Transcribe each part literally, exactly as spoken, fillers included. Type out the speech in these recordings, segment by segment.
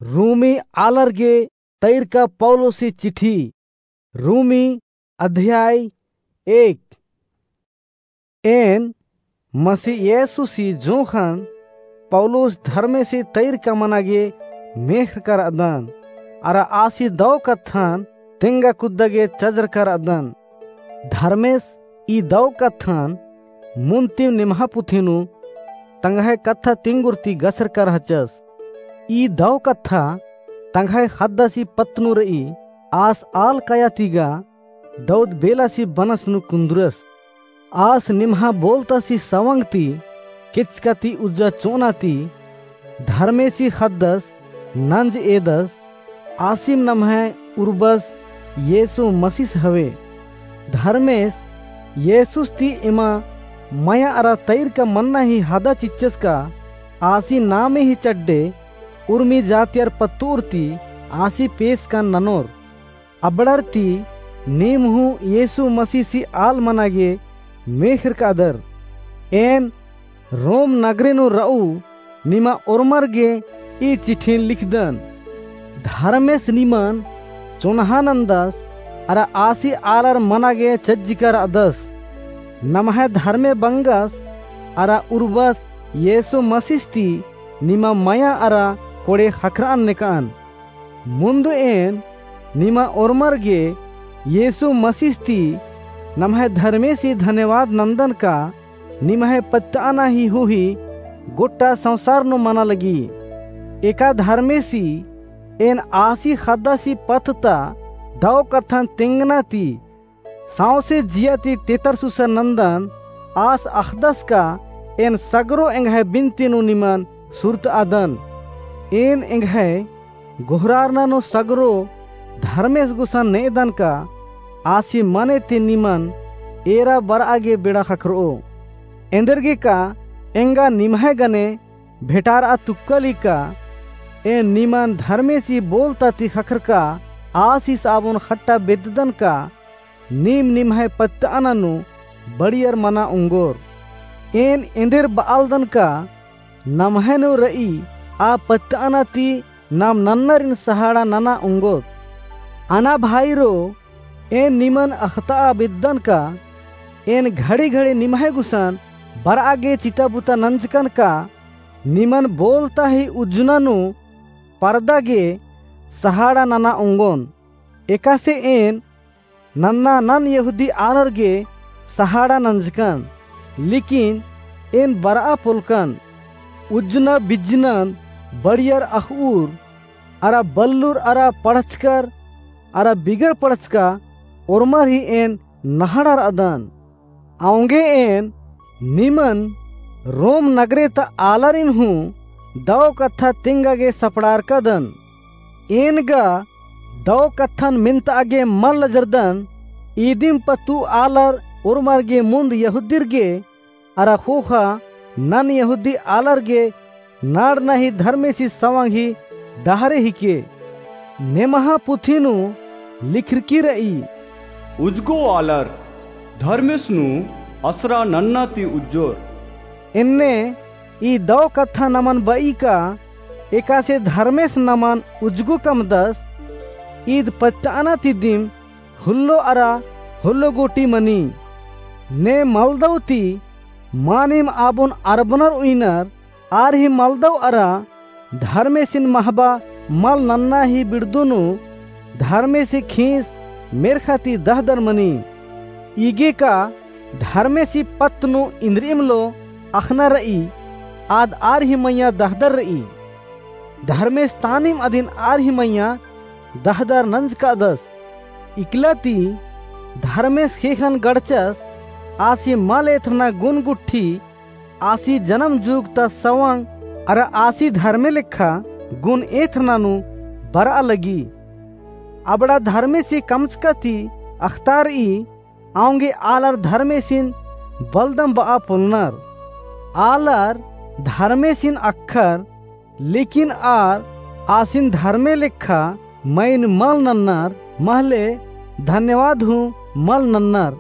रोमी आलर गे तैरका पौलुसी चिट्ठी। रोमी अध्याय एक। एन मसीह येसूसी जोंख़न पौलुस धर्मेसी तैरका मना गे मेख़रका रअदन, अरा आसी दौ कत्थन तेंगा कुद्दा गे चजरका रअदन। धर्मेस ई दौ कत्थन मुन्तिम निम्हा पुथी नू तंग्है कत्था तिंगुर ती गछरका रहचस। ई दौ कत्था तंग्है ख़द्दासी पत्त नू रई, आस आल काया ती गा दौद बेलासी बनस नू कुन्दुरस। आस निम्हा बोलतासी सवंग ती, केचका ती उज्जा चोना ती, धर्मेसी ख़द्दस नंज एदस, आसिम नम्है उर्बस येसु मसीस हवे। धर्मेस येसुस ती एमा मया अरा तैरका मन्ना ही हदा चिच्चस का, आसी नामे ही चड्डे उर्मी जातियर पत्तुर ती आसी पेसकन ननोर। अबड़र ती नीम हूँ येसु मसीसी आल मना गे मेख़रकादर। एन रोम नगरे नू रऊ निमा ओर्मर गे ई चिट्ठिन लिखदन। धर्मेस निमन चोन्हा नन्दस अरा आसी आलर मना गे चज्जिका रअदस। नम्है धर्मे बंगस अरा उर्बस येसु मसीस ती निमा मया अरा कोड़े ख़क्खरअन नेकअन। मुन्द एन निमा ओर्मर गे येसु मसीस ती नम्है धर्मेसी धन्यवाद नन्दन का निम्है पत्तअना ही हुही गोट्टा संसार नू मना लगी। एका धर्मेसी एन आसी ख़द्दासी पत्त ता दौ कत्थन तेंगना ती सौंसे जिया ती तेतरसुसर नन्दन। आस अख़दस का एन सगरो एंग्है बिनती नू निमन सुरतआदन। एन एंग्है गोहरारना नू सगरो धर्मेस गुसन नेदन का आसी मने ती निमन एरा बरआ गे बेड़ा ख़क्खरओ। एन्देरगे का एंगा निम्है गने भेंटारआ तुक्कली का, एन निमन धर्मेसी बोलता ती ख़क्खरका आसिस आबोन ख़ट्टा बेद्ददन का नीम निम्है पत्तअना नू बड़ियर मना ओंगोर। एन एन्देर बआलदन का नम्है नू रई आ पत्तअना ती नाम नन्नरिन सहाड़ा नना ओंगोत। अना भाईरो, एन निमन अख़तआ बेद्दन का एन घड़ी-घड़ी निम्है गुसन बरआ गे चिता बुता नंजकन का निमन बोलता ही उज्जना नू परदा गे सहाड़ा नना ओंगोन। एकासे एन नन्ना नन यहूदी आलर गे सहाड़ा नंजकन, लेकिन एन बरआ पोलकन। उज्जना बिज्जनन बड़ियर अख़उर, अरा बल्लुर अरा पढ़चकर अरा बिगर पढ़चका ओर्मर ही एन नहड़ा रअदन। औंगे एन निमन रोम नगरे ता आलारिन हूँ दौ कत्था तेंगा गे सपड़ारकादन। एन गा दौ कत्थन मेन्तआ गे मल लजरदन, इदिम पत्तु आलर ओर्मर गे मुन्द यहूदिर गे अरा ख़ोख़ा नन यहूदी आलर गे नाड़ना ही धर्मेसी सवंग ही डहरे हिके। नेमहा पुथी नू लिखरकी रई, उज्जगो आलर धर्मेस नू असरा नन्ना ती उज्जोर। एन्ने ई दौ कत्था नमन बई का एकासे धर्मेस नमन उज्जगो कमदस। ईद पत्तअना ती दिम हुल्लो अरा हुल्लो गूटी मनी। ने मलदौ ती मानिम आबोन अरबनर उइनर, आर ही मलदौ अरा धर्मेसिन महबा मल नन्ना ही बिड़दो नू धर्मेसी खींस मेर्खा ती दहदर मनी। इगे का धर्मेसी पत्त नू इन्द्रिइम लो अख़ना रई, आद आर ही मइय्याँ दहदर रई। धर्मेस तानिम अदिन आर ही मइय्याँ दहदर नंजकादस। इकला ती धर्मेस ख़ेख़न गड़चस, आसी मल एथरना गुन गुट्ठी, आसी जनम जुग ता सवंग अरा आसी धर्मे लेखा गुन एथरना नू बरआ लगी। अबड़ा धर्मेसी कमचका ती अख़तारई, औंगे आलर धर्मेसिन बलदम बआ पोलनर। आलर धर्मेसिन अख़र, लेकिन आर आसिन धर्मे लेखा मइन मल नन्नर, महले धन्यवाद हूँ मल नन्नर।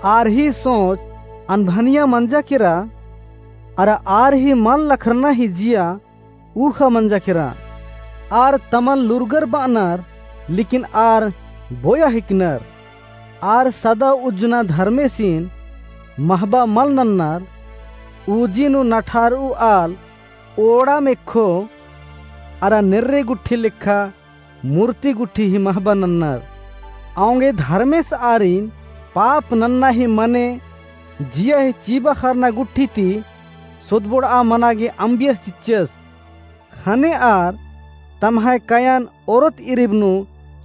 आर ही सोच अनभनिया मंजा केरा, अरा आर ही मल लखरना ही जिया ऊख़ा मंजा केरा। आर तमन लूरगर बअनर, लेकिन आर बोया हिकनर। आर सदा उज्जना धर्मेसिन महबा मल नन्नर, उजी नू नठारऊ आल ओड़ाम एखो अरा नेर्रे गुट्ठी लेखा मूर्ति गुट्ठी ही महबा नन्नर। औंगे धर्मेस आरिन पाप नन्ना ही मने जिया ही चीबा खरना गुट्ठी ती सोदबोड़आ मना गे अम्बियस चिच्चस। ख़ने आर तम्है कयन ओरोत इरिब नू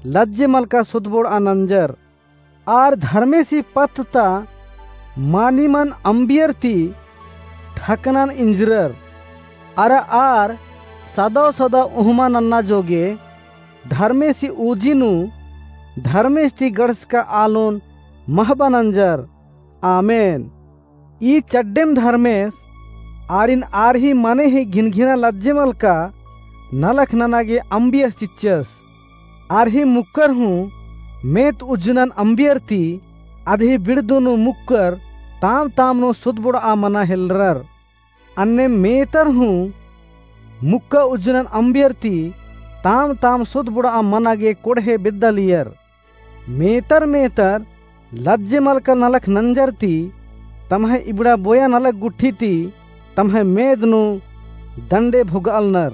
लज्जे मलका सोदबोड़आ नंजर। आर धर्मेसी पत्त ता मानिमन अम्बियर ती ठकनन इंजरर। अरा आर सदौ सदौ उहमा नन्ना जोगे धर्मेसी उजी नू धर्मेस ती गड़सका आलोन महबा नंजर। आमेन। ई चड्डेम धर्मेस आरिन आर ही मने ही घिनघिना लज्जे मलका नलख नना गे अम्बियस चिच्चस। आर ही मुक्कर हूँ मेत उज्जनन अम्बियर ती अदही बिड़दो नू मुक्कर ताम ताम नू सोदबोड़आ मना हेलरर। अन्ने मेतर हूँ मुक्का उज्जनन अम्बियर ती ताम ताम सोदबोड़आ मना गे कोड़हे बेद्दालियर। मेतर मेतर लज्जे मलका नलख नंजर ती तम्है इबड़ा बोया नलख गुट्ठी ती तम्है मेद नू दंडे भोगालनर।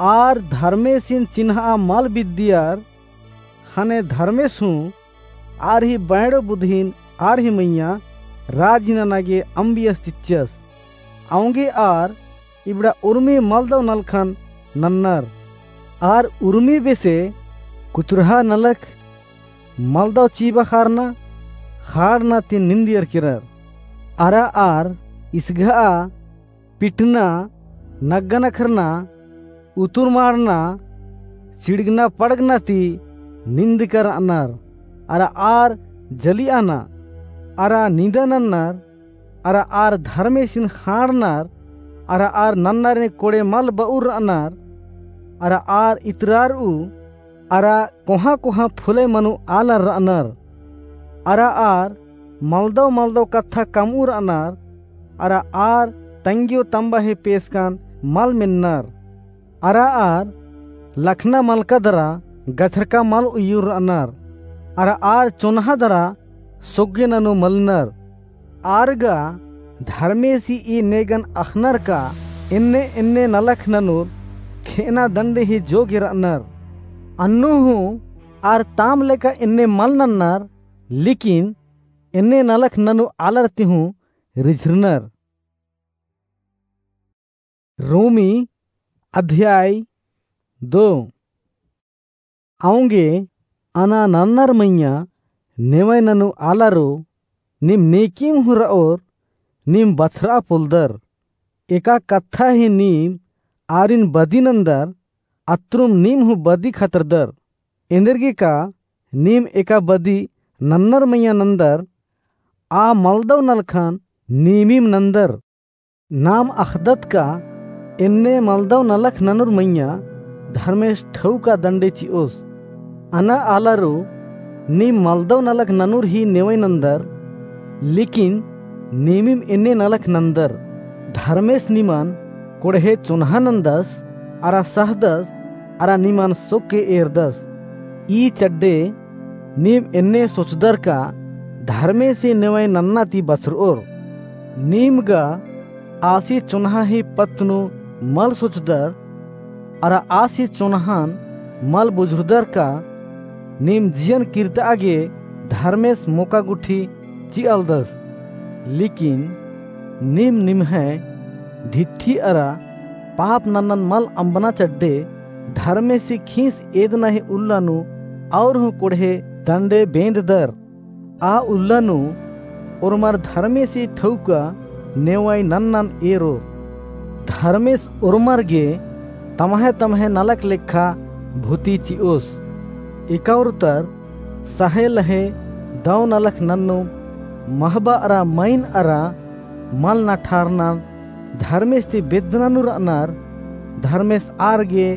आर धर्मेसिन चिन्हआ मल बिद्दियर। ख़ने धर्मेस हूँ आर ही बैड़ो बुधिन आर ही मइय्याँ राजी नना गे अम्बियस चिच्चस। औंगे आर इबड़ा उर्मी मलदौ नलखन नन्नर। आर उर्मी बेसे कुचुरहा नलख मलदौ चीबा खारना, ख़ाड़ना ती निंदियर केरर। अरा आर इसघआ, पिटना, नग्गा नखरना, उतुर माड़ना, चिड़गना पड़गना ती निंदकर रअनर। अरा आर जलियाना, अरा निंदा नन्नर, अरा आर धर्मेसिन ख़ाड़नर, अरा आर नन्नरे कोड़े मल बऊर रअनर, अरा आर इतरारऊ, अरा कोहाँ कोहाँ फुलय मनु आलर रअनर, अरा आर मलदौ मलदौ कत्था कमऊ रअनर, अरा आर तंग्यो तम्बा ही पेसकन मल मेन्नर। अरा आर लखना मलका दरा गछरका मल उइयुर रअनर, अरा आर चोन्हा दरा सोग्गे ननू मलनर। आर गा धर्मेसी ई नेगन अख़नर का एन्ने एन्ने नलख ननुर खेअना दंडे ही जोगे रअनर। अन्नु हूँ आर ताम लेका एन्ने मल नन्नर, लेकिन एन्ने नलख ननु आलर ती हूँ रिझरनर। रोमी अध्याय दो। औंगे अना नन्नर मइय्याँ नेवय ननु आलारो, नीम नेकिम हूँ रओर, नीम बछरआ पोलदर। एका कत्था ही नीम आरिन बदी नन्दर, अत्रुम नीम हूँ बदी खतरदर। एन्देरगे का नीम एका बदी नन्नर मइय्याँ नन्दर, आ मलदौ नलखन नीमिम नन्दर। नाम अख़दत का एन्ने मलदौ नलख ननुर मइय्याँ धर्मेस ठौका दंडे चिओस। अना आलारो नीम मलदौ नलख ननुर ही नेवय नन्दर, लेकिन नीमिम एन्ने नलख नन्दर। धर्मेस निमन कोड़हे चोन्हा नन्दस, अरा सहदस, अरा निमन सोक्के एरदस। ई चड्डे नीम एन्ने सोचदर का धर्मेसी नेवय नन्ना ती बछरओर। नीम गा आसी चोन्हा ही पत्त नू मल सोचदर, अरा आसी चोन्हन मल बुझुरदर का नीम जियन किर्तआ गे धर्मेस मोका गुट्ठी चिअलदस। लेकिन नीम निम्है ढिट्ठी अरा पाप नन्नन मल अम्बना चड्डे धर्मेसी खीस एदना ही उल्ला नू और हूँ कोड़हे दंडे बेंददर। आ उल्ला नू ओर्मर धर्मेसी ठौका नेवय नन्नन एरो। धर्मेस ओर्मर गे तम्है तम्है नलख लेखा भूती चिओस। एका उरतर सहे लहे दौ नलख नन्नु महबा अरा मइन अरा मल नठारनर धर्मेस ती बेद्दना नू रअनर, धर्मेस आर गे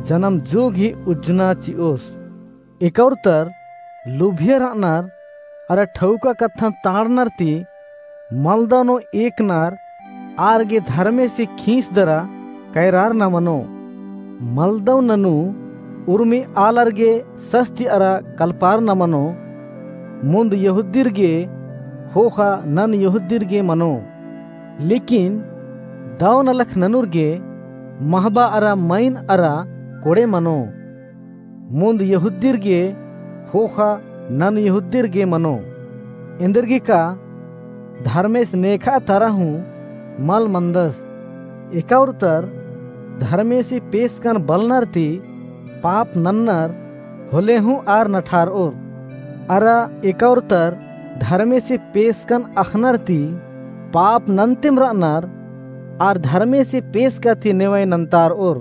जनम जोग ही उज्जना चिओस। एका उरतर लुभियर रअनर अरा ठौका कत्थन ताड़नर ती मलदौ नू एकनर आर गे धर्मेसी खीस दरा कैरारना मनो। मलदव ननू उर्मी आलर गे सस्ती अरा कलपारना मनो, मुन्द यहूदीर गे ख़ोख़ा नन यहूदीर गे मनो। लेकिन दव नलख ननुर गे महबा अरा मइन अरा कोड़े मनो, मुन्द यहूदीर गे ख़ोख़ा नन यहूदीर गे मनो। एन्देरगे का धर्मेस नेखा तरा हूँ मल मन्दस। एका उरतर धर्मेसी पेसकन बलनर ती पाप नन्नर होले हूँ आर नठारओर। अरा एका उरतर धर्मेसी पेसकन अख़नर ती पाप नन्तिम रअनर आर धर्मेसी पेसका ती नेवय नन्तारओर।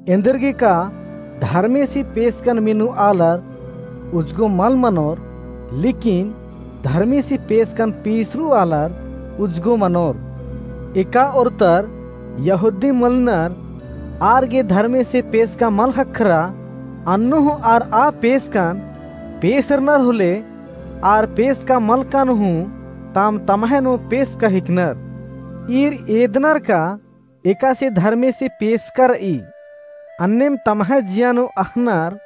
एन्देरगे का धर्मेसी पेसकन मिनू आलर उजगो मल मनोर, लेकिन धर्मेसी पेसकन पेसरू आलर उजगो मनोर। एका ओरतर यहूदी मलनर आर गे धर्मेसी पेसका मल ख़क्खरा, अन्नु हूँ आर आ पेसकन पेसरनर होले आर पेसका मलकन हूँ ताम तम्है नू पेसका हिकनर। ईर एदनर का एकासे धर्मेसी पेसका रई, अन्नेम तम्है जिया नू अख़नर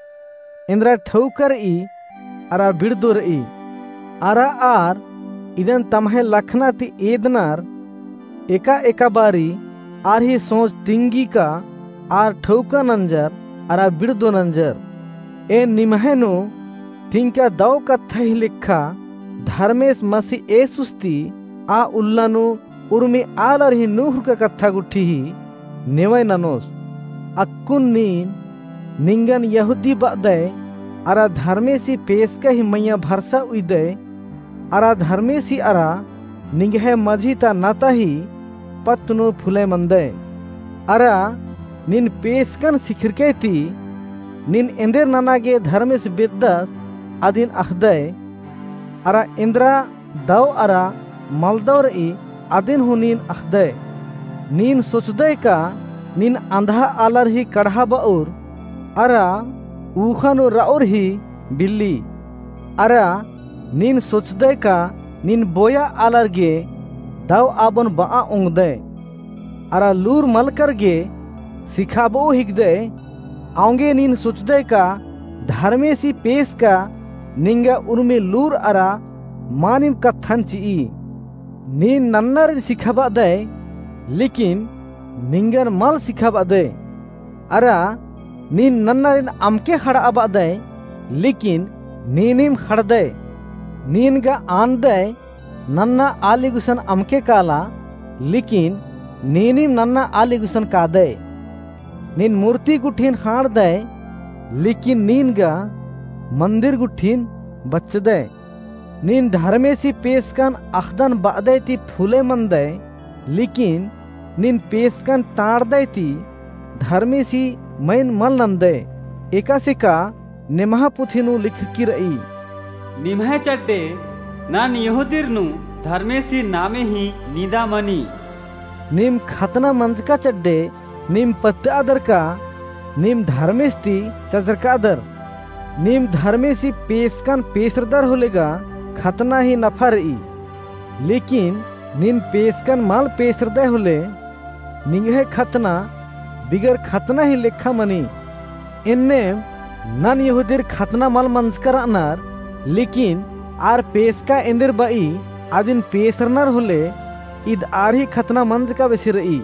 एन्दरा ठौका रई अरा बिड़दो रई। अरा आर इदन तम्है लखना ती एदनर, एका एका बारी आर ही सोच तिंगी का आर ठौका नंजर अरा बिड़दो नंजर। एन निम्है नू तिंका दव कत्था ही लेखा धर्मेस मसी येसुस ती आ उल्ला नू उर्मी आलर ही नूख़ुरका कत्था गुट्ठी ही नेवय ननोस। अक्कुन नीन निंगन यहूदी बअदय अरा धर्मेसी पेसका ही मइय्याँ भरसा उइदय अरा धर्मेसी अरा निंग्है मझी ता नता ही पत्त नू फुलय मन्दय। अरा नीन पेसकन सिखिरकय ती नीन एन्देर नना गे धर्मेस बेद्दस अदिन अख़दय। अरा एन्दरा दव अरा मलदव रई अदिन हूँ नीन अख़दय। नीन सोचदय का नीन अंधा आलर ही कड़हा बऊर अरा ऊख़ा नू रऊर ही बिल्ली। अरा नीन सोचदय का नीन बोया आलर गे दव आबोन बआ ओंगदय। अरा लूर मलकर गे सिखाबओ हिकदय। औंगे नीन सोचदय का धर्मेसी पेसका निंगा उर्मी लूर अरा मानिम कत्थन चिई। नीन नन्नारिन सिखाबअदय, लेकिन निंगन मल सिखाबअदय। अरा नीन नन्नारिन अमके ख़ड़आबअदय, लेकिन नीनिम ख़ड़दय। नीन गा आनदय नन्ना आली गुसन अमके काला, लेकिन नीनिम नन्ना आली गुसन कादय। नीन मूर्ति गुट्ठिन ख़ांड़दय, लेकिन नीन गा मन्दिर गुट्ठिन बच्चदय। नीन धर्मेसी पेसकन अख़दन बअदय ती फूलय मन्दय, लेकिन नीन पेसकन टाँड़दय ती धर्मेसी मइन मल नन्दय। एकासे का नेम्हा पुथी नू लिखरकी रई। निम्है चड्डे नन यहूदीर नू धर्मेसी नामे ही निदा मनी। नीम खतना मंजका चड्डे नीम पत्तआदर का नीम धर्मेस ती चजरकादर। नीम धर्मेसी पेसकन पेसरदर होले गा खतना ही नफा रई। लेकिन नीन पेसकन मल पेसरदय होले निंग्है खतना बिगर खतना ही लेखा मनी। एन्नेम नन यहूदीर खतना मल मंजका रअनर, लेकिन आर पेसका एन्देर बई अदिन पेसरनर होले ईद आर ही खतना मंजका बेसे रई।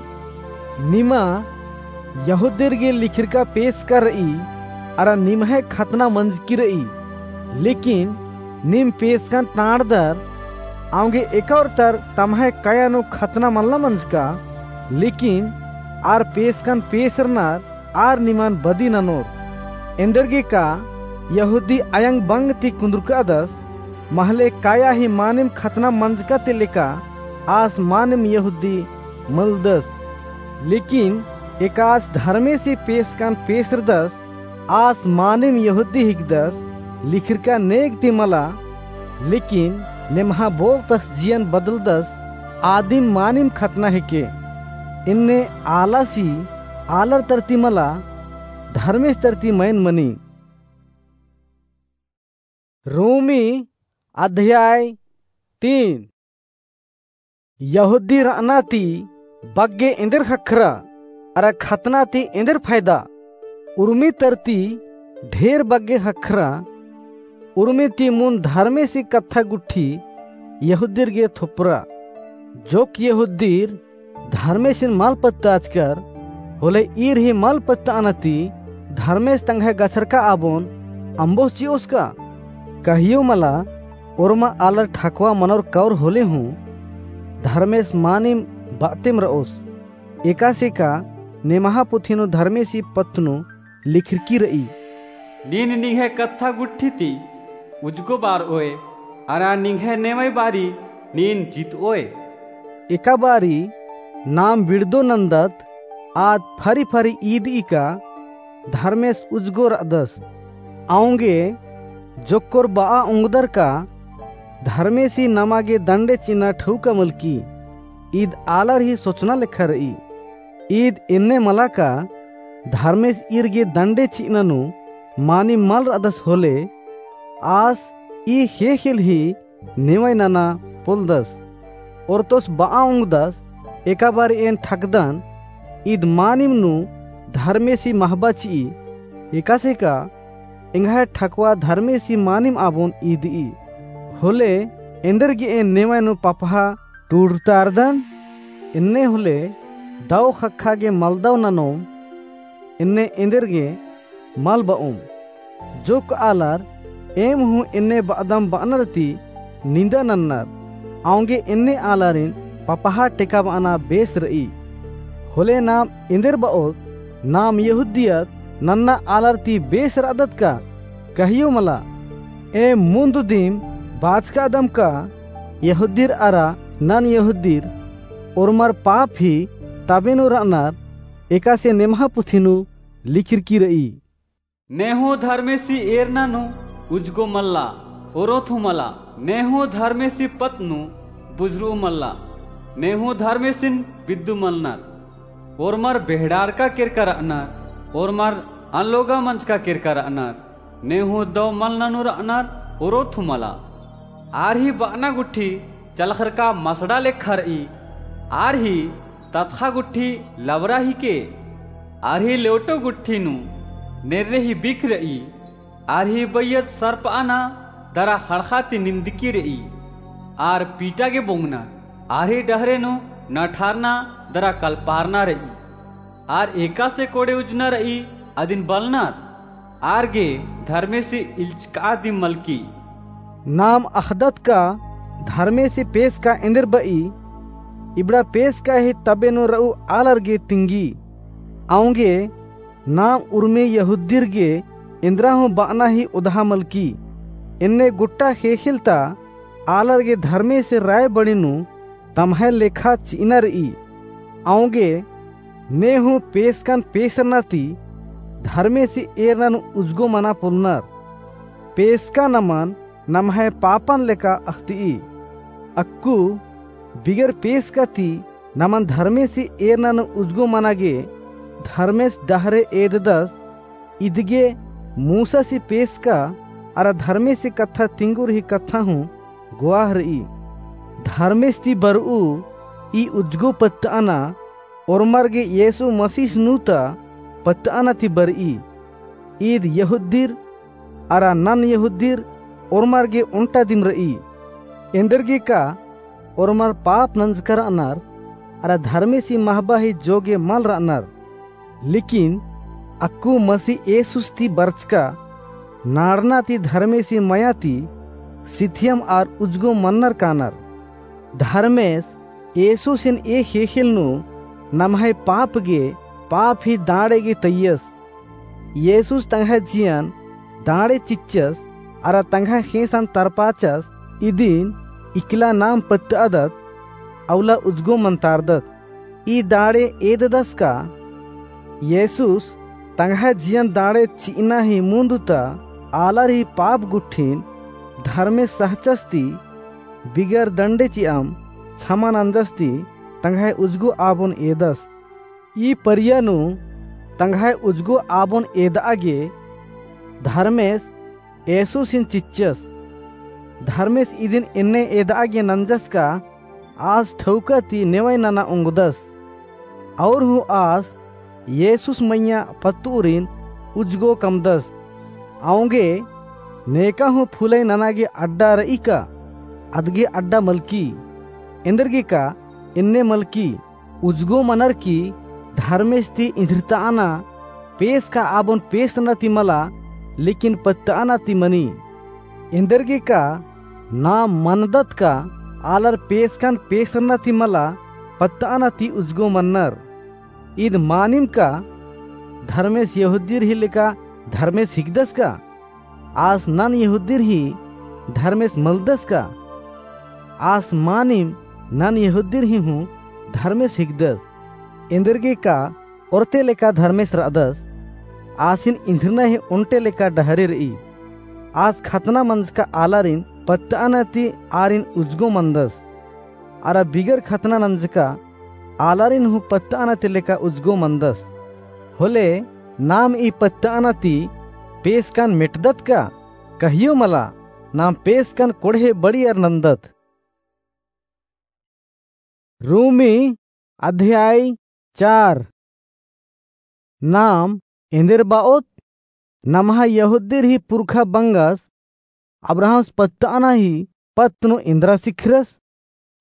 निमा यहूदीर गे लिखिरका पेसका रई, अरा निम्है खतना मंजकी रई। लेकिन नीम पेसकन टाँड़दर, औंगे एका ओरतर तम्है काया नू खतना मल्ला मंजका, लेकिन आर पेसकन पेसरनर आर निमन बदी ननोर। एन्देरगे का यहूदी अयंग बंग ती कुन्दुरकादस, महले काया ही मानिम खतना मंजका ती लेका आस मानिम यहूदी मलदस। लेकिन एकास धर्मेसी पेसकन पेसरदस, आस मानिम यहूदी हिकदस, लिखिरका नेग ती मला, लेकिन नेम्हा बोल तस जियन बदलदस, आदिम मानिम खतना हिके। एन्ने आलासी आलर तरती मला, धर्मेस तरती मइन मनी। रोमी अध्याय तीन। यहूदी रअना ती बग्गे एन्देर ख़क्खरा, अरा खतना ती एन्देर फायदा? उर्मी तरती ढेर बग्गे ख़क्खरा। उर्मी ती मुन्द धर्मेसी कत्था गुट्ठी यहूदीर गे थोपरा। जोक यहूदीर धर्मेसिन मल पत्ताचकर, होले ईर ही मल पत्ताना ती धर्मेस तंग्है गछरका आबोन अम्बोस चिओस का? कहियो मला, ओर्मा आलर ठकवा मनोर कौर होले हूँ धर्मेस मानिम बातेम रओस। एकासे का नेमहा पुथी नू धर्मेसी पत्त नू लिखरकी रई। नीन निंग्है कत्था गुट्ठी ती उजगो बारओय, अरा निंग्है नेवय बारी नीन जितओय। एका बारी नाम बिड़दो नन्दत आद फरी फरी ईदई का धर्मेस उजगो रअदस। औंगे जोक्कोर बआ ओंगदर का धर्मेसी नमा गे दंडे चिअना ठौका मलकी। ईद आलर ही सोचना लेखा रई। ईद एन्ने मला का धर्मेस ईर गे दंडे चिअना नू मानिम मल रअदस होले, आस ई ख़ेख़ेल ही नेवय नना पोलदस। ओर्तोस बआ ओंगदस, एका बारी एन ठकदन, ईद मानिम नू धर्मेसी महबा चिई। एकासे का एंग्है ठकवा धर्मेसी मानिम आबोन ईदई। होले एन्देरगे एन नेवय नू पपहा टूड़तारदन? एन्ने होले दौ ख़क्खा गे मलदौ ननोम, एन्ने एन्देरगे मल बओम। जोक आलर एम हूँ एन्ने बअदम बअनर ती निंदा नन्नर, औंगे एन्ने आलारिन पपहा टेकाबअना बेस रई। होले नाम एन्देर बओत, नाम यहूदियत नन्ना आलर ती बेस रअदत का? कहियो मला। एम मुन्द दिम बाचकादम का यहूदीर अरा नन यहूदीर ओर्मर पाप ही तबे नू रअनर, एकासे नेमहा पुथी नू लिखरकी रई। ने हूँ धर्मेसी एरना नू उजगो मल्ला, ओरोथू मला। ने हूँ धर्मेसी पत्त नू बुझुरु मल्ला। ने हूँ धर्मेसिन बिद्दु मलनर। ओर्मर बेहड़ारका केरका रअनर, ओर्मर अनलोगा मंजका केरका रअनर। ने हूँ दौ मलना नू रअनर, ओरोथू मला। आर ही बअना गुट्ठी चलखरका मसड़ा लेखा रई। आर ही ततख़ा गुट्ठी लबरा हिके। आर ही लेवटो गुट्ठी नू नेर्रे ही बिख रई। आर ही बइयत सरपअना दरा ख़ड़ख़ा ती निंदकी रई। आर पीटा गे बोंगनर। आर ही डहरे नू नठारना दरा कलपारना रई। आर एकासे कोड़े उज्जना रई, अदिन बलनर। आर गे धर्मेसी इल्चका दिम मलकी। नाम अख़दत का धर्मेसी पेसका एन्देर बई, इबड़ा पेसका ही तबे नू रऊ आलर गे तिंगी। औंगे नाम उर्मी यहूदीर गे एन्देरा हूँ बअना ही ओदहा मलकी। एन्ने गुट्टा ख़ेख़ेल ता आलर गे धर्मेसी राय बड़ी नू तम्है लेखा चिअना रई। औंगे ने हूँ पेसकन पेसरना ती धर्मेसी एरना नू उजगो मना पोलनर। पेसका नमन नम्है पापन लेखा अख़तिई। अक्कु बिगर पेसका ती नमन धर्मेसी एरना नू उजगो मना गे धर्मेस डहरे एददस। इदगे मूसासी पेसका अरा धर्मेसी कत्था तिंगुर ही कत्था हूँ गोआह रई। धर्मेस ती बरऊ ई उजगो पत्तअना ओर्मर गे येसु मसीस नू ता पत्तअना ती बरई। ईद यहूदीर अरा नन यहूदीर ओर्मर गे ओन्टा दिम रई। एन्देरगे का ओर्मर पाप नंजका रअनर अरा धर्मेसी महबा ही जोगे मल रअनर। लेकिन अक्कु मसीह येसुस ती बरचका नाड़ना ती धर्मेसी मया ती सिथियम आर उजगो मन्नर कानर। धर्मेस येसुसिन ए ख़ेख़ेल नू नम्है पाप गे पाप ही दाँड़े गे तइयस। येसुस तंग्है जियन दाँड़े चिच्चस अरा तंग्है ख़ेंसन तरपाचस। इदिन इकला नाम पत्तअदत, अउला उजगो मन्तारदत। ई दाँड़े एददस का येसुस तंग्है जियन दाँड़े चिअना ही मुन्द ता आलर ही पाप गुट्ठिन धर्मेस सहचस ती बिगर दंडे चिअम छमा नंजस ती तंग्है उजगो आबोन एदस। ई परिया नू तंग्है उजगो आबोन एदआ गे धर्मेस येसुसिन चिच्चस। धर्मेस इदिन एन्ने एदआ गे नंजस का आस ठौका ती नेवय नना ओंगदस। और हूँ आस येसुस मइय्याँ पत्तउरिन उजगो कमदस। औंगे नेका हूँ फुलई नना गे अड्डा रई का? अदगे अड्डा मलकी। एन्देरगे का एन्ने मलकी, उजगो मनर की धर्मेस ती इन्द्रितआना, पेसका आबोन पेसरना ती मला, लेकिन पत्तआना ती मनी। एन्देरगे का नाम मनदत का आलर पेसकन पेसरना ती मला, पत्तआना ती उजगो मनर। ईद मानिम का धर्मेस यहूदीर ही लेका धर्मेस हिकदस का? आस नन यहूदीर ही धर्मेस मलदस का? आस मानिम नन यहूदीर ही हूँ धर्मेस हिकदस। एन्देरगे का ओरते लेका धर्मेस रअदस, आसिन इन्द्रिना ही ओन्टे लेका डहरे रई। आस खतना मंजका आलारिन पत्तआना ती आरिन उजगो मनदस। अरा बिगर खतना नंजका आलारिन हूँ पत्तआना ती लेका उजगो मनदस। होले नाम ई पत्तआना ती पेसकन मेटदत का? कहियो मला, नाम पेसकन कोड़हे बड़ियर नन्दत। रोमी अध्याय चार। नाम एन्देर बाओत, नम्हा यहूदीर ही पुरखा बंगस अब्राहम्स पत्तआना ही पत्त नू एन्द्रा सिखरस?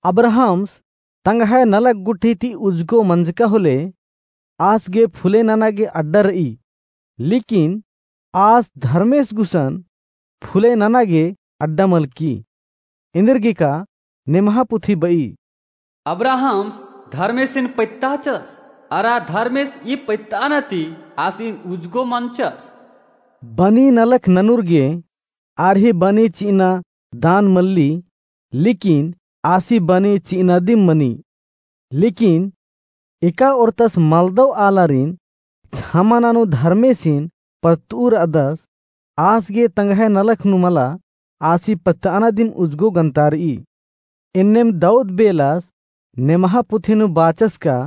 अब्राहम्स तंग्है नलख गुट्ठी ती उजगो मंजका होले, आस गे फुले नना गे अड्डा रई, लेकिन आस धर्मेस गुसन फुले नना गे अड्डा मलकी। एन्देरगे का नेम्हा पुथी बई, अब्राहम्स धर्मेसिन पत्ताचस, अरा धर्मेस ई पत्तआना ती आसिन उजगो मंचस। बनी नलख ननुर गे आर ही बनी चिअना दान मल्ली, लेकिन आसी बनी चिअना दिम मनी। लेकिन एका ओरतस मलदव आलारिन छमा ननू धर्मेसिन पत्तऊ रअदस, आस गे तंग्है नलख नू मला, आसी पत्तआना दिम उजगो गन्तारई। एन्नेम दाऊद बेलस नेम्हा पुथी नू बाचस का,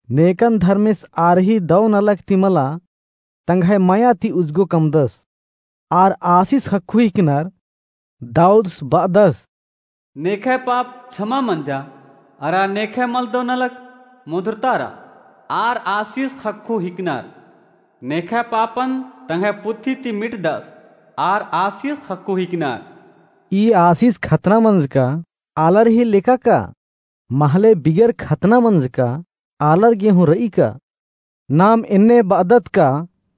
नेकन धर्मेस आर ही दव नलख ती मला, तंग्है मया ती उजगो कमदस। आर आसिस ख़क्खु हिकनर। दाऊदस बअदस, नेखय पाप छमा मंजा, अरा नेखय मलदव नलख मोधरतारा। आर आसिस ख़क्खु हिकनर। नेखय पापन तंग्है पुथी ती मिटदस, आर आसिस ख़क्खु हिकनर। ई आसिस खतना मंजका आलर ही लेका का? महले बिगर खतना मंजका आलर गे हूँ रई का? नाम एन्ने बअदत का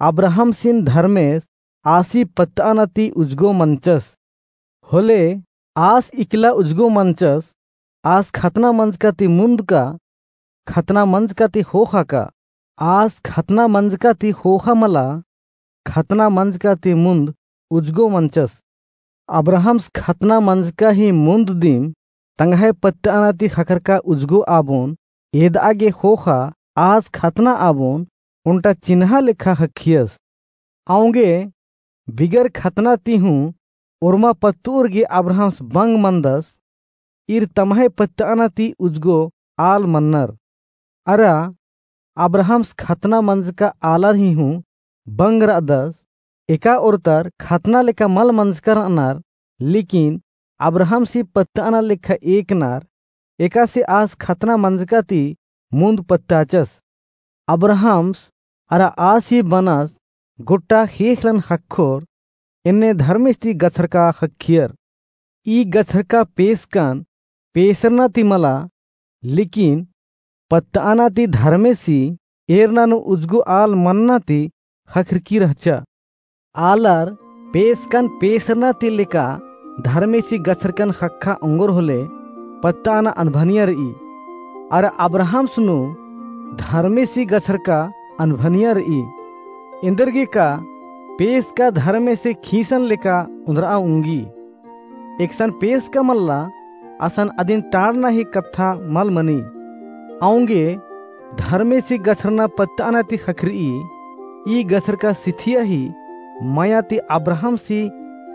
अब्राहमसिन धर्मेस आसी पत्तआना ती उजगो मंचस। होले आस इकला उजगो मंचस, आस खतना मंजका ती मुन्द का, खतना मंजका ती ख़ोख़ा का? आस खतना मंजका ती ख़ोख़ा मला, खतना मंजका ती मुन्द उजगो मंचस। अब्राहम्स खतना मंजका ही मुन्द दिम तंग्है पत्तआना ती ख़क्खरका उजगो आबोन एदआ गे ख़ोख़ा, आस खतना आबोन ओन्टा चिन्हा लेखा ख़क्खियस। औंगे बिगर खतना ती हूँ ओर्मा पत्तउर गे अब्राहम्स बंग मनदस, ईर तम्है पत्तआना ती उजगो आल मन्नर। अरा अब्राहम्स खतना मंजका आलर ही हूँ बंग रअदस। एका ओर्तर खतना लेखा मल मंजका रअनर, लेकिन अब्राहम्स ही पत्तआना लेखा एकनर। एकासे आस खतना मंजका ती मुन्द पत्ताचस। अब्राहम्स अरा आस ही बनस गोट्टा ख़ेख़लन ख़क्खोर, एन्ने धर्मेस ती गछरका ख़क्खियर। ई गछरका पेसकन पेसरना ती मला, लेकिन पत्तआना ती धर्मेस ही एरना नू उजगो आल मन्ना ती ख़क्खरकी रहचा। आलर पेसकन पेसरना ती लेका धर्मेस ही गछरकन ख़क्खा ओंगोर होले पत्तआना अनभनिया रई। अरा अब्राहम्स नू धर्मेस ही गछरका अनभनिया रई। एन्देरगे का पेसका धर्मेस ही खीसन लेका ओन्द्रआ ओंगी। एकसन पेसका मल्ला, असन अदिन टाड़ना ही कत्था मल मनी। औंगे धर्मेस ही गछरना पत्तआना ती ख़क्खरई। ई गछरका सिथिया ही मया ती अब्राहम्स ही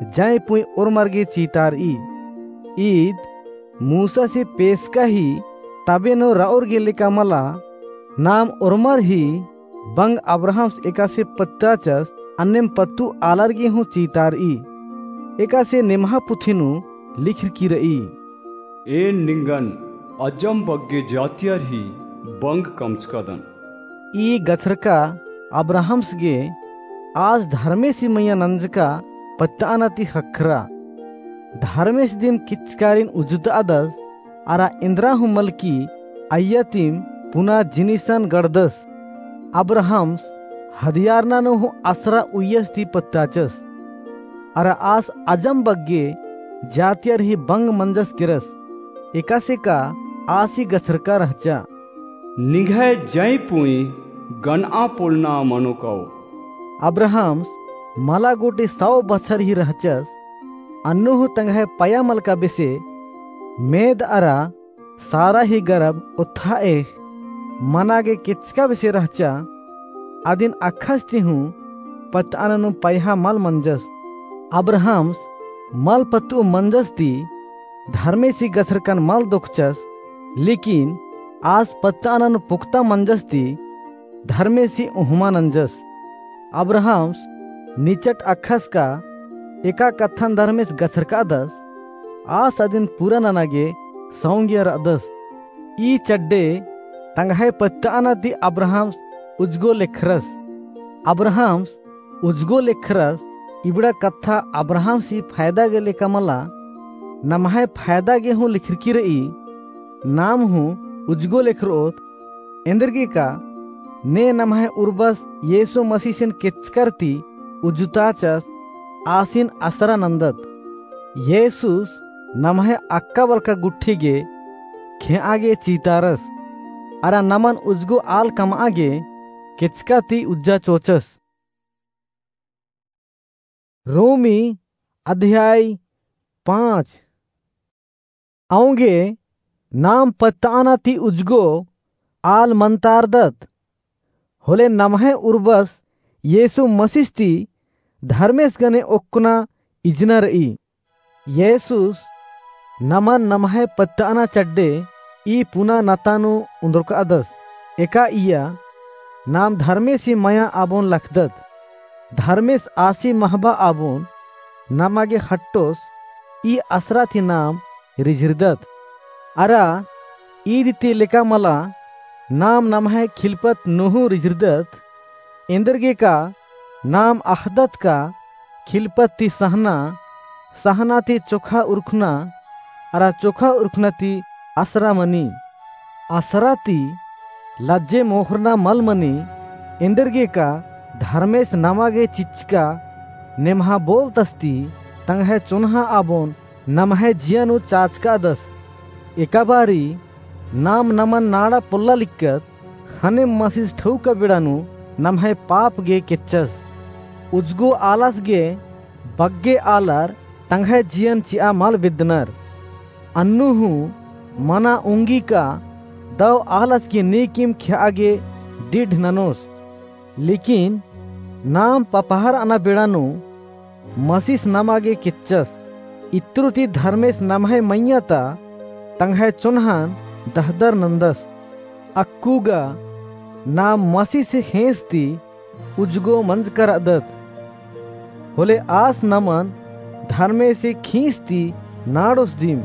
जंय पुंय ओर्मर गे चीतारई। ईद मूसस ही पेसका ही तबे नू रअउर गे लेका मला। नाम ओर्मर ही बंग अब्राहम्स एकासे पत्ताचस, अन्नेम पत्तु आलर गे हूँ चीतारई। एकासे नेम्हा पुथी नू लिखरकी रई, एन निंगन अजम बग्गे जातियर ही बंग कमचकदन। ई गछरका अब्राहम्स गे आस धर्मेसी मइय्याँ नंजका पत्तअना ती ख़क्खरा। धर्मेस दिम किचकारिन उज्जुतादस, अरा एन्दरा हूँ मलकी अइय्या तिम पुना जिनिसन गड़दस। अब्राहम्स हदियारना नू हूँ असरा उइय्यस ती पत्ताचस। अरा आस अजम बग्गे जातियर ही बंग मंजस केरस। एकासे का आसी गछरका रहचा। निंग्है जंय पुंई गनआ पोलना मनो कओ। अब्राहम्स मला गूटी सौ बछर ही रहचस। अन्नु हूँ तंग्है पया मलका बेसे मेद अरा सारा ही गरब ओथाएख़ मना गे केचका बेसे रहचा। अदिन अख़स ती हूँ पत्तअना नू पयहा मल मंजस। अब्राहम्स मल पत्तु मंजस ती धर्मेसी गछरकन मल दोखचस, लेकिन आस पत्तअना नू पुक्ता मंजस ती धर्मेसी उहमा नंजस। अब्राहम्स निचट अख़स का एका कत्थन धर्मेस गछरकादस, आस अदिन पूरा नना गे सौंगिया रअदस। ई चड्डे तंग्है पत्तअना ती अब्राहम्स उज्जगो लेखरस। अब्राहम्स उज्जगो लेखरस, इबड़ा कत्था अब्राहम्सी फायदा गे लेका मला, नम्है फायदा गे हूँ लेखरकी रई। नाम हूँ उज्जगो लेखरओत, एन्देरगे का ने नम्है उर्बस येसु मसीसिन केचकर ती उज्जुताचस, आसिन असरा नन्दत। येसुस नम्है अक्का बलका गुट्ठी गे खेआ गे चीतारस, अरा नमन उज्जगो आल कमआ गे केचका ती उज्जा चोचस। रोमी अध्याय पाँच। औंगे नाम पत्तअना ती उज्जगो आल मंतारदत, होले नम्है उर्बस येसु मसीस ती धर्मेस गने ओक्कना इजना रई। येसुस नमन नम्है पत्तअना चड्डे ई पुना नता नू उन्दुरकादस। एका इया नाम धर्मेसी मया आबोन लखदत। धर्मेस आसी महबा आबोन नमा गे ख़ट्टोस ई असरा ती नाम रिझिरदत। अरा ईद ती लेका मला नाम नम्है खिलपत नू हूँ रिझिरदत। एन्देरगे का नाम अख़दत का खिलपत ती सहना, सहना ती चोखा उरखना, अरा चोखा उरखना ती असरा मनी। असरा ती लज्जे मोख़रना मल मनी, एन्देरगे का धर्मेस नमा गे चिच्चका नेम्हा बोलतस ती तंग्है चोन्हा आबोन नम्है जिया नू चाचकादस। एका बारी नाम नमन नाड़ा पोल्ला लिक्कत, ख़ने मसीस ठौका बेड़ा नू नम्है पाप गे केच्चस। उज्जगो आलस गे बग्गे आलर तंग्है जियन चिआ मल बेद्दनर। अन्नु हूँ मना उंगी का दव आलस गे नीकिम खेआ गे डिढ ननोस। लेकिन नाम पपहर अना बेड़ा नू मसीस नमा गे केच्चस। इत्रु ती धर्मेस नम्है मइय्याँ ता तंग्है चोन्हन दहदर नन्दस। अक्कु गा नाम मसीस ख़ेंस ती उज्जगो मंजका रअदत। होले आस नमन धर्मेसी खींस ती नाड़ोस दिम।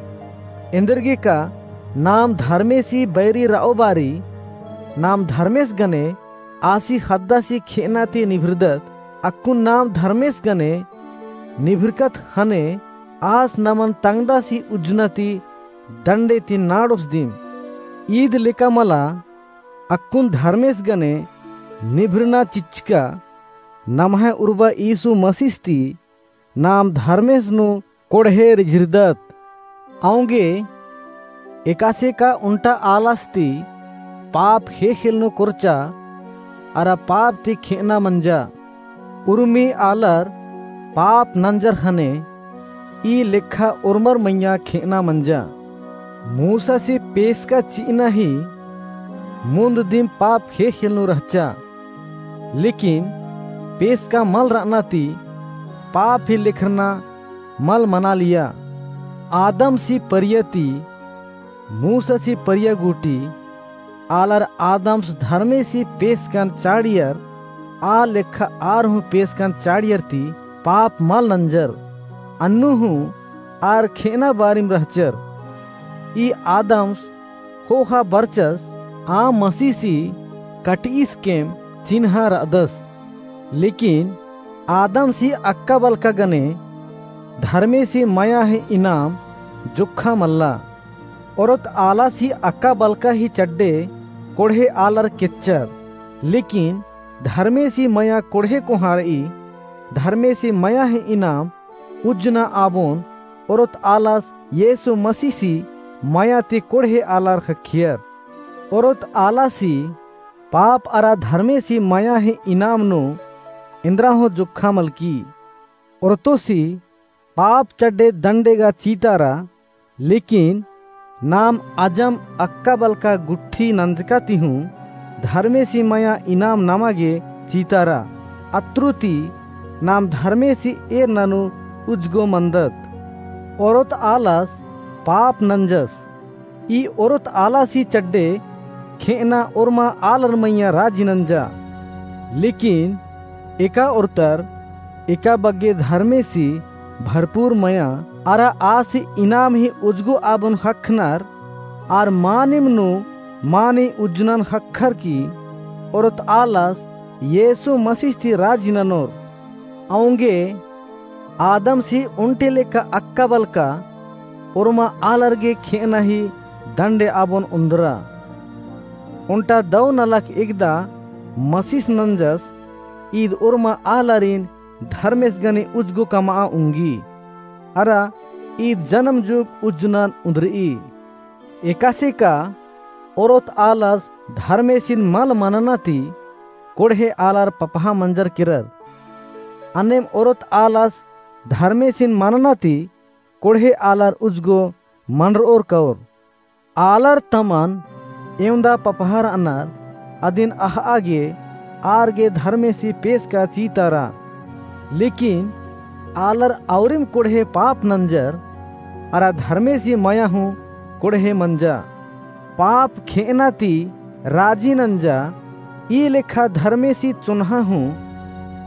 एन्देरगे का नाम धर्मेसी बैरी रओ बारी, नाम धर्मेस गने आसी ख़द्दासी खेअना ती निभिरदत। अक्कुन नाम धर्मेस गने निभिरकत ख़ने आस नमन तंगदासी उज्जना ती दंडे ती नाड़ोस दिम। ईद लेका मला अक्कुन धर्मेस गने निभिरना चिच्चका नम्है उर्बा यीशु मसीस ती नाम धर्मेस नू कोड़हे रिझिरदत। औंगे एकासे का उन्टा आलस ती पाप ख़ेख़ेल नू कोरचा, अरा पाप ती खेअना मंजा। उर्मी आलर पाप नंजर ख़ने ई लेखा ओर्मर मइय्याँ खेअना मंजा। मूसासी पेसका चिअना ही मुन्द दिम पाप ख़ेख़ेल नू रहचा। लेकिन पेसका मल रअना ती पाप ही लेखरना मल मनालिया। आदमसी परिया ती मूसासी परिया गूटी आलर आदम्स धर्मेसी पेसकन चाड़ियर, आ लेखा आर हूँ पेसकन चाड़ियर ती पाप मल नंजर। अन्नु हूँ आर खेअना बारिम रहचर। ई आदम्स ख़ोख़ा बरचस आ मसीसी कटईस केम चिन्हा रअदस। लेकिन आदमसी अक्का बलका गने धर्मेसी मया ही इनाम जोक्खा मल्ला। ओरोत आलासी अक्का बलका ही चड्डे कोड़हे आलर केच्चर, लेकिन धर्मेसी मया कोड़हे कोहाँ रई। धर्मेसी मया ही इनाम उज्जना आबोन ओरोत आलस येसु मसीसी मया ती कोड़हे आलर ख़क्खियर। ओरोत आलासी पाप अरा धर्मेसी मया ही इनाम नू एन्दरा हूँ जोक्खा मलकी। ओरतोसी पाप चड्डे दंडे गा चीतारा, लेकिन नाम अजम अक्का बलका गुट्ठी नंजका ती हूँ धर्मेसी मया इनाम नमा गे चीतारा। अत्रुती नाम धर्मेसी एरना नू उज्जगो मंदत। ओरोत आलस पाप नंजस। ई ओरोत आलासी चड्डे खेअना ओर्मा आलर मइय्याँ राजी नंजा। लेकिन एका ओर्तर एका बग्गे धर्मेसी भरपूर मया अरा आसी इनाम ही उज्जगो आबोन ख़क्खनर, आर मानिम नू मानी उज्जनन ख़क्खर की ओरोत आलस येसु मसीस ती राजी ननोर। औंगे आदमसी ओन्टे लेखा अक्का बलका ओर्मा आलर गे खेअना ही दंडे आबोन ओन्द्रा। ओन्टा दौ नलख एकदा मसीस नंजस, ईद ओर्मा आलारिन धर्मेस गने उज्जगो कमआ ओंगी। अरा ईद जनम जुग उज्जनन ओन्द्रई। एकासे का ओरोत आलस धर्मेसिन मल मनना ती कोड़हे आलर पपहा मंजर केरर। अन्नेम ओरोत आलस धर्मेसिन मनना ती कोड़हे आलर उज्जगो मनरओर कओर। आलर तमन एवंदा पपहा रअनर, अदिन अहआ गे आर गे धर्मेसी पेसका चीतारा। लेकिन आलर औरिम कोड़हे पाप नंजर, अरा धर्मेसी मया हूँ कोड़हे मंजा। पाप खेअना ती राजी नंजा, ई लेखा धर्मेसी चोन्हा हूँ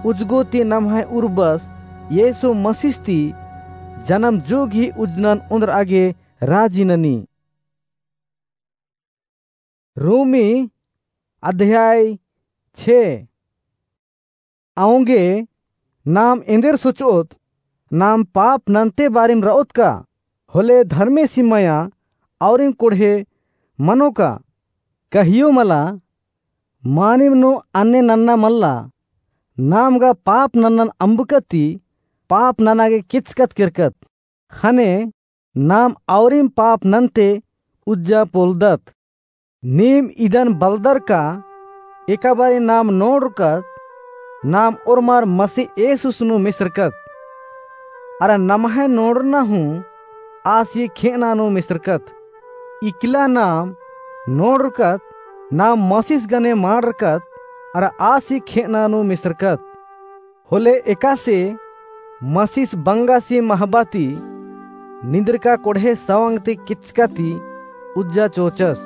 उज्जगो ती नम्है उर्बस येसु मसीस ती जनम जुग ही उज्जनन ओन्द्रआ गे राजी ननी। रोमी अध्याय छे। औंगे नाम एन्देर सोचओत, नाम पाप नन्ते बारिम रओत का? होले धर्मेसी मया औरिम कोड़हे मनो का? कहियो मला, मानिम नू अन्ने नन्ना मल्ला। नाम गा पाप नन्नन अम्बकत ती पाप नना गे केचकत केरकत। ख़ने नाम औरिम पाप नन्ते उज्जा पोलदत। नीम इदन बलदर का एका बारी नाम नोड़रकत, नाम ओर्मर मसीह येसुस नू मेसरकत। अरा नम्है नोड़रना हूँ आसी खेअना नू मेसरकत। इकला नाम नोड़रकत, नाम मसीस गने माड़रकत, अरा आसी खेअना नू मेसरकत। होले एकासे मसीस बंगासी महबा ती निंदरका कोड़हे सवंग ती केचका ती उज्जा चोचस।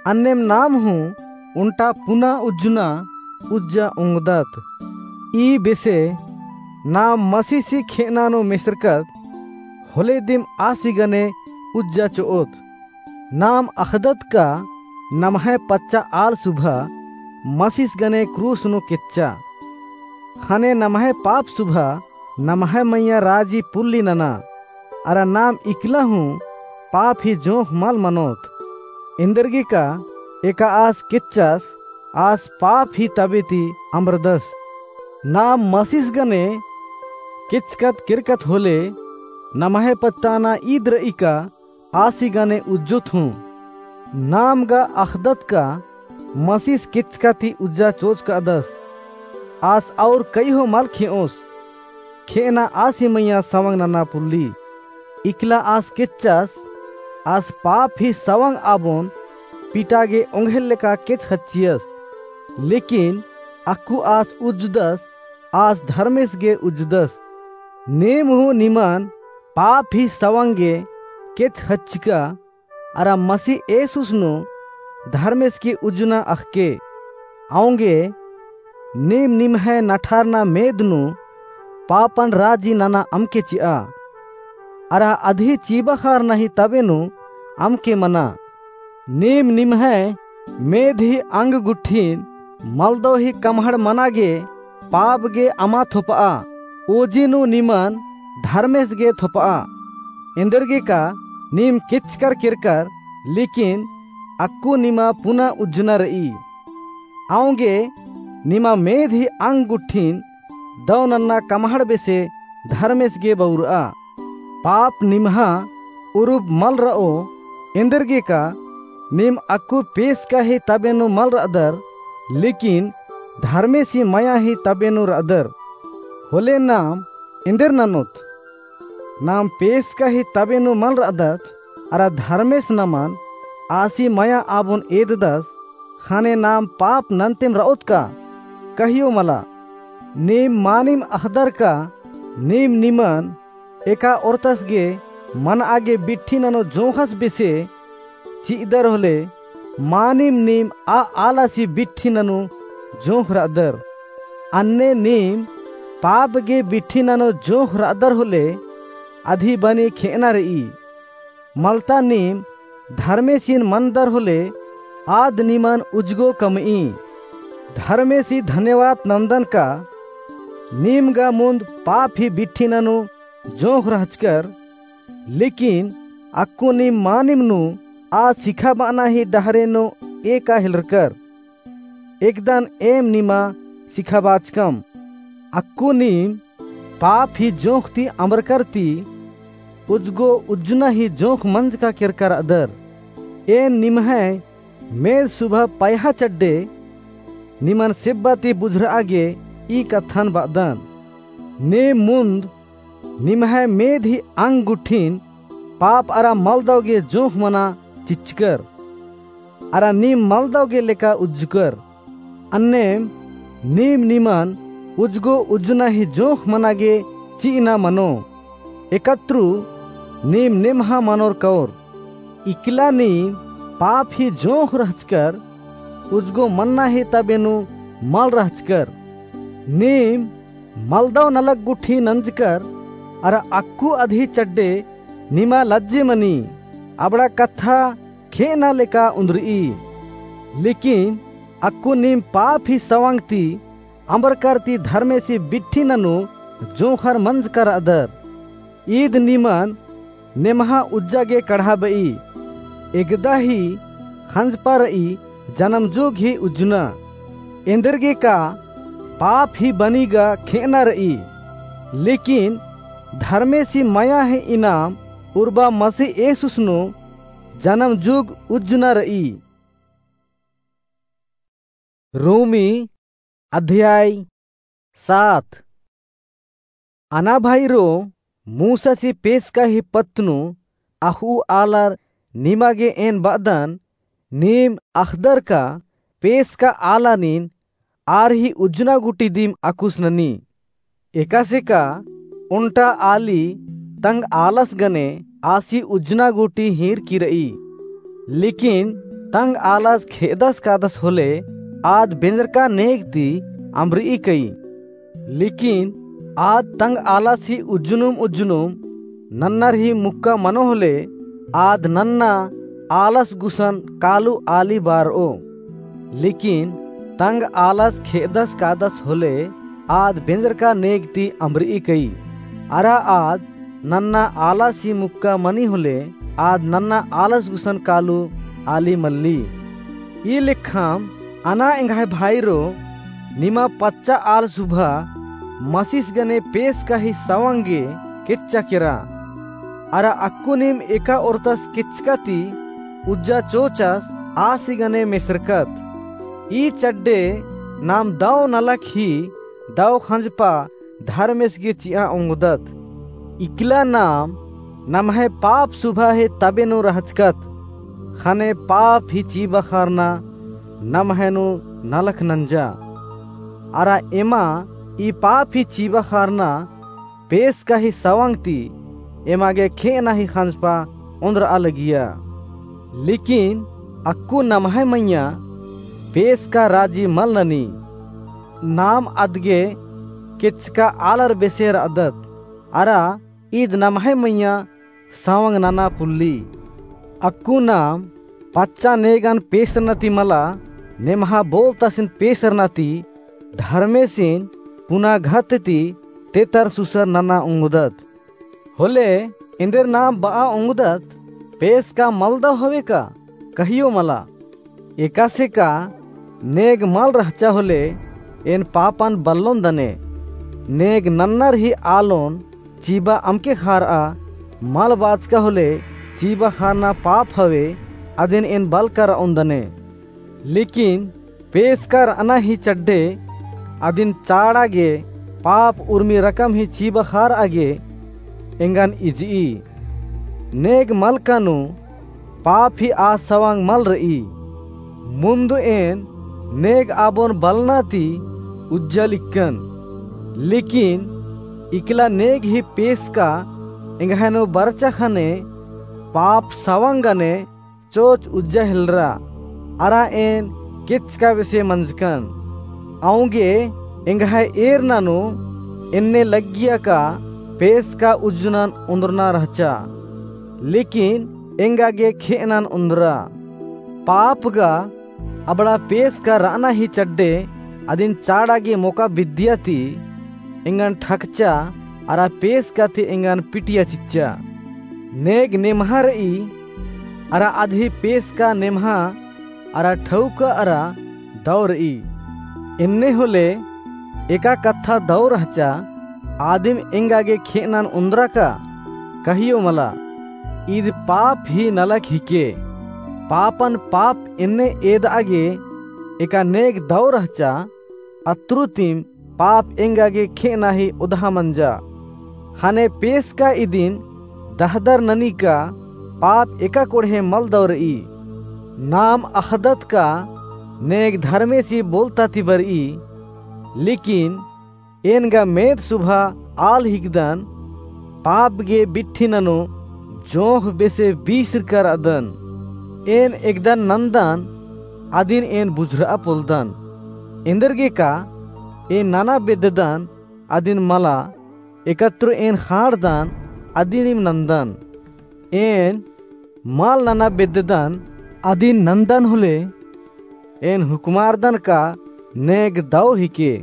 अन्नेम नाम हूँ ओन्टा पुना उज्जना उज्जा ओंगदत। ई बेसे नाम मसीसी खेअना नू मेसरकत, होले दिम आसी गने उज्जा चोओत। नाम अख़दत का नम्है पच्चा आल सुभा मसीस गने क्रूस नू केच्चा। ख़ने नम्है पाप सुभा नम्है मइय्याँ राजी पुल्ली नना। अरा नाम इकला हूँ पाप ही जोंख़ मल मनोत। एन्देरगे का एका आस केच्चस, आस पाप ही तबे ती अम्बरदस। नाम मसीस गने केचकत केरकत होले नम्है पत्ताना ईद रई का आसी गने उज्जोत हूँ। नाम गा अख़दत का मसीस केचका ती उज्जा चोचकादस। आस और कई हो मल खेओस। खेअना आसी मइय्याँ सवंग नना पुल्ली। इकला आस केच्चस, आस पाप ही सवंग आबोन पीटा गे ओंघेल लेका केच ख़च्चियस। लेकिन अक्कु आस उज्जदस, आस धर्मेस गे उज्जदस। नीम हूँ निमन पाप ही सवंग गे केच ख़च्चका, अरा मसीह येसुस नू धर्मेस की उज्जना अख़के। औंगे नीम निम्है नठारना मेद नू पापन राजी नना अमके चिआ। अरा अदही चीबा ख़ारना ही तबे नू अमके मना। नीम निम्है मेद ही अंग गुट्ठिन मलदौ ही कमहड़ मना गे पाप गे अमा थोपआ, ओजी नू निमन धर्मेस गे थोपआ। एन्देरगे का नीम केचकर केरकर, लेकिन अक्कु निमा पुना उज्जना रई। औंगे निमा मेध ही अंग गुट्ठिन दौ नन्ना कमहड़ बेसे धर्मेस गे बउरआ। पाप निम्हा उरुब मल रओ, एन्देरगे का नीम अक्कु पेसका ही तबे नू मल रअदर, लेकिन धर्मेसी मया ही तबे नू रअदर। होले नाम एन्देर ननोत? नाम पेसका ही तबे नू मल रअदत, अरा धर्मेस नमन आसी मया आबोन एददस, ख़ने नाम पाप नन्तेम रओत का? कहियो मला। नीम मानिम अख़दर का नीम निमन एका ओरतस गे मनआ गे बिट्ठी ननो जोंख़स बेसे चिअदर होले, मानिम नीम आ आलसी बिट्ठी ननो जोंख़ रअदर। अन्ने नीम पाप गे बिट्ठी ननो जोंख़ रअदर होले, अदी बनी खेअना रई। मलता नीम धर्मेसिन मनदर होले, आद निमन उजगो कमई। धर्मेसी धन्यवाद नन्दन का नीम गा मुन्द पाप ही बिट्ठी ननो जोंख़ रहचकर, लेकिन अक्कु नीम मानिम नू आ सिखाबअना ही डहरे नू एका हेलरकर। एकदन एम निमा सिखाबाचकम। अक्कु नीम पाप ही जोंख़ ती अम्बरकर ती उजगो उज्जना ही जोंख़ मंजका केरका रअदर। एन निम्है मेद सुभा पयहा चड्डे निमन सेब्बा ती बुझरआ गे ई कत्थन बअदन। नीम मुन्द निम्है मेद ही अंग गुट्ठिन पाप अरा मलदौ गे जोंख़ मना चिच्चकर, अरा नीम मलदौ गे लेका उज्जकर। अन्नेम नीम निमन उजगो उज्जना ही जोंख़ मना गे चिअना मनो। एकत्रु नीम नेम्हा मनोर कओर। इकला नीम पाप ही जोंख़ रहचकर, उजगो मन्ना ही तबे नू मल रहचकर। नीम मलदौ नलख गुट्ठी नंजकर, अरा अक्कु अदी चड्डे निमा लज्जे मनी, अबड़ा कत्था खेअना लेका उन्दरई। लेकिन अक्कु नीम पाप ही सवंग ती अम्बरकर ती धर्मेसी बिट्ठी ननू जोंख़र मंजका रअदर। ईद निमन नेम्हा उज्जा गे कढ़ाबई। एकदा ही ख़ंजपा रई, जनम जुग ही उज्जना। एन्देरगे का पाप ही बनी गा खेअना रई, लेकिन धर्मेसी मया ही इनाम उर्बा मसीह येसुस नू जनम जुग उज्जना रई। रोमी अध्याय सात। अना भाईरो, मूसासी पेसका ही पत्त नू अख़ऊ आलर निमा गे एन बअदन, नीम अख़दर का पेसका आलानिन आर ही उज्जना गूटी दिम अकुस ननी। एकासे का ओन्टा आली तंग आलस गने आसी उज्जना गूटी हीरकी रई। लेकिन तंग आलस खेदस कादस होले आद बेंजरका नेग ती अम्बरई कई। लेकिन आद तंग आलस ही उज्जनुम उज्जनुम नन्नर ही मुक्का मनो होले आद नन्ना आलस गुसन कालू आली बारओ। लेकिन तंग आलस खेदस कादस होले आद बेंजरका नेग ती अम्बरई कई। अरा आद नन्ना आलस ही मुक्का मनी होले आद नन्ना आलस गुसन कालू आली मल्ली। ई लेखाम अना एंग्है भाईरो, निमा पच्चा आल सुभा मसीस गने पेसका ही सवंग गे केच्चा केरा। अरा अक्कु नीम एका ओरतस केचका ती उज्जा चोचस आसी गने मेसरकत। ई चड्डे नाम दौ नलख ही दौ ख़ंजपा धर्मेस गे चिआ ओंगदत। इकला नाम नम्है पाप सुभा ही तबे नू रहचकत। ख़ने पाप ही चीबा ख़ारना नम्है नू नलख नंजा। अरा एमा ई पाप ही चीबा ख़ारना पेसका ही सवंग ती एमा गे खेअना ही ख़ंजपा ओन्द्रआ लगिया। लेकिन अक्कु नम्है मइय्याँ पेसका राजी मल ननी। नाम अदगे केचका आलर बेसे रअदत, अरा ईद नम्है मइय्याँ सवंग नना पुल्ली। अक्कु नाम पच्चा नेगन पेसरना ती मला, नेम्हा बोलतासिन पेसरना ती धर्मेसिन पुना घत ती तेतर सुसर नना ओंगदत। होले एन्देर नाम बआ ओंगदत, पेसका मलदव हवे का? कहियो मला। एकासे का नेग मल रहचा होले एन पापन बल्लोन दने। नेग नन्नर ही आलोन चिबा अमके खारआ, मल बाचका होले चिबा खारना पाप हवे, अदिन एन बलका रओन दने। लेकिन पेसका रअना ही चड्डे, अदिन चाड़ा गे पाप उर्मी रकम ही चिबा खारआ गे एंगन इजई। नेग मलका नू पाप ही आ सवंग मल रई। मुन्द एन नेग आबोन बलना ती उज्जल इक्कन। लेकिन इकला नेग ही पेसका एंग्है नू बरचा ख़ने पाप सवंग गने चोच उज्जा हेलरा, अरा एन केचका बेसे मंजकन। औंगे एंग्है एरना नू एन्ने लग्गिया का पेसका उज्जनन ओन्द्रना रहचा, लेकिन एंगा गे खेअनन ओन्द्रा। पाप गा अबड़ा पेसका रअना ही चड्डे अदिन चाड़ा गे मोका बिद्दिया ती एंगन ठकचा अरा पेसका ती एंगन पिटिया चिच्चा। नेग नेम्हा रई अरा अदही पेसका नेम्हा अरा ठौका अरा दौ रई। एन्ने होले एका कत्था दौ रहचा, आदिम एंगा गे खेअनन ओन्द्रा का? कहियो मला। ईद पाप ही नलख हिके। पापन पाप एन्ने एदआ गे एका नेग दौ रहचा, अत्रुतिम पाप एंगा गे खेअना ही ओदहा मंजा। ख़ने पेसका इदिन दहदर ननी का पाप एका कोड़हे मल दौ रई। नाम अख़दत का नेग धर्मेसी बोलता ती बरई, लेकिन एन गा मेद सुभा आल हिकदन, पाप गे बिट्ठी ननू जोंख़ बेसे बीसरका रअदन। एन एकदन नन्दन, अदिन एन बुझुरआ पोलदन। एन्देरगे का एन नना बेद्ददन, अदिन मला, एकत्रो एन ख़ाँड़दन, अदिनिम नन्दन। एन मल नना बेद्ददन, अदिन नन्दन होले, एन हुकमारदन का नेग दौ हिके।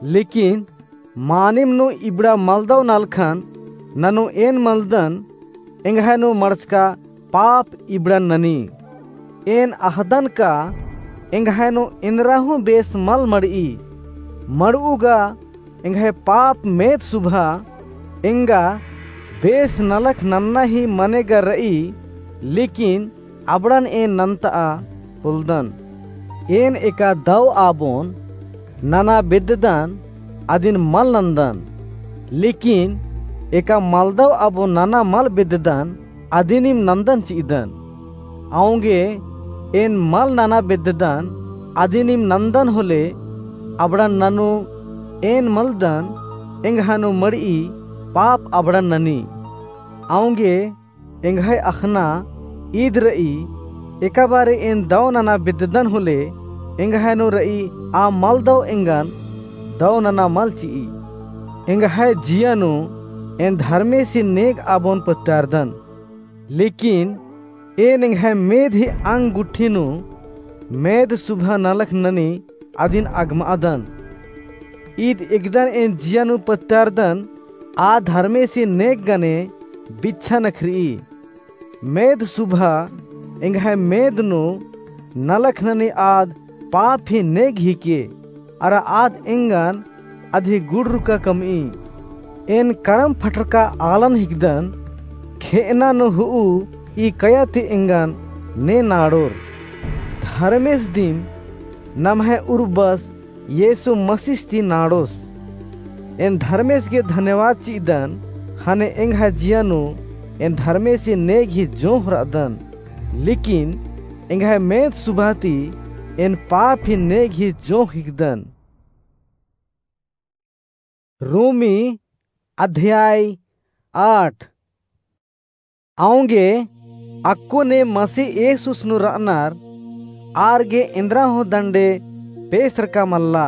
लेकिन मानिम नू इबड़ा मलदौ नलखन ननू एन मलदन, एंग्है नू मड़चका पाप इबड़न ननी। एन अख़दन का एंग्है नू एन्दरा हूँ बेस मल मड़ई। मड़ऊ गा एंग्है पाप मेद सुभा एंगा बेस नलख नन्ना ही मने गा रई, लेकिन अबड़न एन नन्तआ पोलदन। एन एका दौ आबोन नना बेद्ददन, अदिन मल नन्दन। लेकिन एका मलदौ आबोन नना मल बेद्ददन, अदिनिम नन्दन चिअदन। औंगे एन मल नना बेद्ददन, अदिनिम नन्दन होले, अबड़न ननू एन मलदन, एंग्है नू मड़ई पाप अबड़न ननी। औंगे एंग्है अख़ना ईद रई, एका बारे एन दौ नना बेद्ददन होले, एंग्है नू रई आ मलदौ एंगन दौ नना मल चिई। एंग्है जिया नू एन धर्मेसी नेग आबोन पत्तारदन। लेकिन एन एंग्है मेद ही अंग गुट्ठी नू मेद सुभा नलख ननी अदिन अगमअदन। ईद एकदन एन जिया नू पत्तारदन, आ धर्मेसी नेग गने बिच्छा नखरई। मेद सुभा एंग्है मेद नू नलख ननी आद पाप ही नेग हिके, अरा आद एंगन अदही गुड़रुका कमई। एन करम फटरका आलन हिकदन, खेअना नू हुऊ ई कया ती एंगन ने नाड़ोर। धर्मेस दिम नम्है उर्बस येसु मसीस ती नाड़ोस। एन धर्मेस गे धन्यवाद चिअदन, ख़ने एंग्है जिया नू एन धर्मेसी नेग ही जोंख़ रअदन। लेकिन एंग्है मेद सुभा ती एन पाप ही नेग ही जोंख़ हिकदन। रोमी अध्याय आठ। औंगे अक्कु ने मसीह येसुस नू रअनर आर गे एन्दरा हूँ दंडे पेसरका मल्ला।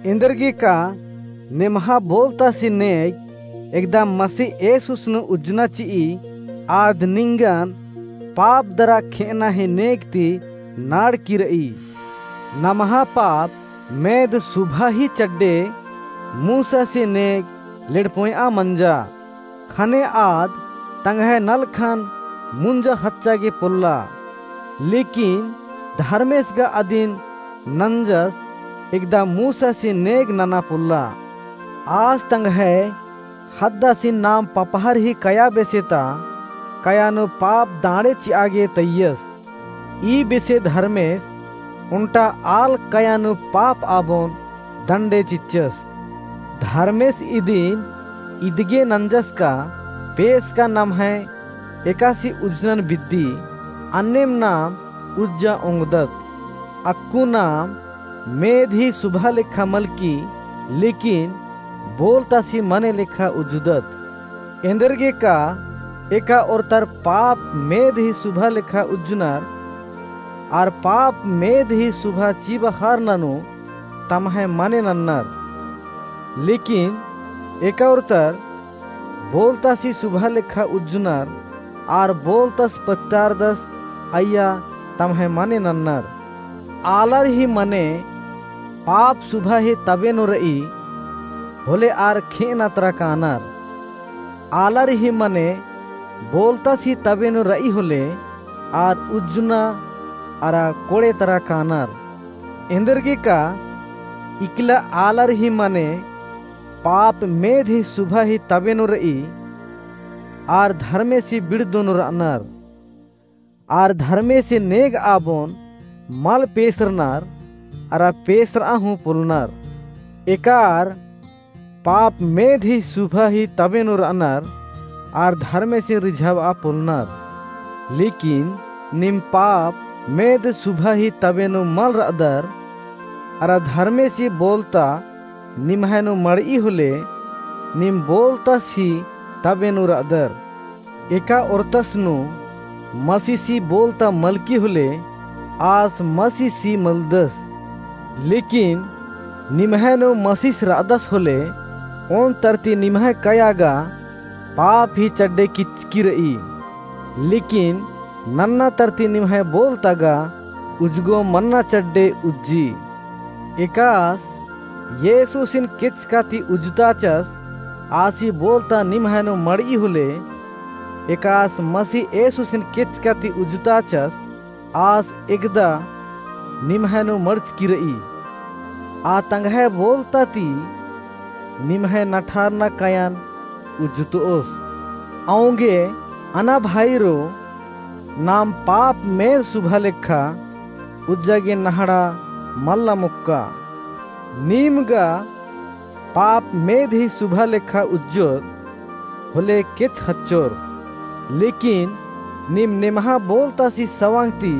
एन्देरगे का नेम्हा बोलतासी नेग एकदम मसीह येसुस नू उज्जना चिई, आद निंगन पाप दरा खेअना ही नेग ती नाड़की रई। नम्हा पाप मेद सुभा ही चड्डे मूसासी नेग लेड़पोंयआ मंजा। ख़ने आद तंग्है नलखन मुंजा ख़च्चा गे पोल्ला। लेकिन धर्मेस गा अदिन नंजस एकदा मूसासी नेग नना पोल्ला। आस तंग्है ख़द्दासिन नाम पपहर ही कया बेसे ता कया नू पाप दांड़े चिआ गे तइयस। ई बेसे धर्मेस ओन्टा आल कया नू पाप आबोन दंडे चिच्चस। धर्मेस इदिन इदगे नंजस का पेस का नम्है एकासी उज्जनन बिद्दी, अन्नेम नाम उज्जा ओंगदत। अक्कु नाम मेद ही सुभा लेखा मलकी, लेकिन बोलतासी मने लेखा उज्जुदत। एन्देरगे का एका ओर्तर पाप मेद ही सुभा लेखा उज्जुनर, आर पाप मेद ही सुभा चिबा हर ननू तम्है मने नन्नर। लेकिन एका ओर्तर बोलतासी सुभा लेखा उज्जुनर, आर बोलतस पत्तारदस अइय्या तम्है मने नन्नर। आलर ही मने पाप सुभा ही तबे नू रई, होले आर खेअना तरा कानर। आलर ही मने बोलतस ही तबे नू रई होले, आर उज्जुना अरा कोड़े तरा कानर। एन्देरगे का इकला आलर ही मने पाप मेद ही सुभा ही तबे नू रई, आर धर्मेसी बिड़दो नू रअनर। आर धर्मेसी नेग आबोन मल पेसरनर, अरा पेसरआ हूँ पोल्लनर। एका आर पाप मेद ही सुभा ही तबे नू रअनर, आर धर्मेसी रिझाबआ पोल्लनर। लेकिन नीम पाप मेद सुभा ही तबे नू मल रअदर, अरा धर्मेसी बोलता निम्है नू मड़ई होले, नीम बोलतस ही तबे नू रअदर। एका ओर्तस नू मसीसी बोलता मलकी होले, आस मसीसी मलदस। लेकिन निम्है नू मसीस रअदस होले, ओन तरती निम्है कया गा पाप ही चड्डे किचकी रई। लेकिन नन्ना तरती निम्है बोलता गा उज्जगो मन्ना चड्डे उज्जी। एकास येसुसिन केचका ती उज्जताचस, आसी बोलता निम्है नू मड़ई होले, एकास मसीह येसुसिन केचका ती उज्जताचस, आस एकदा निम्है नू मड़चकी रई। आ तंग्है बोलता ती निम्है नठारना कयान उज्जुतोस। औंगे अना भाईरो, नाम पाप मेद सुभा लेखा उज्जा गे नहड़ा मल्ला मोक्का। नीम गा पाप मेद ही सुभा लेखा उज्जोर होले केच खच्चोर। लेकिन नीम नेम्हा बोलतासी सवांग ती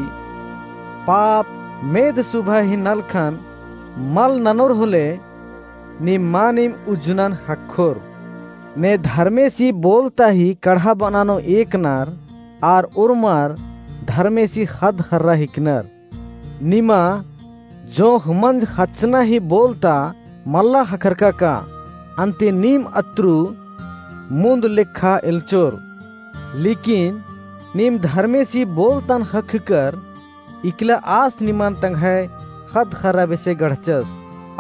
पाप मेद सुभा ही नलखन मल ननोर होले, नीम मानिम उज्जुनन ख़क्खोर। ने धर्मेसी बोलता ही कड़हा बनानो एकनर, आर उर्मर धर्मेसी ख़द्द ख़र्रा हिकनर। निमा जोंख़ मंज ख़च्चना ही बोलता मल्ला ख़क्खरका का, अन्ते नीम अत्रु मुन्द लेखा एल्चोर। लेकिन नीम धर्मेसी बोलतन ख़क्खकर इकला आस निमन तंग्है ख़द्द ख़र्रा बेसे गढ़चस।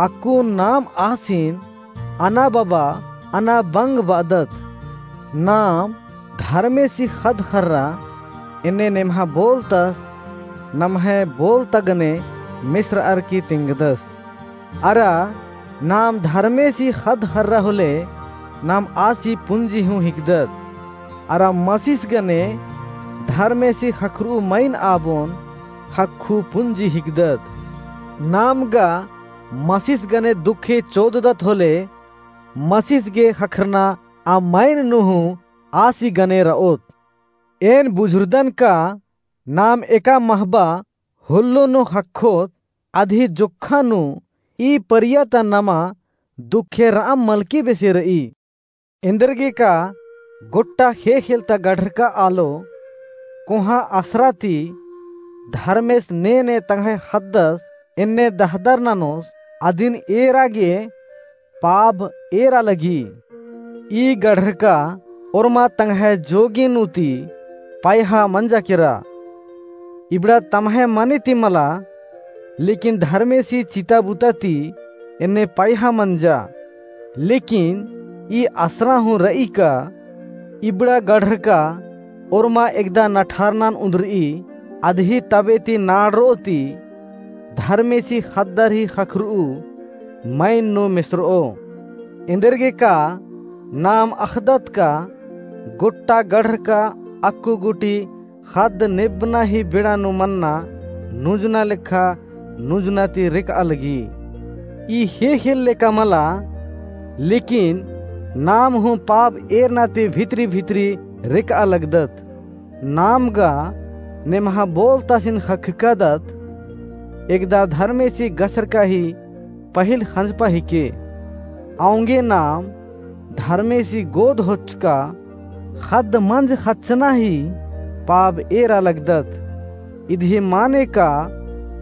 अक्कु नाम आसिन अना बबा, अना बंग बअदत। नाम धर्मेसी ख़द्द ख़र्रा, एन्ने नेम्हा बोलतस, नम्है बोलता गने मेसरअर की तिंगदस। अरा नाम धर्मेसी ख़द्द ख़र्रा होले, नाम आसी पुंजी हूँ हिकदत। अरा मसीस गने धर्मेसी ख़क्खरऊ मइन आबोन ख़क्खु पुंजी हिकदत। नाम गा मसीस गने दुखे चोददत होले, मसीस गे ख़क्खरना आ मइन नू हूँ आसी गने रओत। एन बुझुरदन का नाम एका महबा हुल्लो नू ख़क्खोत, अदही जोक्खा नू ई परिया ता नमा दुखे रअम मलकी बेसे रई। एन्देरगे का गोट्टा ख़ेख़ेल ता गढ़रका आलो, कोहाँ असरा ती धर्मेस ने ने तंग्है ख़द्दस एन्ने दहदर ननोस, अदिन एरा गे पाब एरा लगी। ई गढ़रका ओर्मा तंग्है जोगी नू ती पायहा मंजा केरा। इबड़ा तम्है मने ती मला, लेकिन धर्मेसी चिता बुता ती एन्ने पायहा मंजा। लेकिन ई असरा हूँ र'ई का इबड़ा गढ़रका ओर्मा एकदा नठारनन उन्दर'ई, अदही तबे ती नाड़र'ओ ती धर्मेसी ख़द्दर ही ख़क्खर'ऊ मइन नू मेसर'ओ। एन्देरगे का नाम अख़दत का गोट्टा गढ़रका अक्कु गूटी ख़द्द नेब्बना ही बेड़ा नू मन्ना नुंजना लेखा नुंजना ती रेक'आ लगी। ई हेख़ेल लेखा मला, लेकिन नाम हूँ पाप एरना ती भितरी भितरी रेक'आ लगदत। नाम गा नेम्हा बोलतासिन ख़क्खकादत, एकदा धर्मेसी गछरका ही पहिल ख़ंजपा हिके। औंगे नाम धर्मेसी गोद होचका ख़द्द मंज ख़च्चना ही पाप एरा लगदत। इदही माने का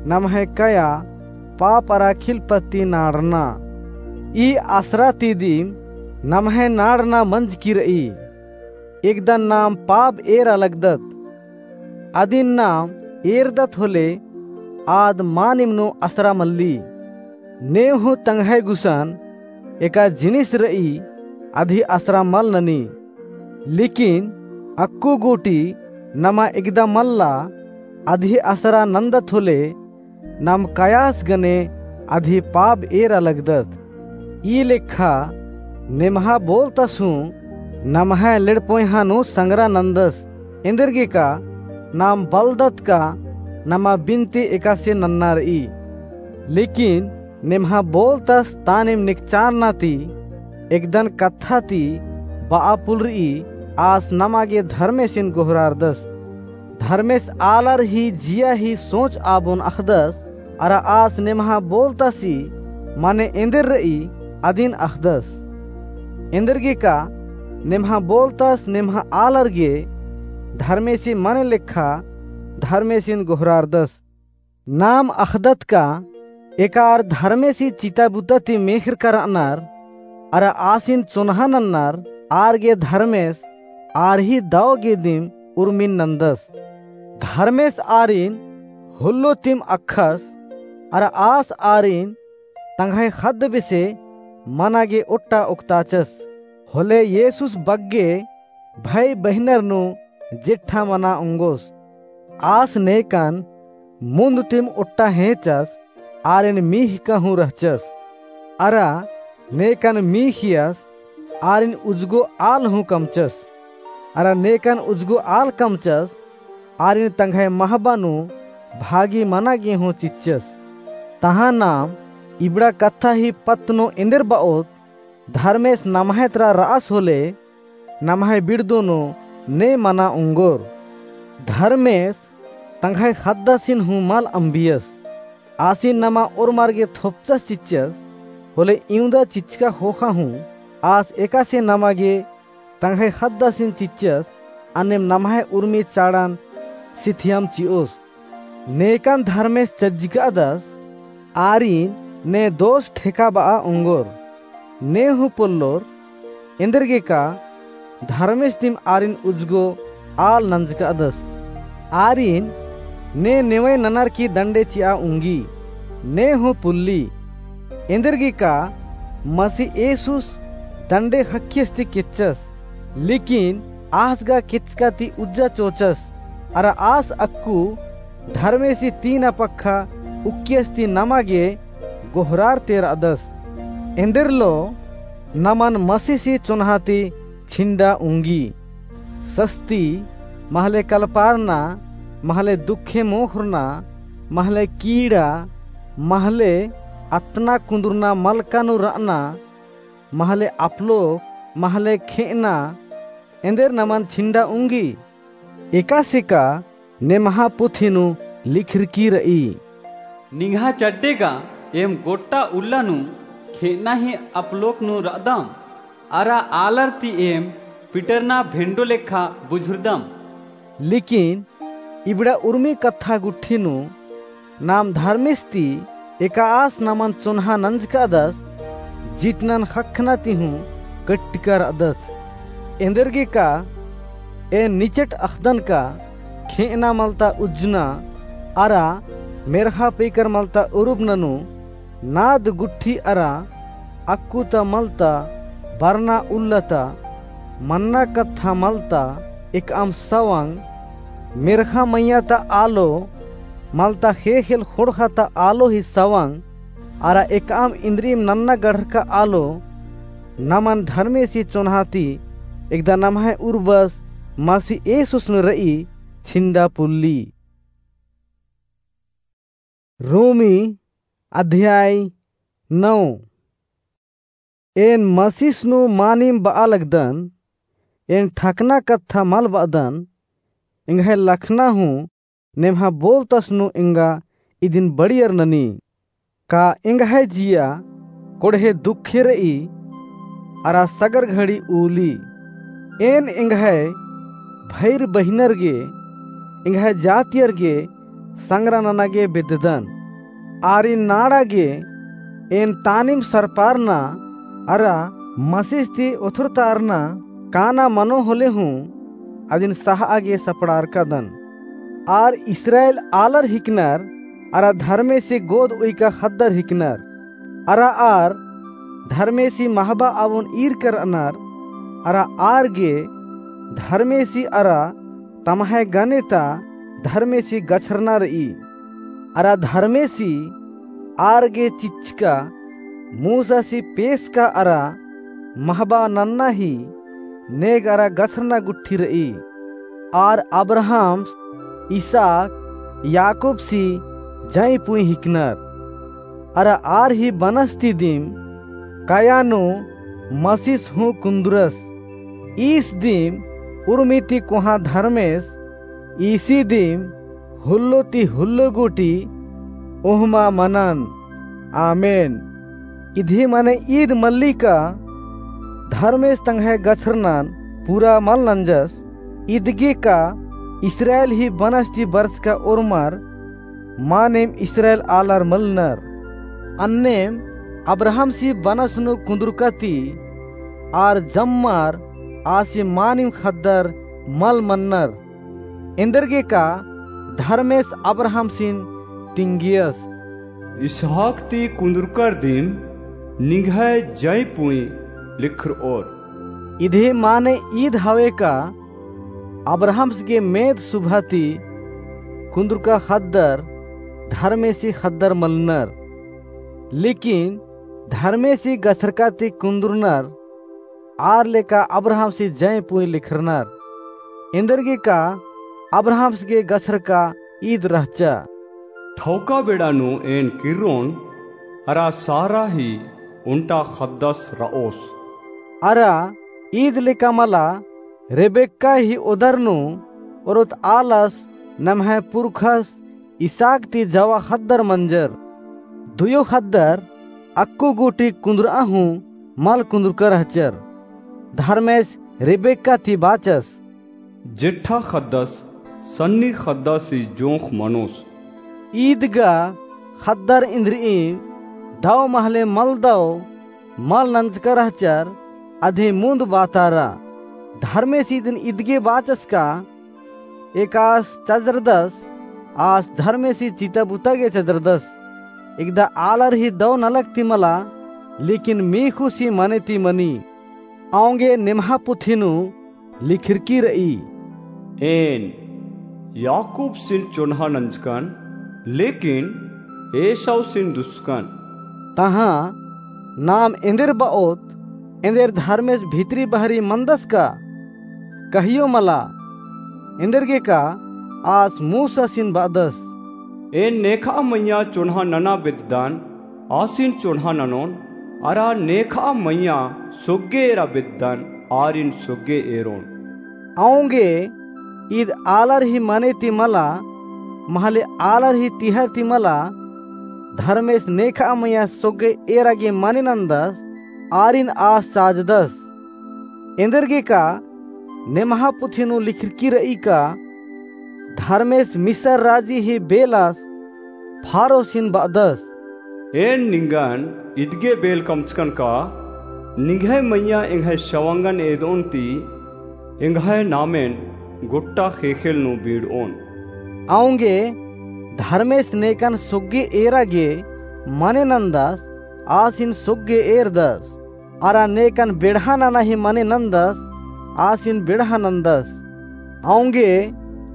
नम्है कया पाप अरा खिलपत्ती नाड़ना। ई असरा ती दिम नम्है नाड़ना मंजकी र'ई। एकदा नाम पाप एरा लगदत। अदिन नाम एरदत होले आद मानिम नू असरा मल्ली। ने हूँ तंग्है गुसन एका जिनिस र'ई अदही असरा मल ननी। लेकिन अक्कु गूटी नमा एकदा मल्ला अदही असरा नन्दत होले नाम कयास गने अदही पाप एरा लगदत। ई लेखा नेम्हा बोलतास हूँ नम्है लेड़पोयहा नू संगरा नन्दस। एन्देरगे का नाम बलदत का नमा बिनती एकासे नन्ना र'ई। लेकिन नेम्हा बोलतास तानिम निकचारना ती एकदन कत्था ती ब'आ पुलर'ई आस नमा गे धर्मेसिन गोहरारदस। धर्मेस आलर ही जिया ही सोच आबोन अख़दस, अरा आस नेम्हा बोलतासी माने एन्देर र'ई अदिन अख़दस। एन्देरगे का नेम्हा बोलतास नेम्हा आलर गे धर्मेसी माने लेखा धर्मेसिन गोहरारदस। नाम अख़दत का एका आर धर्मेसी चिता बुता ती मेख़रका र'अनर, अरा आसिन चोन्हा नन्नर, आर गे धर्मेस आर ही दव गे दिम उर्मिन नन्दस। धर्मेस आरिन होल्लो तिम अख़स, अरा आस आरिन तंग्है ख़द्द बेसे मना गे ओट्टा ओक्ताचस। होले येसुस बग्गे भई बहिनर नू जेठा मना ओंगोस। आस नेकन मुन्द तिम ओट्टा हेंचस, आरिन मीख़का हूँ रहचस। अरा नेकन मीख़ियस, आरिन उजगो आल हूँ कमचस। अरा नेकन उजगो आल कमचस, आरिन तंग्है महबा नू भागी मना गे हूँ चिच्चस। तहाँ नाम इबड़ा कत्था ही पत्त नू एन्देर ब'ओत, धर्मेस नम्है तरा र'अस होले नम्है बिड़दो नू ने मना ओंगोर। धर्मेस तंग्है ख़द्दासिन हूँ मल अम्बियस। आसिन नमा ओर्मर गे थोपचस चिच्चस, होले इवंदा चिच्चका ख़ोख़ा हूँ आस एकासे नमा गे तंग्है ख़द्दासिन चिच्चस, अन्नेम नम्है उर्मी चाड़न सिथियम चि'ओस। नेकन धर्मेस चज्जकादस, आरिन ने दोस ठेका ब'आ ओंगोर। ने हूँ पोल्लोर, एन्देरगे का धर्मेस दिम आरिन उजगो आल नंजकादस। आरिन ने नेवय ननर की दंडे चि'आ ओंगी, ने हूँ पुल्ली। एन्देरगे का मसीह येसुस दंडे ख़क्खियस ती केच्चस, लेकिन आस गा केच्चका ती उज्जा चोचस, अरा आस अक्कु धर्मेसी तीना पक्खा उक्कियस ती नमा गे गोहरारते र'अदस। एन्देरलो नमन मसीसी चोन्हा ती छिंडा उंगी। सस्ती, महले कलपारना, महले दुखे मोख़रना, महले कीड़ा, महले अतना कुन्दुरना मलका नू र'अना, महले अपलोक, महले खे'अना, एन्देर नमन छिंडा उंगी। एकासे का नेम्हा पुथी नू लिखरकी र'ई। निंग्हा चड्डे गा एम गोट्टा उल्ला नू खे'अना ही अपलोक नू र'अदम, अरा आलर ती एम पिटरना भेंडो लेखा बुझुरदम। लेकिन इबड़ा उर्मी कत्था गुट्ठी नू नाम धर्मेस ती एका आस नमन चोन्हा नंजकादस, जितनन ख़क्खना ती हूँ कट्टिका र'अदस। एन्देरगे का एन निचट अख़दन का खे'अना मलता उज्जना, अरा मेर्ख़ा पेकर मलता उरुबना नू नाद गुट्ठी अरा अक्कु ता मलता, बरना उल्ला ता, मन्ना कत्था मलता, एकअम सवंग, मेर्ख़ा मइय्याँ ता आलो, मलता ख़ेख़ेल ख़ोंड़ख़ा ता आलो ही सवंग, अरा एकअम इन्द्रिइम नन्ना गढ़रका आलो, नमन धर्मेसी चोन्हा ती, एकदा नम्है उर्बस मसी येसुस नू रई छिंडा पुल्ली। रोमी अध्याय नौ। एन मसीस नू मानिम बआ लगदन, एन ठकना कत्था मल बअदन, एंग्है लखना हूँ नेम्हा बोलतस नू एंगा इदिन बड़ियर ननी। का एंग्है जिया कोड़हे दुखे रई, अरा सगर घड़ी उली। एन एंग्है भइर बहिनर गे, एंग्है जातियर गे संगरा नना गे बेद्ददन। आरिन नाड़ा गे एन तानिम सरपारना अरा मसीस ती ओथरतारना काना मनो होले हूँ अदिन सहआ गे सपड़ारकादन। आर इस्राएल आलर हिकनर अरा धर्मेसी गोद उइका ख़द्दर हिकनर। अरा आर धर्मेसी महबा अवोन ईरकर रअनर, अरा आर गे धर्मेसी अरा तम्है गने ता धर्मेसी गछरना रई। अरा धर्मेसी आर गे चिच्चका मूसासी पेसका अरा महबा नन्ना ही नेग अरा गछरना गुट्ठी रई। आर अब्राहम, इसहाक, याकूबसी जंई पुंई हिकनर। अरा आर ही बनस ती दिम कया नू मसीस हूँ कुन्दुरस। ईस दिम उर्मी ती कोहाँ धर्मेस, ईसी दिम हुल्लो ती हुल्लो गूटी ओहमा मनन। आमेन। इदी मने ईद मल्ली का धर्मेस तंग्है गछरनन पूरा मल नंजस, इदगे का इस्राएल ही बनस ती बरचका ओर्मर मानिम इस्राएल आलर मलनर। अन्नेम अब्राहमसी बनस नू कुन्दुरका ती आर जम्मर आसी मानिम ख़द्दर मल मननर। एन्देरगे का धर्मेस अब्राहमसिन तिंगियस, इसहाक ती कुन्दुरकर दिम निंग्है जंई पुंई लिखरओर। इदी माने ईद हवे का अब्राहमस गे मेद सुभा ती कुन्दुरका ख़द्दर धर्मेसी ख़द्दर मलनर। लेकिन धर्मेसी गछरका ती कुन्दुरनर आर लेका अब्राहमसी जंई पुंई लिखरनर। एन्देरगे का अब्राहमस गे गछरका ईद रहचा। ठौका बेड़ा नू एन किर्रोन अरा सारा ही ओन्टा ख़द्दस रओस। अरा ईद लेका मला रेबेक्का ही ओदर नू ओरोत आलस नम्है पुरखस इसहाक ती जवा ख़द्दर मंजर। दुयो ख़द्दर अक्कु गूटी कुन्दुरआ हूँ मल कुन्दुरका रहचर। धर्मेस रेबेक्का ती बाचस, जेठा ख़द्दस सन्नी ख़द्दस ही जोंख़ मनोस। ईद गा ख़द्दर इन्द्रिइम दव महले मल दव मल नंजका रहचर, अदी मुन्द बातारा। धर्मेस इदिन इदगे बाचस का एकास चजरदस, आस धर्मेसी चिता बुता गे चजरदस। एकदा आलर ही दव नलख ती मला, लेकिन मीख़ुसी मने ती मनी। औंगे निम्हा पुथी नू लिखरकी रई, एन याकूबसिन चोन्हा नंजकन, लेकिन एसाउसिन दुस्कन। तहाँ नाम एन्देर बओत, एन्देर धर्मेस भितरी बहरी मनदस का? कहियो मला। एन्देरगे का आस मूसासिन बअदस, एन नेखा मइय्याँ चोन्हा नना बेद्ददन, आसिन चोन्हा ननोन, अरा नेखा मइय्याँ सोग्गे एरा बेद्ददन, आरिन सोग्गे एरोन। औंगे ईद आलर ही मने ती मला, महले आलर ही तिहर ती मला, धर्मेस नेखा मइय्याँ सोग्गे एरा गे मने नन्दस, आरिन आस चाजदस। एन्देरगे का निम्हा पुथी नू लिखरकी रई का, धर्मेस मिसर राजी ही बेलस फारोसिन बअदस, एन निंगन इदगे बेल कमचकन का, निंग्है मइय्याँ एंग्है सवंगन एदओन ती एंग्है नामेन गोट्टा ख़ेख़ेल नू बीड़ओन। औंगे धर्मेस नेकन सोग्गे एरा गे मने नन्दस, आसिन सोग्गे एरदस। अरा नेकन बेड़हा नना ही मने नन्दस, आसिन बेड़हा नन्दस। औंगे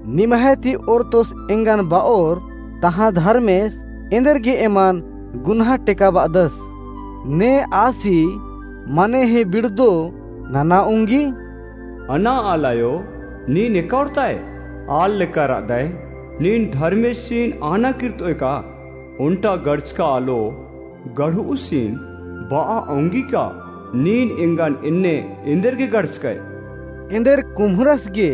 निम्है ती ओरतोस एंगन ब'ओर, तहाँ धर्मेस एन्देरगे एमन गुन्हा टेकाब'अदस। ने आसी मने ही बिड़दो नना ओंगी? अना आलायो, नीन एका ओर्ताय? आल लेका र'अदय, नीन धर्मेसिन आना किर्त'ओय का? ओन्टा गड़चका आलो गड़ु'उसिन ब'आ ओंगी का? नीन एंगन एन्ने एन्देरगे गड़चकय? एन्देर कुम्हरस गे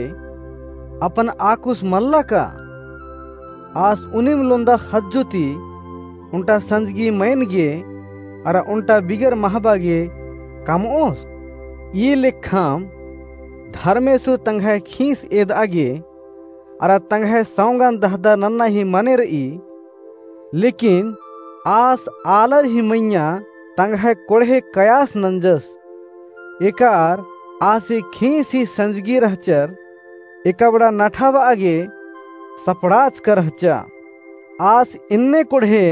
अपन आकुस मल्ला का? आस उनिम लोन्दा ख़ज्जो ती ओन्टा संजगी मयन गे अरा ओन्टा बिगर महबा गे कम'ओस? ई लेखम धर्मेसु तंग्है खीस एद'आ गे अरा तंग्है सौंगन दहदर नन्ना ही मने र'ई। लेकिन आस आलर ही मइय्याँ तंग्है कोड़हे कयास नंजस। एकार आसी खीस ही संजगी रहचर, एकबड़ा नठाब'आ गे सपड़ाचका रहचा। आस एन्ने कोड़हे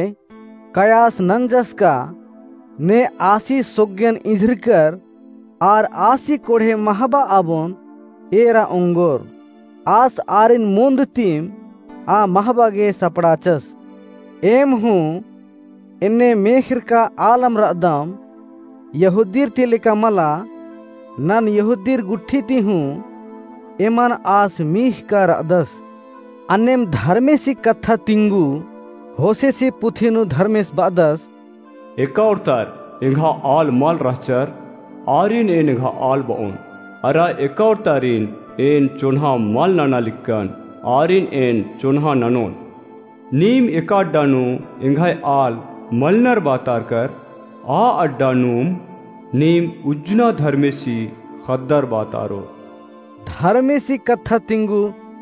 कयास नंजस का? ने आसी सोग्गेन इझरकर आर आसी कोड़हे महबा आबोन एरा ओंगोर। आस आरिन मोन्द तिम आ महबा गे सपड़ाचस। एम हूँ एन्ने मेख़रका आलम र'अदम, यहूदीर ती लेका मला, नन यहूदीर गुट्ठी ती हूँ एमन आस मीख़का र'अदस। अन्नेम धर्मेसी कत्था तिंगु होसेसी पुथी नू धर्मेस ब'अदस, एका ओर्तर एंग्हा आल मल रहचर, आरिन एन एंग्हा आल ब'ओन। अरा एका ओर्तारिन एन चोन्हा मल नना लिक्कन, आरिन एन चोन्हा ननोन। नीम एका अड्डा नू एंग्है आल मलनर बातारकर, आ अड्डा नूम नीम उज्जना धर्मेसी ख़द्दर बातारोर। धर्मेसी कत्था तिंगु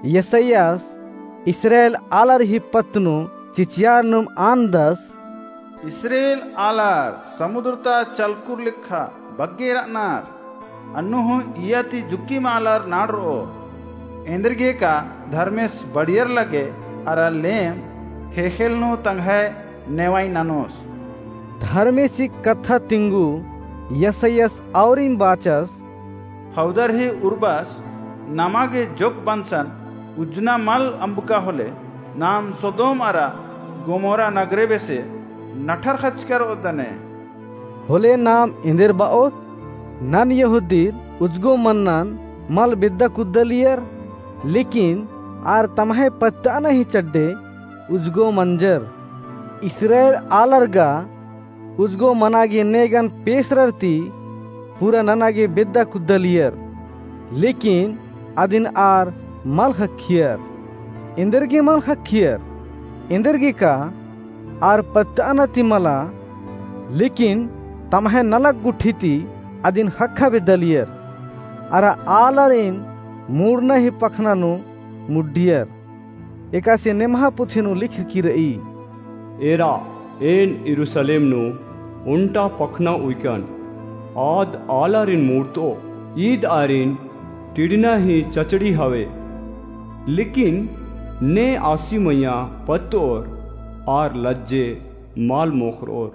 यसायास इस्राएल आलर ही पत्त नू चिचियार नुम आनदस, इस्राएल आलर समुद्र ता चलकुर लेखा बग्गे र'अनर, अन्नु हूँ इय्या ती जुक्की मालर नाड़र'ओ। एन्देरगे का धर्मेस बड़ियर लगे अरा लेम ख़ेख़ेल नू तंग्है नेवाई ननोस। धर्मेसी कत्था तिंगु यसायास औरिम बाचस, ख़ौदर ही उर्बस नमा गे जोक बंसन उज्जना मल अम्बका होले, नाम सोदोम अरा गोमोरा नगरे बेसे नठर ख़चकर ओदने। होले नाम एन्देर ब'ओत? नन यहूदीर उज्जगो मन्नन मल बेद्दा कुद्दलियर, लेकिन आर तम्है पत्त'अना ही चड्डे उज्जगो मंजर। इस्राएल आलर गा उज्जगो मना गे नेगन पेसरर ती पूरा नना गे बेद्दा कुद्दलियर, लेकिन अदिन आर मल ख़क्खियर। एन्देरगे मल ख़क्खियर? एन्देरगे का आर पत्त'अना ती मला, लेकिन तम्है नलख गुट्ठी ती अदिन ख़क्खा बेद्दालियर। अरा आलारिन मुड़ना ही पखना नू मुड्डियर। एकासे नेम्हा पुथी नू लिखरकी र'ई, एरा, एन यरूसलेम नू ओन्टा पखना उइकन, आद आलारिन मुड़त'ओ, ईद आरिन टिड़ना ही चचड़ी हवे। लेकिन ने आसी मइय्याँ पत्त'ओर, आर लज्जे मल मोख़र'ओर।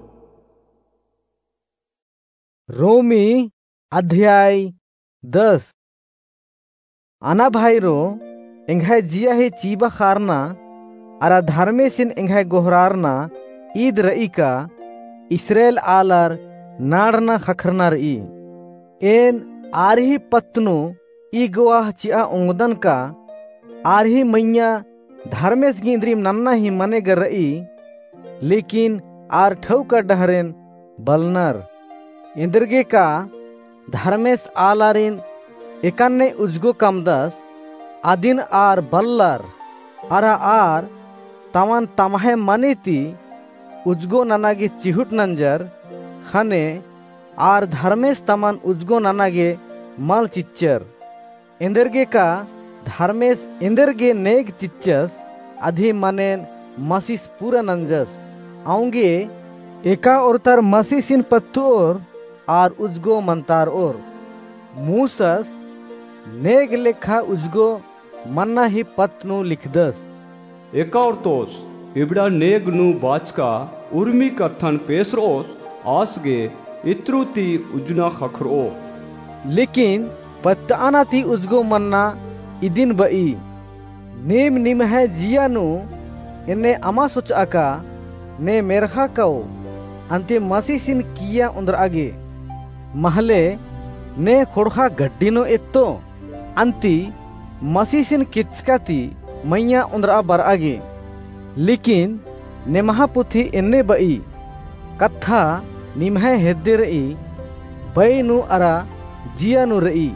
रोमी अध्याय दस। अना भाईरो, एंग्है जिया ही चीबा ख़ारना अरा धर्मेसिन एंग्है गोहरारना ईद र'ई का इस्राएल आलर नाड़ना ख़क्खरना र'ई। एन आर ही पत्त नू ई गोवाह चि'आ ओंगदन का आर ही मइय्याँ धर्मेस गे इन्द्रिम नन्ना ही मने गा र'ई, लेकिन आर ठौका डहरेन बलनर। एन्देरगे का धर्मेस आलारिन एकन्ने उज्जगो कमदस, अदिन आर बल्लर, अरा आर तमन तम्है मने ती उज्जगो नना गे चिहुट नंजर, ख़ने आर धर्मेस तमन उज्जगो नना गे मल चिच्चर। एन्देरगे का धर्मेस एन्देरगे नेग चिच्चस, अदी मनेन मसीस पूरा नंजस। औंगे एका ओर्तर मसीसिन पत्त'ओर आर उज्जगो मन्तार'ओर। मूसस नेग लेखा उज्जगो मन्ना ही पत्त नू लिखदस। एका ओर्तोस इबड़ा नेग नू बाचका उर्मी कत्थन पेसर'ओस, आस गे इत्रु ती उज्जना ख़क्खरओ। लेकिन पत्तआना ती उज्जगो मन्ना इदिन बई, नीम निम्है जिया नू एन्ने अमा सोचआ का, ने मेर्ख़ा काओ, अन्ती मसीसिन किइय्या ओन्द्रआ गे। महले ने ख़ोंड़ख़ा गड्डी नू एत्तो, अन्ती मसीसिन केचका ती मइय्याँ ओन्द्रआ बरआ गे। लेकिन नेमहा पुथी एन्ने बई, कत्था निम्है हेद्दे रई, बई नू अरा जिया नू रई।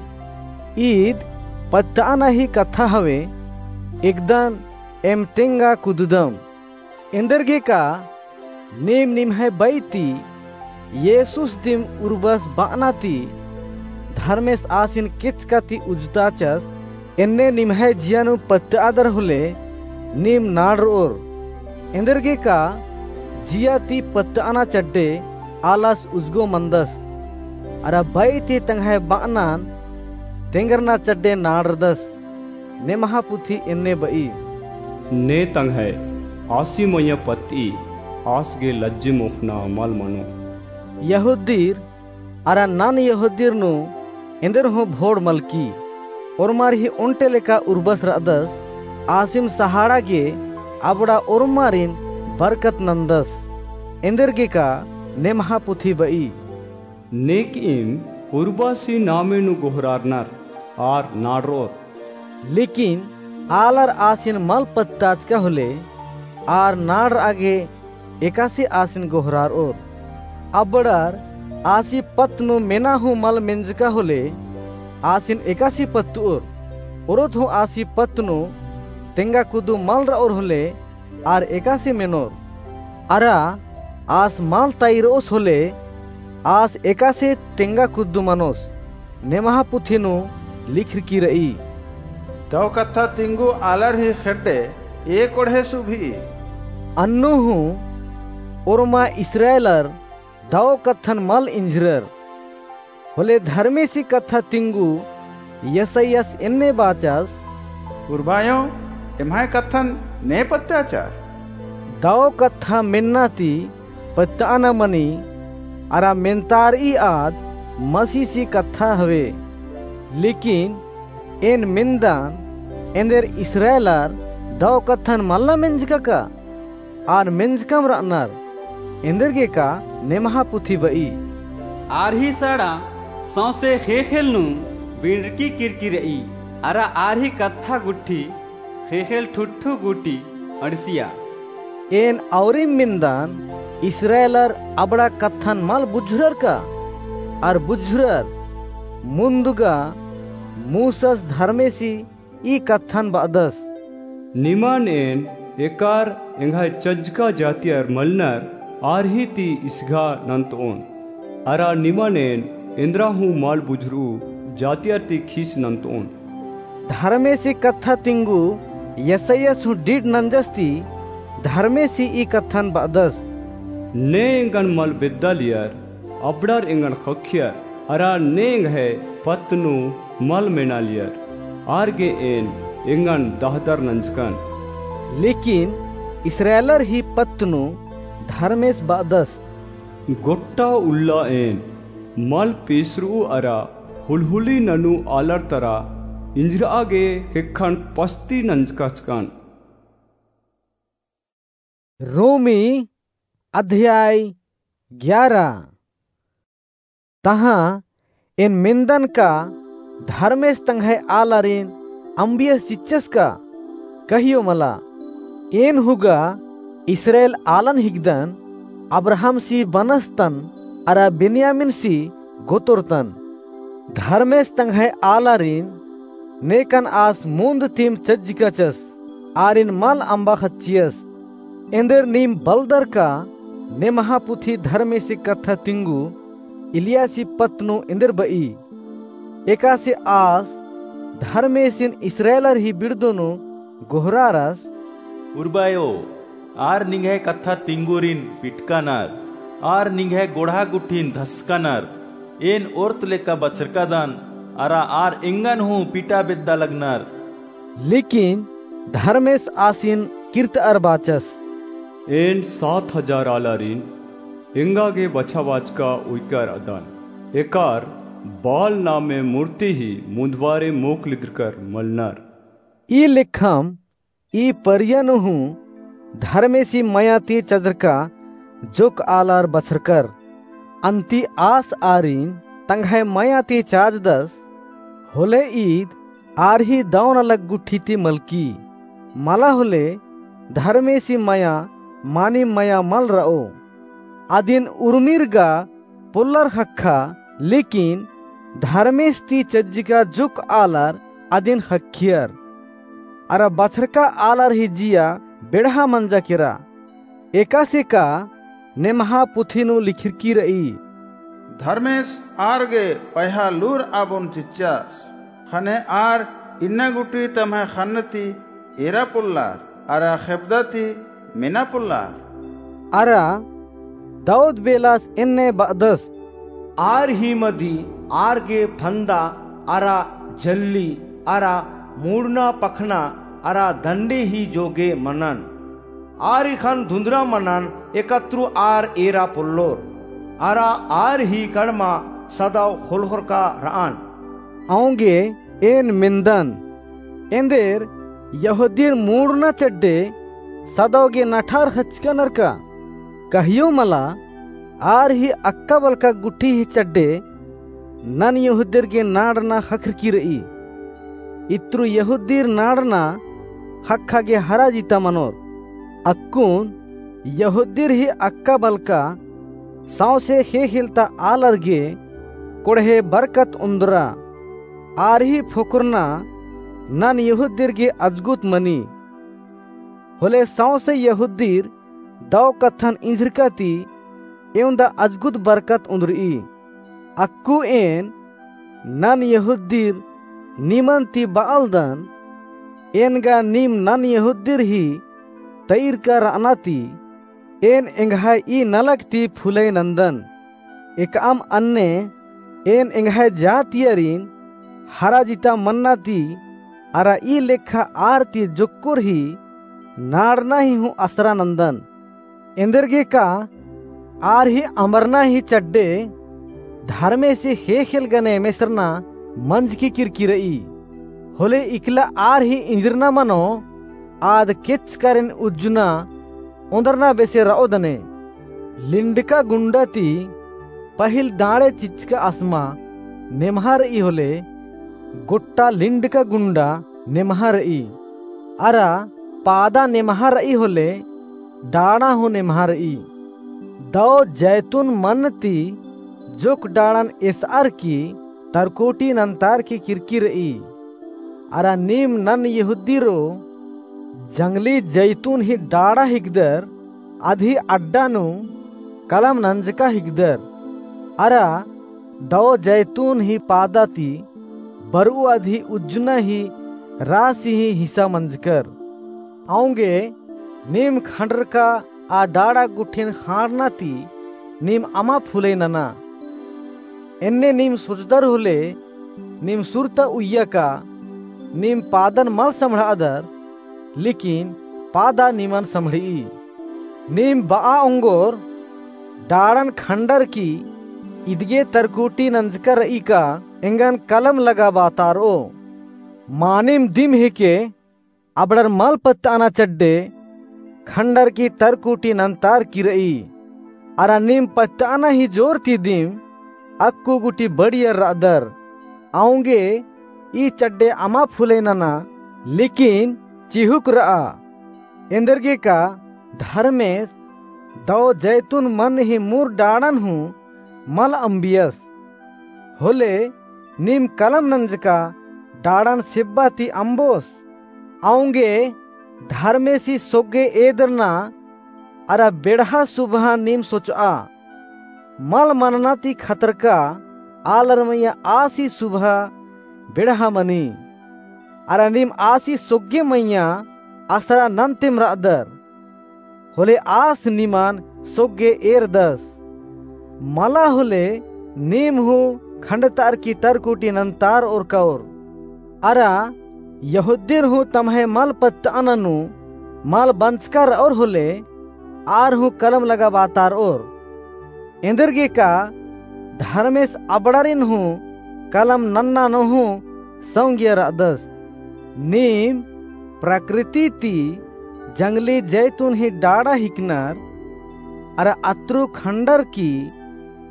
ईद पत्तआना ही कत्था हवे, एकदन एम तेंगा कुद्ददम। एन्देरगे का नीम निम्है बई ती येसुस दिम उर्बस बअना ती धर्मेस आसिन केचका ती उज्जताचस, एन्ने निम्है जिया नू पत्तआदर होले नीम नाड़रओर। एन्देरगे का जिया ती पत्तआना चड्डे आलस उज्जगो मन्दस, अरा बई ती तंग्है बअनान तेंगरना चड्डे नाड़रदस। नेमहा पुथी एन्ने बई, ने तंग्है आसी मइय्याँ पत्तई, आस गे लज्जी मोख़ना मल मनो। यहूदीर अरा नन यहूदीर नू एन्देर हूँ भोड़ मलकी। ओर्मारिही ओन्टे लेका उर्बस रअदस, आसिम सहाड़ा गे अबड़ा ओर्मारिन बरकत नन्दस। एन्देरगे का नेमहा पुथी बई, नेकईम उर्बासी नामे नू गोहरारनर आर नाड़रओर। लेकिन आलर आसिन मल पत्ताचका होले आर नाड़रआ गे एकासे आसिन गोहरारओर। अबड़ार आसी पत्त नू मेना हूँ मल मेंजका होले आसिन एकासे पत्तओर। ओरोत हूँ आसी पत्त नू तेंगा कुद्दू मल रओर होले आर एकासे मेनोर। अरा आस मल तइरओस होले आस एकासे तेंगा कुद्दू मनोस। नेमहा पुथी नू लिखरकी रई, दव कत्था तिंगु आलर ही खेड्डे एक ओढ़े सुभी। अन्नु हूँ ओर्मा इस्राएलर दव कत्थन मल इंझरर। होले धर्मेसी कत्था तिंगु यसायास एन्ने बाचस, उर्बायो, एम्है कत्थन ने पत्ताचर? दव कत्था मेन्ना ती पत्तआना मनी, अरा मेन्तारई आद मसीसी कत्था हवे। लेकिन एन मेन्दन, एन्देर इस्राएलर दव कत्थन मल्ला मेंजका का? आर मेंजकम रअनर। एन्देरगे का नेमहा पुथी बई, आर ही साड़ा सौंसे ख़ेख़ेल नू बिंड़रकी केरकी रई, अरा आर ही कत्था गुट्ठी ख़ेख़ेल ठुठू गूटी अंड़सिया। एन औरिम मेन्दन, इस्राएलर अबड़ा कत्थन मल बुझुरर का? आर बुझुरर, मुन्दगा मूसस धर्मेसी ई कत्थन बअदस, निमन एन एकार एंग्है चज्जका जातियर मलनर आर ही ती इसघा नन्तओन। अरा निमन एन एन्दरा हूँ मल बुझुरऊ जातियर ती खीस नन्तओन। धर्मेसी कत्था तिंगु यसायास हूँ डीड नंजस ती धर्मेसी ई कत्थन बअदस, ने एंगन मल बेद्दालियर, अबड़ार एंगन ख़क्खियर, अरा ने एंग्है पत्त नू मल मेनालियर, आर गे एन एंगन दहदर नंजकन। लेकिन इस्राएलर ही पत्त नू धर्मेस बअदस, गोट्टा उल्ला एन मल पेसरऊ अरा हुलहुली ननू आलर तरा इंजरआ गे ख़ेक्खन पस्ती नंजकाचकन। रोमी अध्याय ग्यारा। तहाँ एन मेन्दन का धर्मेस तंग्है आलारिन अम्बियस चिच्चस का? कहियो मला। एन हुगा इस्राएल आलन हिकदन, अब्राहमसी बनस तन अरा बेन्यामिनसी गोतोर तन। धर्मेस तंग्है आलारिन नेकन आस मुन्द तिम चज्जिकाचस, आरिन मल अम्बा ख़च्चियस। एन्देर नीम बलदर का नेमहा पुथी धर्मेसी कत्था तिंगु इलियासी पत्त नू एन्देर बई। एकासे आस धर्मेसिन इस्राएलर ही बिड़दो नू गोहरारस, उर्बायो, आर निंग्है कत्था तिंगुरिन पिटकानर, आर निंग्है गोड़हा गुट्ठिन धसकानर। एन ओर्त लेका बछरकादन, अरा आर एंगन हूँ पिटा बेद्दा लगनर। लेकिन धर्मेस आसिन किर्तअर बाचस, एन सात हजार आलारिन एंगा गे बछाबाचका उइकर अदन। एकार बाल नामे मूर्ति ही मुन्दवारे मोखलिद्रकर मलनर। ई लेखम ई परिया नू हूँ धर्मेसी मया ती चजरका जुक आलर बछरकर। अन्ती आस आरिन तंग्है मया ती चाजदस, होले ईद आर ही दौ नलख गुट्ठी ती मलकी। मला होले धर्मेसी मया मानिम मया मल रओ। अदिन उर्मिर गा पोल्लर ख़क्खा, लेकिन धर्मेस ती चज्जिका जुक आलर अदिन ख़क्खियर। अरा बछरका आलर ही जिया बेड़हा मंजा केरा। एकासे का नेम्हा पुथी नू लिखिरकी रई। धर्मेस आर गे पयहा लूर आबोन चिच्चस। ख़ने आर इन्ना गुट्ठी तम्है ख़न्न ती एरा पोल्लर, अरा ख़ेबदा ती मेना पोल्लर। अरा दौद बेलास एन्ने बअदस। आर ही मदी आर गे फन्दा अरा जल्ली अरा मुड़ना पखना अरा दंडे ही जोगे मनन। आर ही ख़न्न धुन्दरा मनन एकतरु आर एरा पोल्लोर। अरा आर ही कड़मा सदौ ख़ोलख़ोरका रअन। औंगे एन मेन्दन, एन्देर यहूदीर मुड़ना चड्डे सदौ गे नठार ख़चकनर का? कहियो मला, आर ही अक्का बलका गुट्ठी ही चड्डे नन यहूदीर गे नाड़ना ख़क्खरकी रई। इत्रु यहूदीर नाड़ना ख़क्खा गे हरा जिता मनोर। अक्कुन यहूदीर ही अक्का बलका सौंसे ख़ेख़ेलता आलर गे कोड़हे बरकत उन्दरा। आर ही फोकरना नन यहूदीर गे अजगुत मनी। होले सौंसे यहूदीर दौ कत्थन इंझिरका ती एवंदा अजगुत बरकत उन्दरई। अक्कु एन नन यहूदीर निमन ती बआलदन, एन गा नीम नन यहूदीर ही तइरका रअना ती एन एंग्है ई नलख ती फुलई नन्दन। एकअम अन्ने एन एंग्है जातियरिन हरा जिता मन्ना ती अरा ई लेखा आर ती जोक्कोर ही नाड़ना ही हूँ असरा नन्दन। एन्देरगे का आर ही अमरना ही चड्डे धर्मेसी ख़ेख़ेल गने मेसरना मंजकी किरकी रई। होले इकला आर ही इंजरना मनो आद केचकारिन उज्जना ओन्दरना बेसे रओ दने। लिंडका गुंडा ती पहिल दाड़े चिच्चका असमा नेम्हा रई होले गोट्टा लिंडका गुंडा नेम्हा रई। अरा पादा नेम्हा रई होले डाड़ा हूँ नेम्हा रई। दौ जैतून मन ती जोक डाड़न एसअर की तरकोटी नन्तार की किरकी रई। अरा नीम नन यहूदीरो जंगली जैतून ही डाड़ा हिकदर, अदही अड्डा नू कलम नंजका हिकदर। अरा दौ जैतून ही पादा ती बरऊ अदही उज्जना ही रासी ही हिसा मंजकर। औंगे नीम खंडरका आ डाड़ा गुट्ठिन ख़ांड़ना ती नीम अमा फुलई नना। एन्ने नीम सोचदर होले नीम सुरता उइय्या का नीम पादन मल सम्हड़ादर, लेकिन पादा निमन सम्हड़िई। नीम बआ ओंगोर डाड़न खंडर की इदगे तरकुटी नंजका रई का एंगन कलम लगाबातारओ। मानिम दिम हेके अबड़र मल पत्तअना चड्डे खंडर की तरकुटी नन्तार की रई। अरा नीम पत्तअना ही जोर ती दिम अक्कु गुटी बड़ियर रअदर। औंगे ई चड्डे अमा फुलई नना, लेकिन चिहुक रआ। एन्देरगे का धर्मेस दौ जैतून मन ही मुर डाड़न हूँ मल अम्बियस। होले नीम कलम नंजका डाड़न सेब्बा ती अम्बोस। औंगे धर्मेसी सोग्गे एदरना अरा बेड़हा सुबहा नीम सोचआ। मल मनना ती खतरका आलर मइय्याँ आसी सुबहा बेड़हा मनी। अरा नीम आसी सोग्गे मइय्याँ असरा नन्तेम रअदर। होले आस निमन सोग्गे एरदस। मला होले नीम हूँ खंडतार की तरकुटी नन्तार ओरकाओर। अरा यहूदीर हूँ तम्है मल पत्तअना नू मल बंचका रओर होले आर हूँ कलम लगाबातारओर। एन्देरगेका धर्मेस अबड़ारिन हूँ कलम नन्ना नू हूँ सौंगिया रअदस। नीम प्रकृति ती जंगली जैतून ही डाड़ा हिकनर, अरा अत्रु खंडर की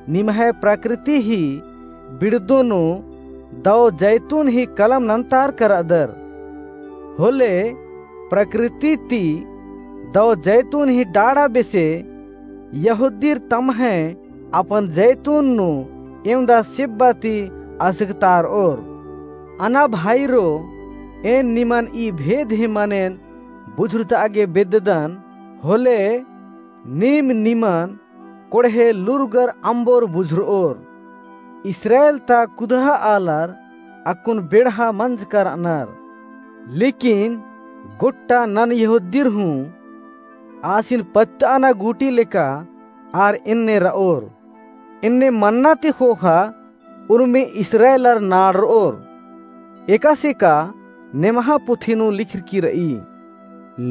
निम्है प्रकृति ही बिड़दो नू दौ जैतून ही कलम नन्तारका रअदर। होले प्रकृति ती दौ जैतून ही डाड़ा बेसे यहूदीर तम्है अपन जैतून नू एवंदा सिब्बा ती असकतारओर। अना भाईरो, एन निमन ई भेद ही मनेन बुझुरतआ गे बेद्ददन, होले नीम निमन कोड़हे लूरगर अम्बोर बुझुरओर। इस्राएल ता कुदहा आलर अक्कुन बेड़हा मंजका रअनर। लेकिन गोट्टा नन यहूदीर हूँ आसिन पत्तअना गूटी लेका आर एन्ने रओर। एन्ने मन्ना ती ख़ोख़ा उर्मी इस्राएलर नाड़रओर। एकासे का नेमहा पुथी नू लिखरकी रई।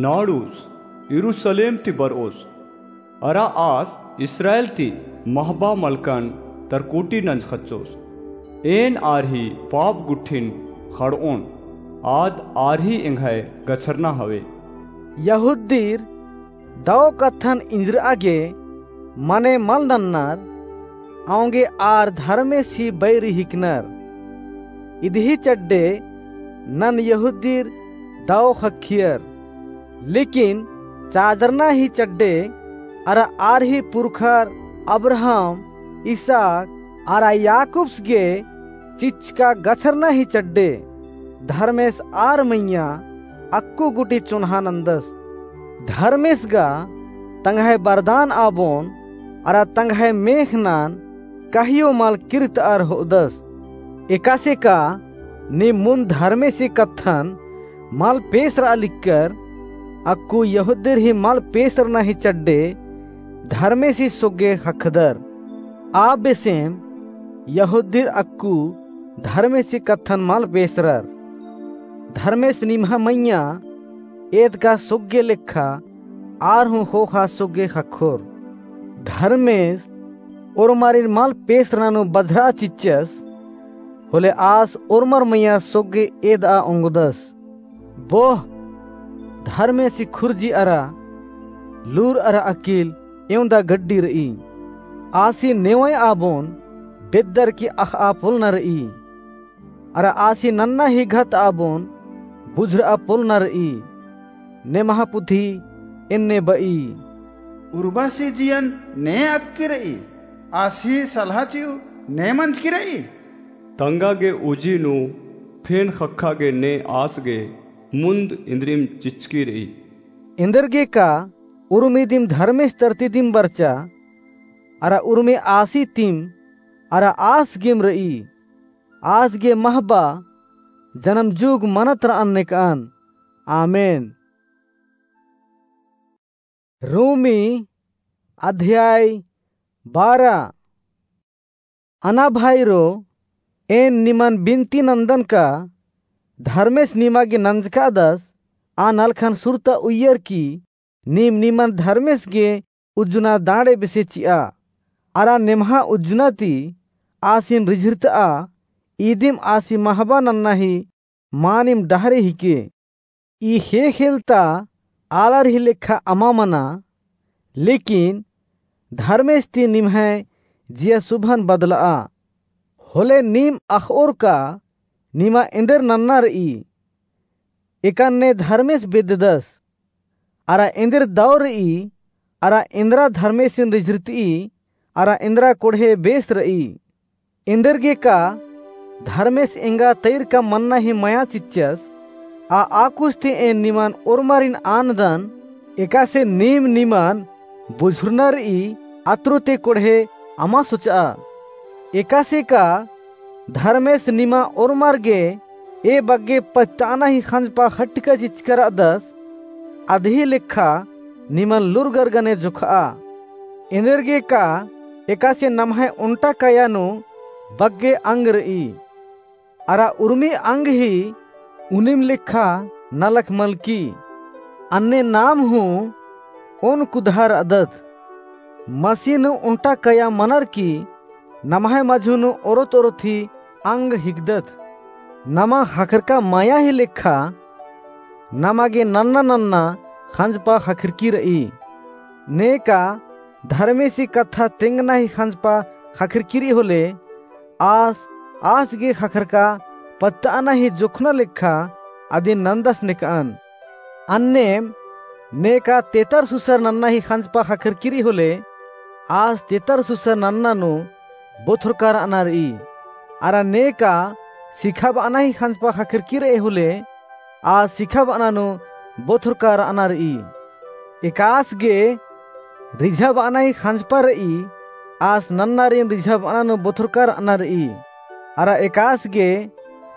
नाड़ुस, यरूसलेम ती बरओस। अरा आस इस्राएल ती महबा मलकन तरकोटी नंजखच्चोस। एन आर ही पाप गुट्ठिन खड़ओन, आद आर ही एंग्है गछरना हवे। यहूदीर दौ कत्थन इंजरआ गे मने मल नन्नर, औंगे आर धर्मेस ही बैरी हिकनर। इदही चड्डे नन यहूदीर दौ ख़क्खियर। लेकिन चाजरना ही चड्डे अरा आर ही पुरखर अब्राहम, इसहाक अरा याकूब्स गे चिच्चका गछरना ही चड्डे धर्मेस आर मइय्याँ अक्कु गूटी चुन्हा नन्दस। धर्मेस गा तंग्है बरदान आबोन अरा तंग्है मेख़नान कहियो मल किर्रतअर होअदस। एकासे का नीम मुन्द धर्मेसी कत्थन मल पेसरआ लिक्कर, अक्कु यहूदीर ही मल पेसरना ही चड्डे धर्मेसी सोग्गे ख़क्खदर। आ बेसेम यहूदीर अक्कु धर्मेसी कत्थन मल पेसरर। धर्मेस निम्हा मइय्याँ एदका सोग्गे लेखा आर हूँ ख़ोख़ा सोग्गे ख़क्खोर। धर्मेस ओर्मारिन मल पेसरना नू बझरआ चिच्चस, होले आस ओर्मर मइय्याँ सोग्गे एदआ ओंगदस। बोह, धर्मेसी खुर्जी अरा लूर अरा अकिल एवंदा गड्डी रई। आसी नेवय आबोन बेद्दर की अख़आ पोलना रई। अरा आसी नन्ना ही घत आबोन बुझुरआ पोलना रई। नेमहा पुथी एन्ने बई। उर्बासी जियन ने अक्की रई, आसी सलहा चिउ ने मंजकी रई। तंगा गे उजी नू फेन ख़क्खा गे ने आस गे मुन्द इन्द्रिम चिच्चकी रई। एन्देरगे का उर्मी दिम धर्मेस तरती दिम बरचा, अरा उर्मी आसी तिम, अरा आस गेम रई। आस गे महबा जनम जुग मनत रअन नेकअन। आमेन। रोमी अध्याय बारह। अना भाईरो, एन निमन बिनती नन्दन का धर्मेस निमा गे नंजकादस, आ नलखन सुरता उइयर की नीम निमन धर्मेस गे उज्जना दाड़े बेसे चिआ। अरा नेम्हा उज्जना ती आसिन रिझिरतआ, इदिम आसी महबा नन्ना ही मानिम डहरे हिके। ई ख़ेख़ेल ता आलर ही लेखा अमा मना, लेकिन धर्मेस ती निम्है जिया सुभन बदलआ। होले नीम अख़ओर का निमा एन्देर नन्ना रई, एकन्ने धर्मेस बेद्ददस। अरा एन्देर दौ रई, अरा एन्दरा धर्मेसिन रिझिरतई, अरा एन्दरा कोड़हे बेस रई। एन्देरगे का धर्मेस एंगा तैरका मन्ना ही मया चिच्चस, आ आकुस ती एन निमन ओर्मारिन आनदन, एकासे नीम निमन बुझुरना रई, अत्रो ती कोड़हे अमा सोचआ। एकासे का धर्मेस निमा ओर्मर गे ए बग्गे पछताना ही खंजपा खटका चिचका रअदस, अदही लेखा निमन लूरगर गने जोखआ। एन्देरगे का एकासे नम्है ओन्टा काया नू बग्गे अंग रई। अरा उर्मी अंग ही उनिम लेखा नलख मलकी। अन्ने नाम हूँ ओन कुदहा रअदत। मसीह नू ओन्टा कया मनर की नम्है मझी नू ओरोत ओरोत ही अंग हिकदत। नमा ख़क्खरका मया ही लेखा नमा गे नन्ना नन्ना ख़ंजपा ख़क्खरकी रई। नेका धर्मेसी कत्था तेंगना ही ख़ंजपा ख़क्खरकी रई होले, आस, आस गे ख़क्खरका पत्तअना ही जोखना लेखा अदिन नन्दस नेकअन। अन्नेम नेका तेतर सुसर नन्ना ही ख़ंजपा ख़क्खरकी रई होले, आस तेतर सुसर नन्ना नू बोथरका रअना रई। अरा नेका सिखाबअना ही ख़ंजपा ख़क्खरकी रई होले, आस सिखाबअना नू बोथरका रअना रई। एकास गे रिझाबअना ही ख़ंजपा रई, आस नन्नारिन रिझाबअना नू बोथरका रअना रई। अरा एकास गे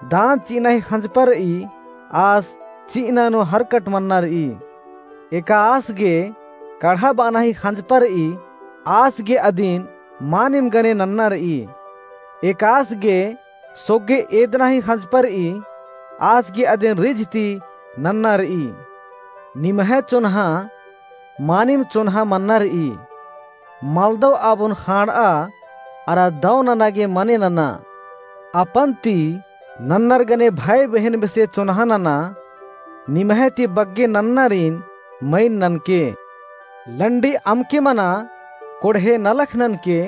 दान चिअना ही ख़ंजपा रई, आस चिअना नू हरकट मन्ना रई। एकास गे कड़हाबअना ही ख़ंजपा रई, आस गे अदिन मानिम गने नन्ना रई। एकास गे सोग्गे एदना ही ख़ंजपा रई, आस गे अदिन रिझ ती नन्ना रई। निम्है चोन्हा मानिम चोन्हा मन्ना रई। मलदव आबोन ख़ांड़आ अरा दव नना गे मने नना। अपन ती नन्नर गने भाई बहिन बेसे चोन्हा नना। निम्है ती बग्गे नन्नारिन मइन ननके। लंडी अमके मना, कोड़हे नलख ननके।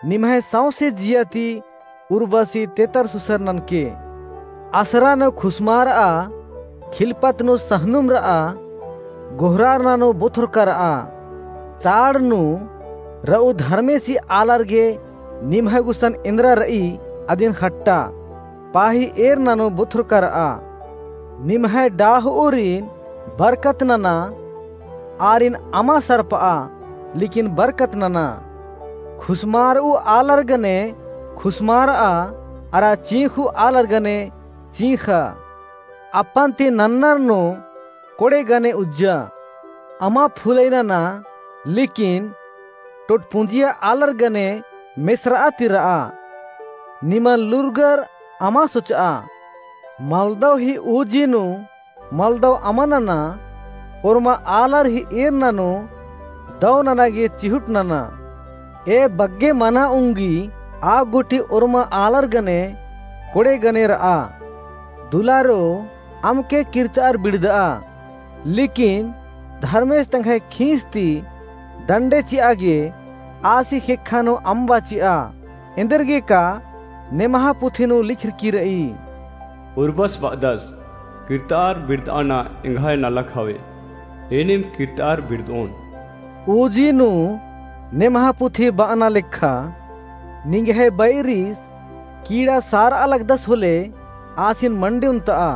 निम्है सौंसे जिया ती उर्बसी तेतर सुसर ननके। असरा नू खुसमारआ, खिलपत नू सहनुम रआ, गोहरारना नू बोथरका रआ। चाड़ नू रऊ धर्मेसी आलर गे निम्है गुसन एन्दरा रई अदिन ख़ट्टा। पाही एरना नू बोथरका रआ। निम्है डाहओरिन बरकत नना, आरिन अमा सरपआ, लेकिन बरकत नना। खुसमारऊ आलर गने खुसमारआ, अरा चींख़ू आलर गने चींख़ा। अपन ती नन्नर नू कोड़े गने उज्जा। अमा फुलई नना, लेकिन टोटपुंजिया आलर गने मेसरआ ती रआ। निमन लूरगर अमा सोचआ। मलदव ही ऊजी नू मलदव अमा नना, ओर्मा आलर ही एरना नू दव नना गे चिहुट नना। ए बग्गे मना उंगी आ गूटी ओर्मा आलर गने कोड़े गने रआ। दुलारो, अमके किर्तअर बिड़दआ, लेकिन धर्मेस तंग्है खींस ती दंडे चिआ गे आसी ख़ेक्खा नू अम्बा चिआ। एन्देरगेका नेमहा पुथी नू लिखरकी रई। उर्बस बअदस, किर्तअर बिड़दअना एंग्है नलख हवे, एनिम किर्तअर बिड़दओन। ऊजी नू नेमहा पुथी बअना लेखा, निंग्है बैरिस कीड़ा सारआ लगदस होले आसिन मंडी ओन्तआ,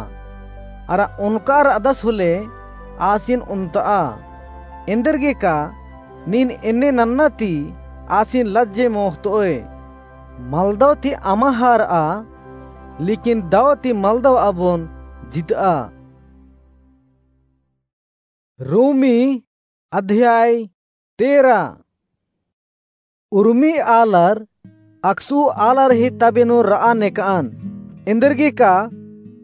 अरा ओनका रअदस होले आसिन ओन्तआ। एन्देरगेका नीन एन्ने नन्ना ती आसिन लज्जे मोख़तओय। मलदव ती अमा हारआ, लेकिन दव ती मलदव आबोन जितआ। रोमी अध्याय तेरह। उर्मी आलर अकसु आलर ही तबे नू रआ नेकअन। एन्देरगेका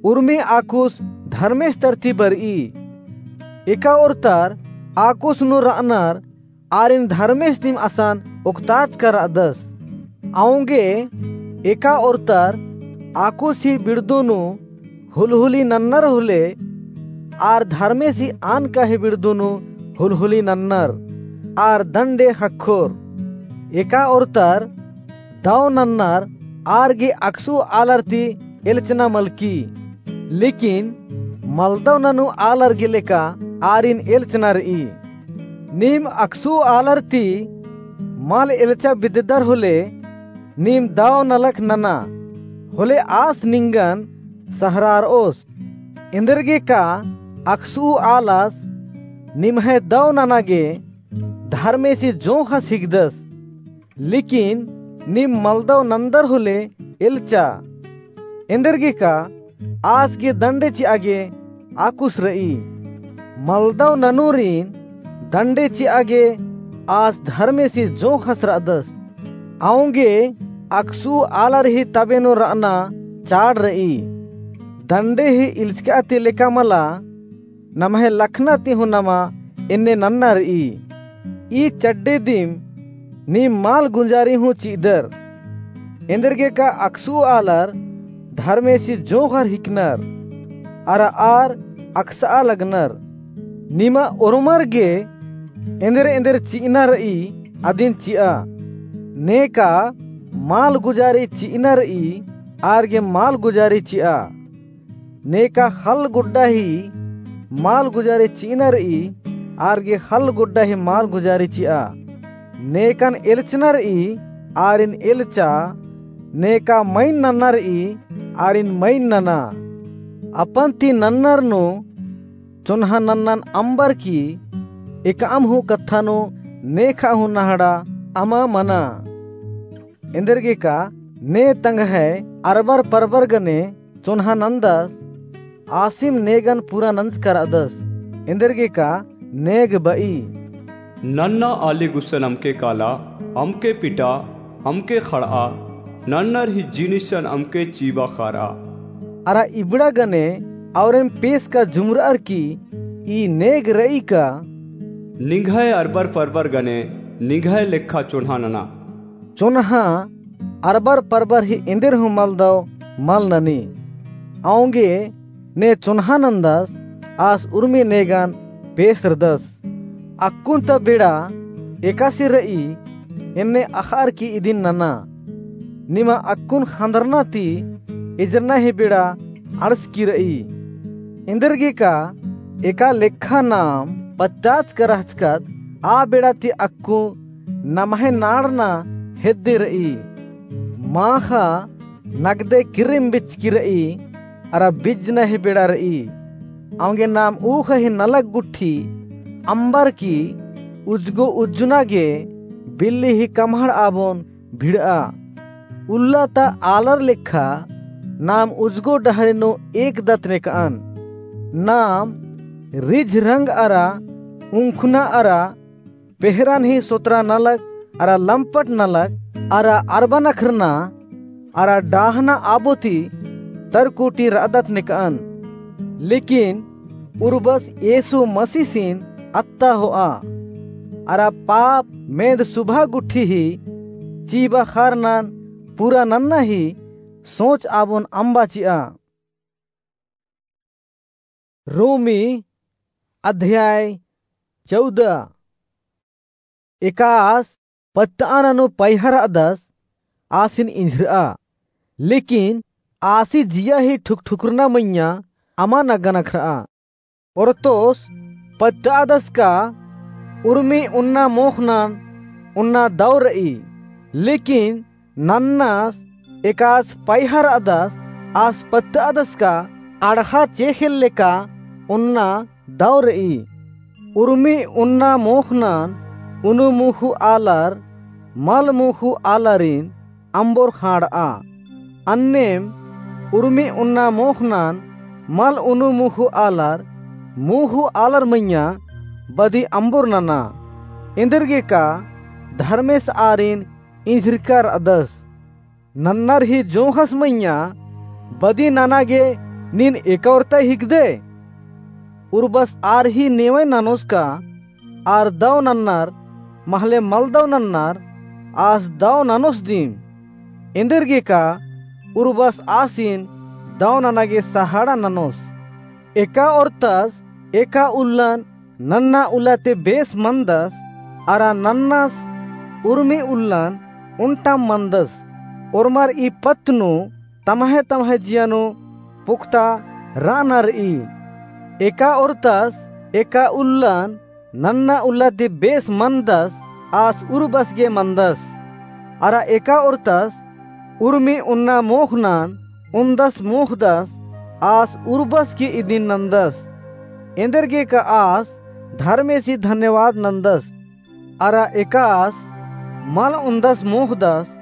उर्मी आकुस धर्मेस तरती बरई। एका ओर्तर आकुस नू रअनर आरिन धर्मेस दिम असन ओक्ताचका रअदस। औंगे एका ओर्तर आकुस ही बिड़दो नू हुलहुली नन्नर होले, आर धर्मेसी आनका ही बिड़दो नू हुलहुली नन्नर, आर दंडे ख़क्खोर। एका ओर्तर दव नन्नर आर गे अकसु आलर ती एल्चना मलकी, लेकिन मलदव ननू आलर गे लेका आरिन एल्चना रई। नीम अकसु आलर ती मल एल्चा बिद्ददर होले, नीम दव नलख नना, होले आस निंगन सहरारओस। एन्देरगेका अकसु आलस निम्है दव नना गे धर्मेसी जोंख़स हिकदस, लेकिन नीम मलदव नन्दर होले एल्चा। एन्देरगेका आस गे दंडे चिआ गे आकुस रई। मलदव ननूरिन दंडे चिआ गे आस धर्मेसी जोंख़स रअदस। औंगे अकसु आलर ही तबे नू रअना चाड़ रई। दंडे ही इल्चका ती लेका मला, नम्है लखना ती हूँ नमा एन्ने नन्ना रई। ई चड्डे दिम नीम माल गुंजारी हूँ चि'अदर। एन्देरगेका अकसु आलर धर्मेसी जोंख़र हिकनर, अरा आर अकस'आ लगनर। निमा ओर्मर गे एन्देर एन्देर चि'अना र'ई, अदिन चि'आ। नेका माल गुंजारी चि'अना र'ई, आर गे माल गुंजारी चि'आ। नेका ख़ल्ल गुड्डा ही माल गुंजारी चि'अना र'ई, आर गे ख़ल्ल गुड्डा ही माल गुंजारी चि'आ। नेकन एल्चना र'ई, आरिन एल्चा। नेका मइन नन्ना र'ई, आरिन मइन नना। अपन ती नन्नर नू चोन्हा नन्नन अम्बर की एकअम हूँ कत्था नू नेखा हूँ नहड़ा अमा मना। एन्देरगेका ने तंग्है अरबर परबर गने चोन्हा नन्दस, आसिम नेगन पूरा नंजका र'अदस। एन्देरगेका नेग ब'ई। नन्ना आली गुसन अमके काला, अमके पिटा, अमके खड़'आ, नन्नर ही जिनिसन अमके चीबा खार'आ। अरा इबड़ा गने औरेम पेसका जुमर'अर की ई नेग र'ई का। निंग्है अरबर परबर गने निंग्है लेखा चोन्हा नना। चोन्हा अरबर परबर ही एन्देर हूँ मल दव मल ननी। औंगे ने चोन्हा नन्दस आस उर्मी नेगन पेसरदस। अक्कुन ता बेड़ा एकासे र'ई, एन्ने अख़'अर की इदिन नना। निमा अक्कुन ख़न्दरना ती एजरना ही बेड़ा अंड़सकी र'ई। एन्देरगेका एका लेखा नाम पत्ताचका रहचकत आ बेड़ा ती अक्कु नम्है नाड़ना हेद्दे र'ई। माख़ा नगदे किर्रिम बिचकी र'ई, अरा बिजना ही बेड़ा र'ई। औंगे नाम ऊख़ा ही नलख गुट्ठी अम्बर की उज्जगो उज्जना गे बिल्ली ही कम्हड़ आबोन भिड़'आ। उल्ला ता आलर लेखा नाम उज्जगो डहरे नू एकदत नेक'अन। नाम रिझ रंग अरा उंखुना अरा पेहरन ही सोतरा नलख अरा लम्पट नलख अरा अरबा नखरना अरा डाहना आबो ती तरकुटी र'अदत नेक'अन। लेकिन उर्बस येसु मसीसिन अत्ता हो'आ। अरा पाप मेंद सुभा गुट्ठी ही चीबा खारनन पूरा नन्ना ही सोच आबोन अम्बा चि'आ। रोमी अध्याय चौदह। एकास पत्त'आ ननू पैहा र'अदस आसिन इंझिर'आ, लेकिन आसी जिया ही ठुकठुकरना मइय्याँ अमा नगनखर'आ। ओरतोस पत्त'अदस का उर्मी उन्ना मोख़नन उन्ना दौ र'ई, लेकिन नन्नस एकास पैहा र'अदस आस पत्त'अदस का अड़हा चेख़ेल लेका उन्ना दौ र'ई। उर्मी उन्ना मोख़नन उनु मुखु आलर मल मुखु आलरिन अम्बोर ख़ांड़'आ। अन्नेम उर्मी उन्ना मोख़नन मल उनु मुखु आलर मुखु आलर मइय्याँ बदी अम्बोर नना। एन्देरगेका धर्मेस आरिन इंझिरका र'अदस। नन्नर ही जोंख़स मइय्याँ बदी नना गे नीन एका ओर ता हिकदय? उर्बस आर ही नेवय ननोस का आर दौ नन्नर महले मल दौ नन्नर आस दौ ननोस दिम। एन्देरगेका उर्बस आसिन दौ नना गे सहाड़ा ननोस। एका ओर्तस एका उल्लन नन्ना उल्ला ती बेस मनदस, अरा नन्नस उर्मी उल्लन उन्टाम मनदस। ओर्मर ई पत्त नू तम्है तम्है जिया नू पुक्ता र'अना र'ई। एका ओर्तस एका उल्लन नन्ना उल्ला ती बेस मनदस आस उर्बस गे मनदस। अरा एका ओर्तस उर्मी उन्ना मोख़नन उन्दस मोख़दस आस उर्बस गे इदिन नन्दस। एन्देरगेका आस धर्मेसी धन्यवाद नन्दस। अरा एकास मल उन्दस मोख़दस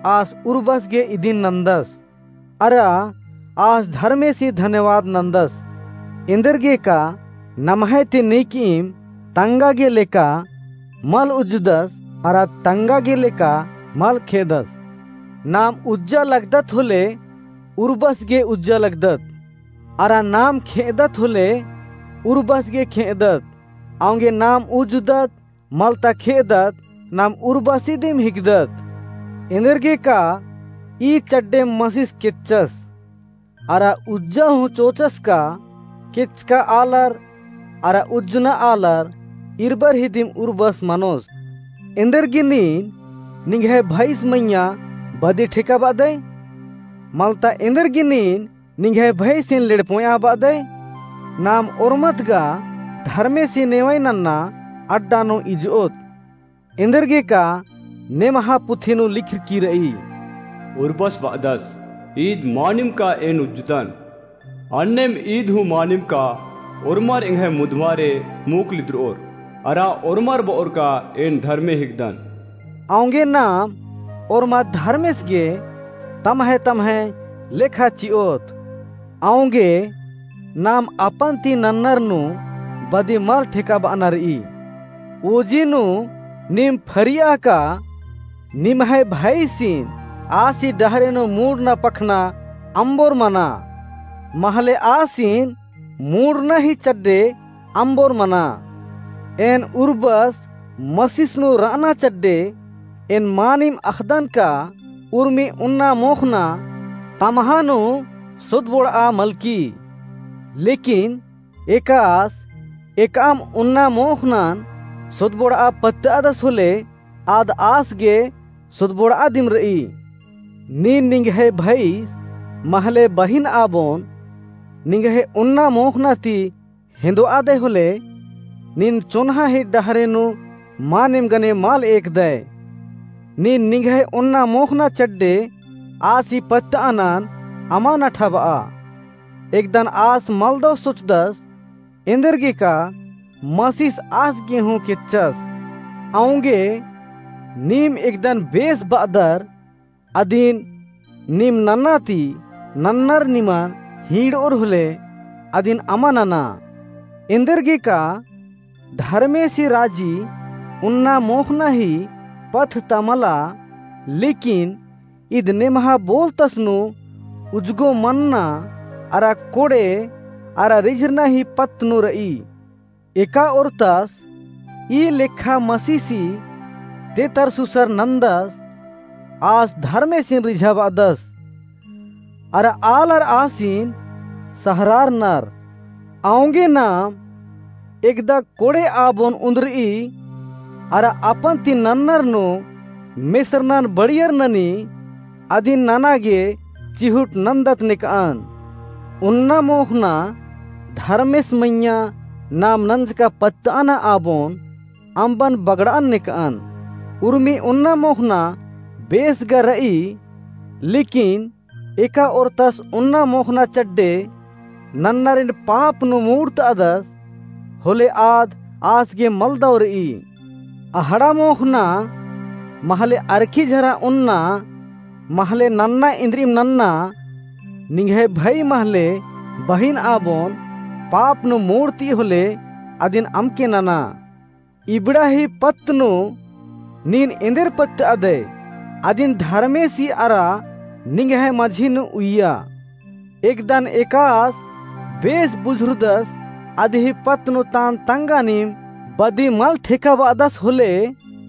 आस उर्बस गे इदिन नन्दस। अरा आस धर्मेसी धन्यवाद नन्दस। एन्देरगेका नम्है ती नीकईम तंगा गे लेका मल उज्जदस, अरा तंगा गे लेका मल खे'अदस। नाम उज्जा लगदत होले उर्बस गे उज्जा लगदत, अरा नाम खे'अदत होले उर्बस गे खे'अदत। औंगे नाम उज्जदत मल ता खे'अदत, नाम उर्बसी दिम हिकदत। एन्देरगे का ई चड्डे मसिस केच्चस। अरा उज्जा हूँ चोचस का केचका आलर अरा उज्जना आलर इरबर ही दिम उर्बस मनोस। एन्देरगे नीन निंग्है भइस मइय्याँ बदी ठेका बादय? मलता एन्देरगे नीन निंग्है भइसिन लेड़पोया बादय? नाम ओर्मत गा धर्मेसी नेवई नन्ना अड्डा नू इजओत। एन्देरगे का नेमहा पुथी नू लिखरकी रई। उर्बस बादस, ईद मानिम का एन उज्जदन। अन्नेम ईद हूँ मानिम का ओर्मर एंग्है मुधमारे मूक लिद्रओर, अरा ओर्मर बओर का एन धर्मे हिकदन। औंगे नाम ओर्मा धर्मेस गे तम्है तम्है लेखा चिओत। औंगे नाम अपन ती नन्नर नू बदी मल ठेका बअना रई। ओजी नू नीम फरिया का निम्है भइसिन आसी डहरे नू मूड़ना पखना अम्बोर मना। महले आसिन मूड़ना ही चड्डे अम्बोर मना। एन उर्बस मसिस नू रअना चड्डे एन मानिम अख़दन का उर्मी उन्ना मोख़ना तम्हा नू सोदबोड़आ मलकी। लेकिन एकास एकअम उन्ना मोख़नन सोदबोड़आ पत्तअदस होले आद आस गे सोदबोड़आ दिम रई। नीन निंग्है भइस महले बहिन आबोन निंग्है उन्ना मोख़ना ती हेंदोआदय होले, नीन चोन्हा ही डहरे नू मानिम गने मल एकदय। नीन निंग्है ओन्ना मोख़ना चड्डे आसी पत्तअनन अमा नठा बआ। एकदन आस मलदौ सोचदस, एन्देरगे का मसीस आस गे हूँ केच्चस। औंगे नीम एकदन बेस बअदर, अदिन नीम नन्ना ती नन्नर निमन हींड़ओर होले अदिन अमा नना। एन्देरगे का धर्मेसी राजी उन्ना मोख़ना ही पत्त ता मला, लेकिन इद नेम्हा बोलतस नू उजगो मन्ना अरा कोड़े अरा रिझरना ही पत्त नू रई। एका ओर्तस ई लेखा मसीसी ते तरसुसर नन्दस, आस धर्मेसिन रिझाबअदस, अरा आलर आसिन सहरारनर। औंगे नाम एकदा कोड़े आबोन उन्दरई, अरा अपन ती नन्नर नू मेसरनन बड़ियर ननी, अदिन नना गे चिहुट नन्दत नेकअन। उन्ना मोख़ना धर्मेस मइय्याँ नाम नंजका पत्तअना आबोन अम्बन बगड़अन नेकअन। उर्मी उन्ना मोख़ना बेस गा रई, लेकिन एका ओर्तस उन्ना मोख़ना चड्डे नन्नरिन पाप नू मूड़तअदस, होले आद आस गे मलदौ रई। अहड़ा मोख़ना महले अरखी झरा उन्ना, महले नन्ना इन्द्रिम नन्ना, निंग्है भई महले बहिन आबोन पाप नू मूड़ती होले अदिन अमके नना। इबड़ा ही पत्त नू नीन एन्देर पत्तअदय, अदिन धर्मेसी अरा निंग्है मझी नू उइया। एकदन एकास बेस बुझुरदस, अदही पत्त नू तान तंगानिम बदी मल ठेकाबअदस होले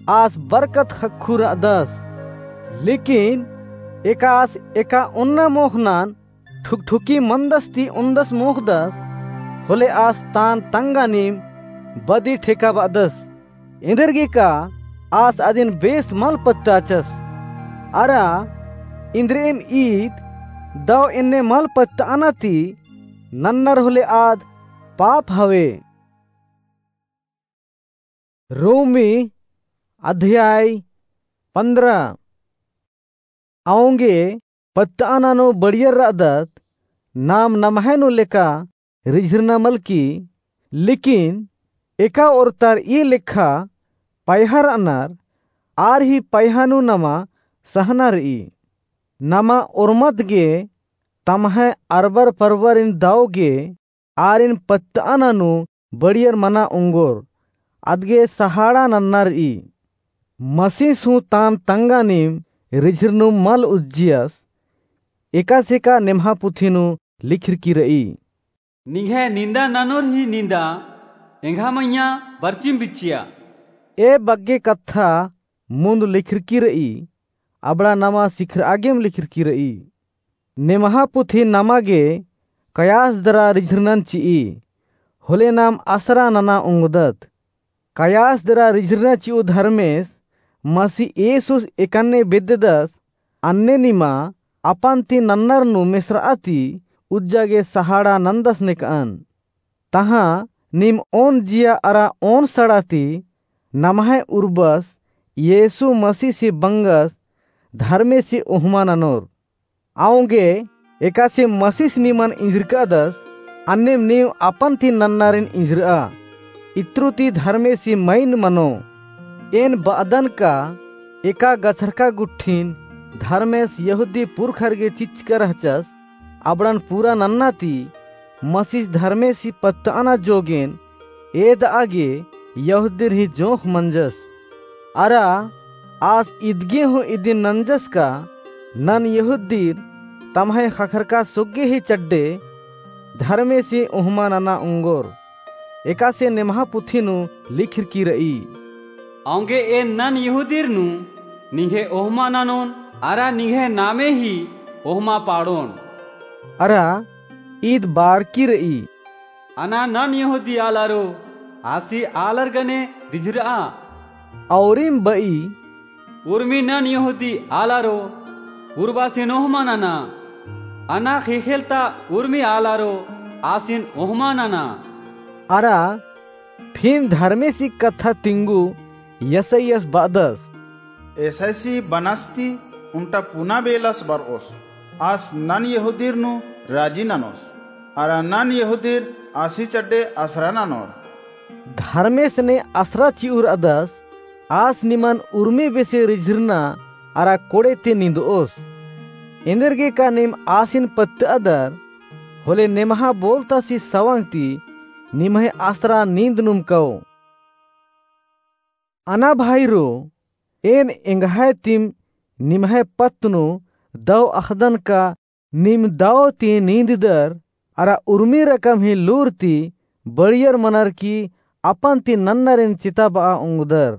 आस बरकत ख़क्खु रअदस। लेकिन एकास एका ओन्ना मोख़नन ठुकठुकी मन्दस ती ओन्दस मोख़दस, होले आस तान तंगानिम बदी ठेकाबअदस। एन्देरगे का आस अदिन बेस मल पत्ताचस। अरा इन्द्रिम ईद दौ एन्ने मल पत्तअना ती नन्नर होले आद पाप हवे। रोमी अध्याय पन्द्रह। औंगे पत्तअना नू बड़ियर रअदत, नाम नम्है नू लेका रिझरना मलकी, लेकिन एका ओर्तर ई लेखा पयहा रअनर, आर ही पयहा नू नमा सहना रई। नमा ओर्मत गे तम्है अरबर परबरिन दौ गे आरिन पत्तअना नू बड़ियर मना ओंगोर, अदगे सहाड़ा नन्ना रई। मसीस हूँ तान तंगानिम रिझरनुम मल उज्जियस, एकासे का नेम्हा पुथी नू लिखरकी रई। निंग्है निंदा ननोर ही निंदा एंग्है मइय्याँ बरचिम बिच्चिया। ए बग्गे कत्था मुन्द लिखरकी र'ई, अबड़ा नमा सिखर'आ गेम लिखरकी र'ई। नेम्हा पुथी नमा गे कयास दरा रिझरनन चि'ई, होले नाम असरा नना ओंगदत। कयास दरा रिझरना चि'ऊ धर्मेस मसी येसुस एकन्ने बेद्ददस, अन्ने निमा अपन ती नन्नर नू मेसर'आ ती उज्जा गे सहाड़ा नन्दस नेक'अन। तहाँ नीम ओन जिया अरा ओन सड़ा ती नम्है उर्बस येसु मसीसी बंगस धर्मेसी ओहमा ननोर। औंगे एकासे मसीस निमन इंजरक'अदस, अन्नेम नीम अपन ती नन्नारिन इंजर'आ, इत्रु ती धर्मेसी मइन मनो। एन ब'अदन का एका गछरका गुट्ठिन धर्मेस यहूदी पुरखर गे चिच्चका रहचस, अबड़न पूरा नन्ना ती मसीस धर्मेसी पत्त'अना जोगेन एद'आ गे यहूदीर ही जोंख़ मंजस। अरा आस इदगे हूँ इदिन नंजस का नन यहूदीर तम्है ख़क्खरका सोग्गे ही चड्डे धर्मेसी ओहमा नना ओंगोर। एकासे नेम्हा पुथी नू लिखरकी र'ई। औंगे एन नन यहूदीर नू निंग्है ओहमा ननोन अरा निंग्है नामे ही ओहमा पाड़ोन। अरा ईद बारकी र'ई। अना नन यहूदी आलारो आसी आलर गने रिझर'आ। औरिम ब'ई। उर्मी नन यहूदी आलारो उर्बासिन ओहमा नना। अना ख़ेख़ेल ता उर्मी आलारो आसिन ओहमा नना। अरा फिन धर्मेसी कत्था तिंगु यसायास ब'अदस। एसैसी बनास ती उन्टा पुना बेलस बर'ओस। आस नन यहूदीर नू राजी ननोस। अरा नन यहूदीर आसी चड्डे असरा ननोर। धर्मेस ने असरा चि'उर'अदस, आस निमन उर्मी बेसे रिझरना अरा कोड़े ती निंद'ओस। एन्देरगे का नीम आसिन पत्त'अदर, होले नेम्हा बोलतासी सवंग ती निम्है असरा नींद नुम कओ। अना भाईरो, एन एंग्है तिम निम्है पत्त नू दव अख़दन का नीम दव ती नींददर, अरा उर्मी रकम ही लूर ती बड़ियर मनर की अपन ती नन्नरिन चिताब'आ ओंगदर।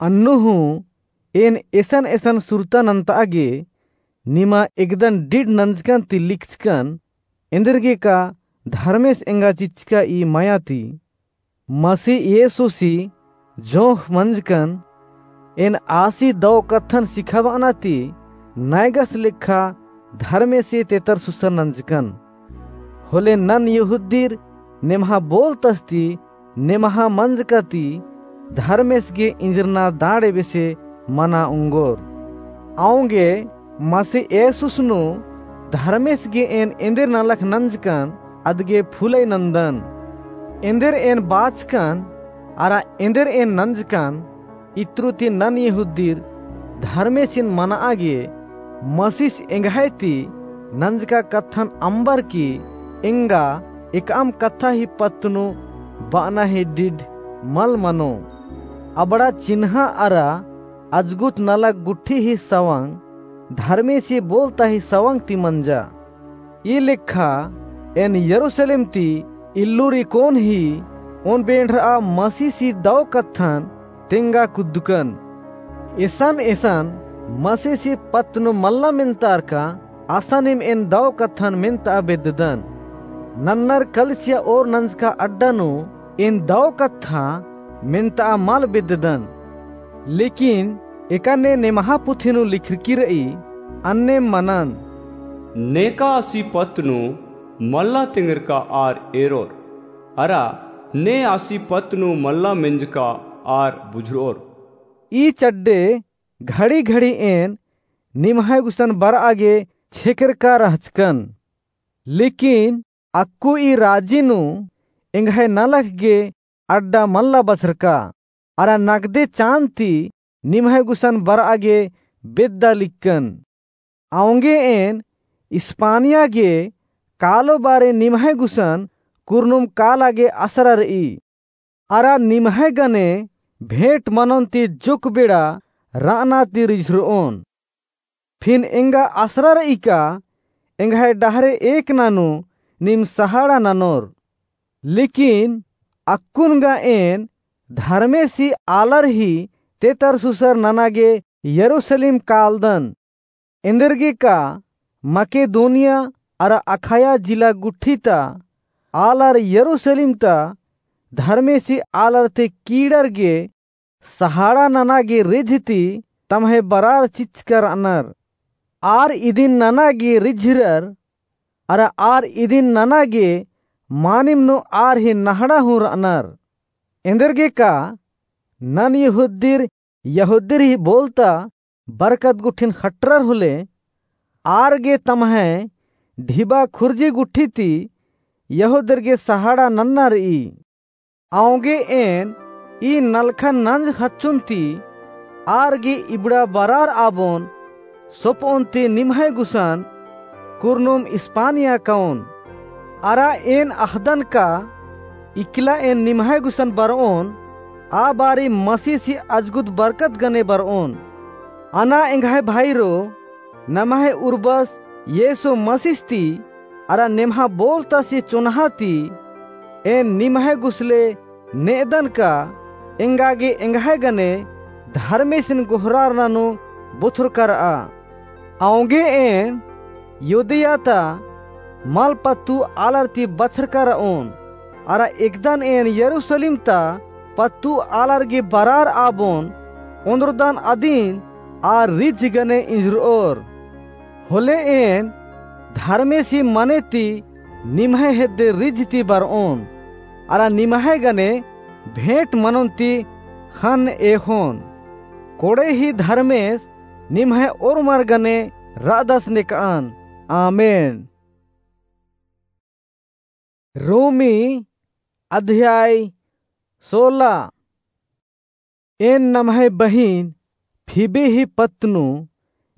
अन्नु हूँ एन एसन एसन सुरता नन्त'आ गे निमा एकदन डिड नंजकन ती लिखचकन, एन्देरगे का धर्मेस एंगा चिच्चका ई मया ती। मसी येसुसी जोंख़ मंजकन, एन आसी दव कत्थन सिखाब'अना ती नैगस लेखा धर्मेसे तेतर सुसर नंजकन। होले नन यहूदीर नेम्हा बोलतस ती नेम्हा मंजका ती धर्मेस गे इंजरना दाड़े बेसे मना ओंगोर। औंगे मसी येसुस नू धर्मेस गे एन एन्देर नलख नंजकन अदगे फुलई नन्दन। एन्देर एन बाचकन अरा एन्देर एन नंजकन इत्रु ती नन यहूदीर धर्मेसिन मन'आ गे मसीस एंग्है ती नंजका कत्थन अम्बर की एंगा एकअम कत्था ही पत्त नू ब'अना ही डिड मल मनो। अबड़ा चिन्हा अरा अजगुत नलख गुट्ठी ही सवंग धर्मेसी बोलता ही सवंग ती मंजा। ई लेखा एन यरूसलेम ती इल्लुर इकोन ही ओन बेंड़र'आ मसीसी दव कत्थन तेंगा कुद्दकन। एसन एसन मसीसी पत्त नू मल्ला मेन्तारका असानिम एन दव कत्थन मेन्त'आ बेद्ददन। नन्नर कलिसिया ओर नंजका अड्डा नू एन दव कत्था मेन्त'आ मल बेद्ददन। लेकिन एकन्ने नेम्हा पुथी नू लिखरकी र'ई, अन्नेम मनन। नेका आसी पत्त नू मल्ला तेंगरका आर एरोर, अरा ने आसी पत्त नू मल्ला मेंजका आर बुझुर'ओर। ई चड्डे घड़ी घड़ी एन निम्है गुसन बर'आ गे छेकरका रहचकन। लेकिन अक्कु ई राजी नू एंग्है नलख गे अड्डा मल्ला बछरका, अरा नगदे चान ती निम्है गुसन बर'आ गे बेद्दा लिक्कन। औंगे एन इस्पानिया गे कालो बारे निम्है गुसन कुरनुम काला गे असरा र'ई। अरा निम्है गने भेंट मनोन ती जुक बेड़ा र'अना ती रिझुर'ओन। फिन एंगा असरा र'ई का एंग्है डहरे एकना नू नीम सहाड़ा ननोर। लेकिन अक्कुन गा एन धर्मेसी आलर ही तेतरसुसर नना गे यरूसलेम कालदन। एन्देरगे का मकेदोनिया अरा अखाया जिला गुट्ठी ता आलर यरूसलेम ता धर्मेसी आलर ती कीड़र गे सहाड़ा नना गे रिझ ती तम्है बरार चिच्चका रअनर। आर इदिन नना गे रिझरर, अरा आर इदिन नना गे मानिम नू आर ही नहड़ा हूँ रअनर। एन्देरगे का नन यहूदीर, यहूदीर ही बोलता बरकत गुट्ठिन खटरर होले, आर गे तम्है ढिबा खुर्जी गुट्ठी ती यहूदीर गे सहाड़ा नन्ना रई। औंगे एन ई नलखन नंज खच्चुन ती आर गे इबड़ा बरार आबोन सोपओन ती निम्है गुसन कुरनुम इस्पानिया कओन। अरा एन अख़दन का इकला एन निम्है गुसन बरओन, आ बारी मसीसी अजगुद बरकत गने बरओन। अना एंग्है भाईरो, नम्है उर्बस येसो मसीस ती अरा नेम्हा बोलतासी चोन्हा ती एन निम्है गुसले नेदन का एंगा गे एंग्है गने धर्मेसिन गोहरारना नू बुथुरका रआ। औंगे एन युदिया ता मल पत्तू आलर ती बछरका रओन, अरा एकदन एन यरूसलेम ता पत्तू आलर गे बरार आबोन ओन्द्रदन अदिन आ रिझ गने इंजरओर। होले एन धर्मेसी मने ती निम्है हेद्दे रिझ ती बरओन, अरा निम्है गने भेंट मनोन ती ख़न्न एख़ोन। कोड़े ही धर्मेस निम्है ओर्मर गने रअदस नेकअन। आमेन। रोमी अध्याय सोला। एन नम्है बहिन फीबी ही पत्त नू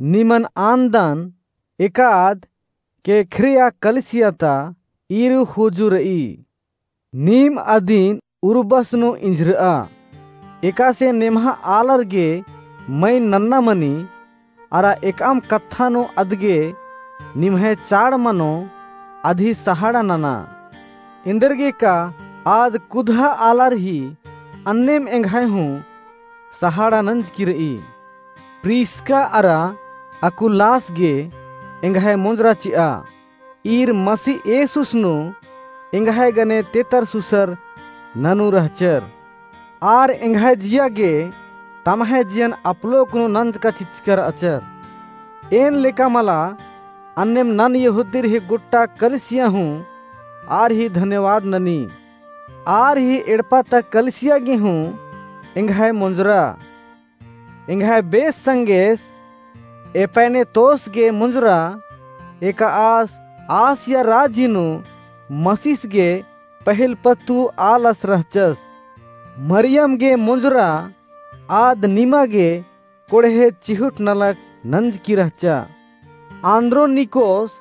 निमन आन्दन, एकाद केंख्रिया कलिसिया ता ईरू ख़ोजु रई। नीम अदिन उर्बस नू इंजरआ। एकासे नेम्हा आलर गे मइन नन्ना मनी, अरा एकअम कत्था नू अदगे निम्है चाड़ मनो अदही सहाड़ा नना। एन्देरगे का आद कुदहा आलर ही अन्नेम एंग्है हूँ सहाड़ा नंजकी रई। प्रिस्का अरा अकुलास गे एंग्है मोंजरा चिआ। ईर मसीह येसुस नू एंग्है गने तेतरसुसर ननू रहचर। आर एंग्है जिया गे तम्है जियन अपलोक नू नंजका चिच्चका रहचर। एन लेका मला अन्नेम नन यहूदीर ही गुट्टा कलिसिया हूँ आर ही धन्यवाद ननी। आर ही एड़पा ता कलिसिया गे हूँ एंग्है मोंजरा। एंग्है बेस संगेस एपैनेतोस गे मुंजरा, एका आस आसिया राजी नू मसीस गे पहिल पत्तू आलस रहचस। मरियम गे मुंजरा, आद निमा गे कोड़हे चिहुट नलख नंजकी रहचा। आन्द्रोनिकोस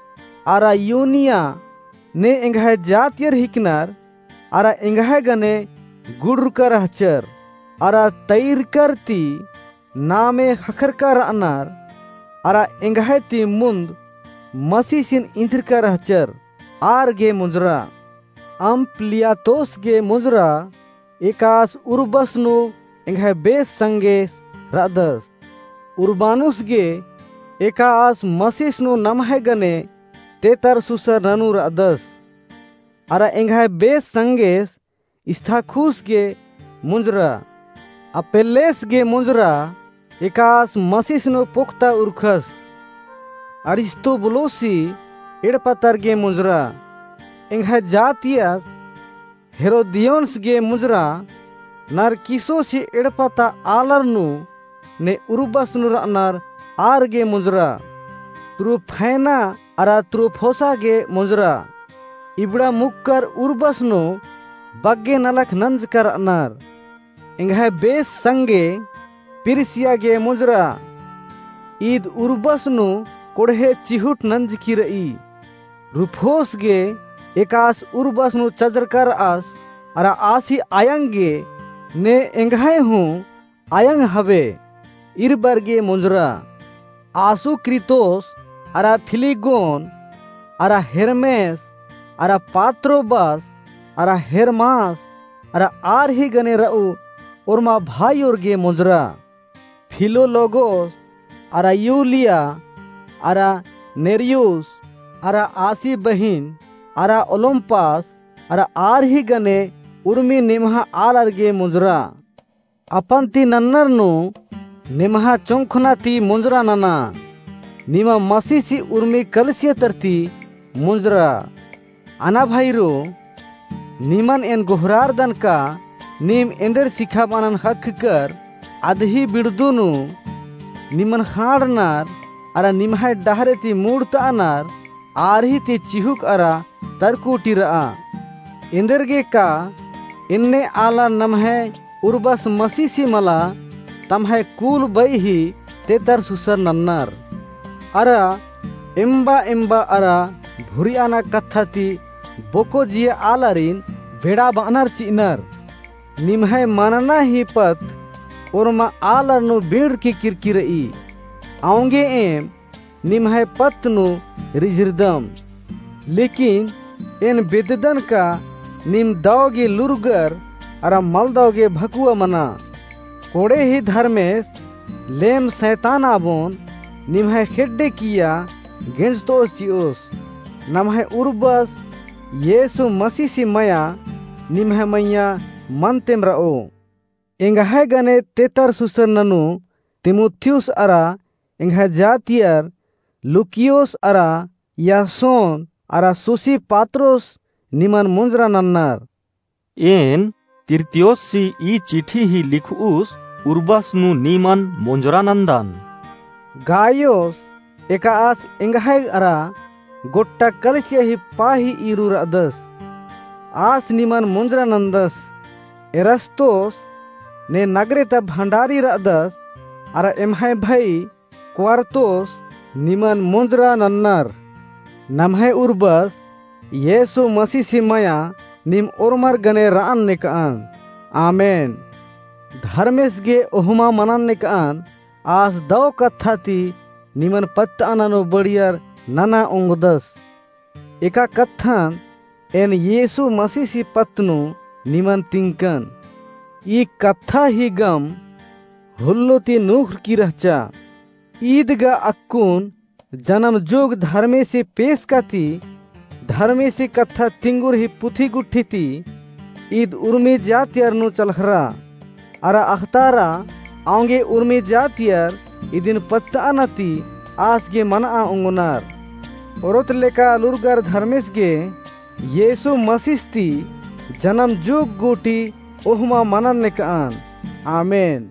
अरा यूनिया ने एंग्है जातियर हिकनर, अरा एंग्है गने गुड़रका रहचर, अरा तैरकर ती नामे ख़क्खरका रअनर, अरा एंग्है ती मुन्द मसीसिन इन्द्रका रहचर, आर गे मुंजरा। अम्पलियातोस गे मुंजरा, एकास उर्बस नू एंग्है बेस संगेस रअदस। उर्बानुस गे एकास मसीस नू नम्है गने तेतरसुसर ननू रअदस। अरा एंग्है बेस संगेस इस्ताखुस गे मुंजरा। अपेल्लेस गे मुंजरा, एकास मसीस नू पोक्ता उरखस। अरिस्तुबुलुसी एड़पा तर गे मुंजरा। एंग्है जातियस हेरोदियोनस गे मुंजरा। नरकिसोसी एड़पा ता आलर नू ने उर्बस नू रअनर आर गे मुंजरा। त्रुफैना अरा त्रुफोसा गे मुंजरा। इबड़ा मुक्कर उर्बस नू बग्गे नलख नंजका रअनर। एंग्है बेस संगे पिरसिया गे मुंजरा। ईद उर्बस नू कोड़हे चिहुट नंजकी रई। रुफोस गे एकास उर्बस नू चजरका रअस, अरा आसी आयंग गे ने एंग्है हूँ आयंग हवे, इरबर गे मुंजरा। आसुक्रितोस अरा फिलिगोन अरा हेर्मेस अरा पात्रोबस अरा हेर्मास अरा आर ही गने रऊ ओर्मा भाईयोर गे मुंजरा। फिलोलोगोस, अरा यूलिया, अरा नेर्युस, अरा आसी बहिन, अरा ओलुम्पास, अरा आर ही गने उर्मी निम्हा आलर गे मुंजरा। अपन ती नन्नर नू निम्हा चोंखना ती मुंजरा नना। निमा मसीसी उर्मी कलिसिया तरती मुंजरा। अना भाईरो, निमन एन गोहरारदन का नीम एन्देर सिखाबअनन ख़क्खकर अदही बिड़दू नू निमन ख़ांड़नर अरा निम्है डहरे ती मुड़तअनर आर ही ती चिहुक अरा तरकुटी रआ। एन्देरगे का एन्ने आलर नम्है उर्बस मसीसी मला तम्है कुल बई ही तेतर सुसर नन्नर। अरा एम्बा एम्बा अरा भुरियाना कत्था ती बोको जिया आलारिन बेड़ा बअनर चिअनर। निम्है मनना ही पत्त ओर्मा आलर नू बीड़की किरकी रई। औंगे एम निम्है पत्त नू रिझिरदम। लेकिन एन बेद्ददन का नीम दव गे लूरगर अरा मलदव गे भकुआ मना। कोड़े ही धर्मेस लेम सैतान आबोन निम्है खेड्डे किया गेंजतओस चिओस। नम्है उर्बस येसु मसीसी मया निम्है मइय्याँ मन तेम रओ। एंग्है गने तेतर सुसर ननू तीमुथियुस अरा एंग्है जातियर लूकियोस अरा यासोन अरा सोसिपात्रोस निमन मुंजरा नन्नर। एन तिर्तियोससी ई चिठी ही लिखउस उर्बस नू निमन मुंजरा नन्दन। गायोस एका आस एंग्है अरा गोट्टा कलिसिया ही पाही ईरू रअदस। आस निमन मुंजरा नन्दस। एरस्तोस ने नगरे ता भंडारी रअदस अरा एम्है भई क्वारतोस निमन मुंजरा नन्नर। नम्है उर्बस येसु मसीसी मया नीम ओर्मर गने रअन नेकअन। आमेन। धर्मेस गे ओहमा मनन नेकअन। आस दव कत्था ती निमन पत्तअना नू बड़ियर नना ओंगदस। एका कत्थन एन येसु मसीसी पत्त नू निमन तिंकन। ई कत्था ही गम हुल्लो ती नूखरकी रहचा। ईद गा अक्कुन जनम जुग धर्मेसी पेसका ती धर्मेसी कत्था तिंगुर ही पुथी गुट्ठी ती ईद उर्मी जातियर नू चलखरा। अरा अख़तारा औंगे उर्मी जातियर इदिन पत्तअना ती आस गे मनआ ओंगनर। ओरोत लेका लूरगर धर्मेस गे येसु मसीस ती जनम जुग गूटी ओहमा मनन नेकअन। आमेन।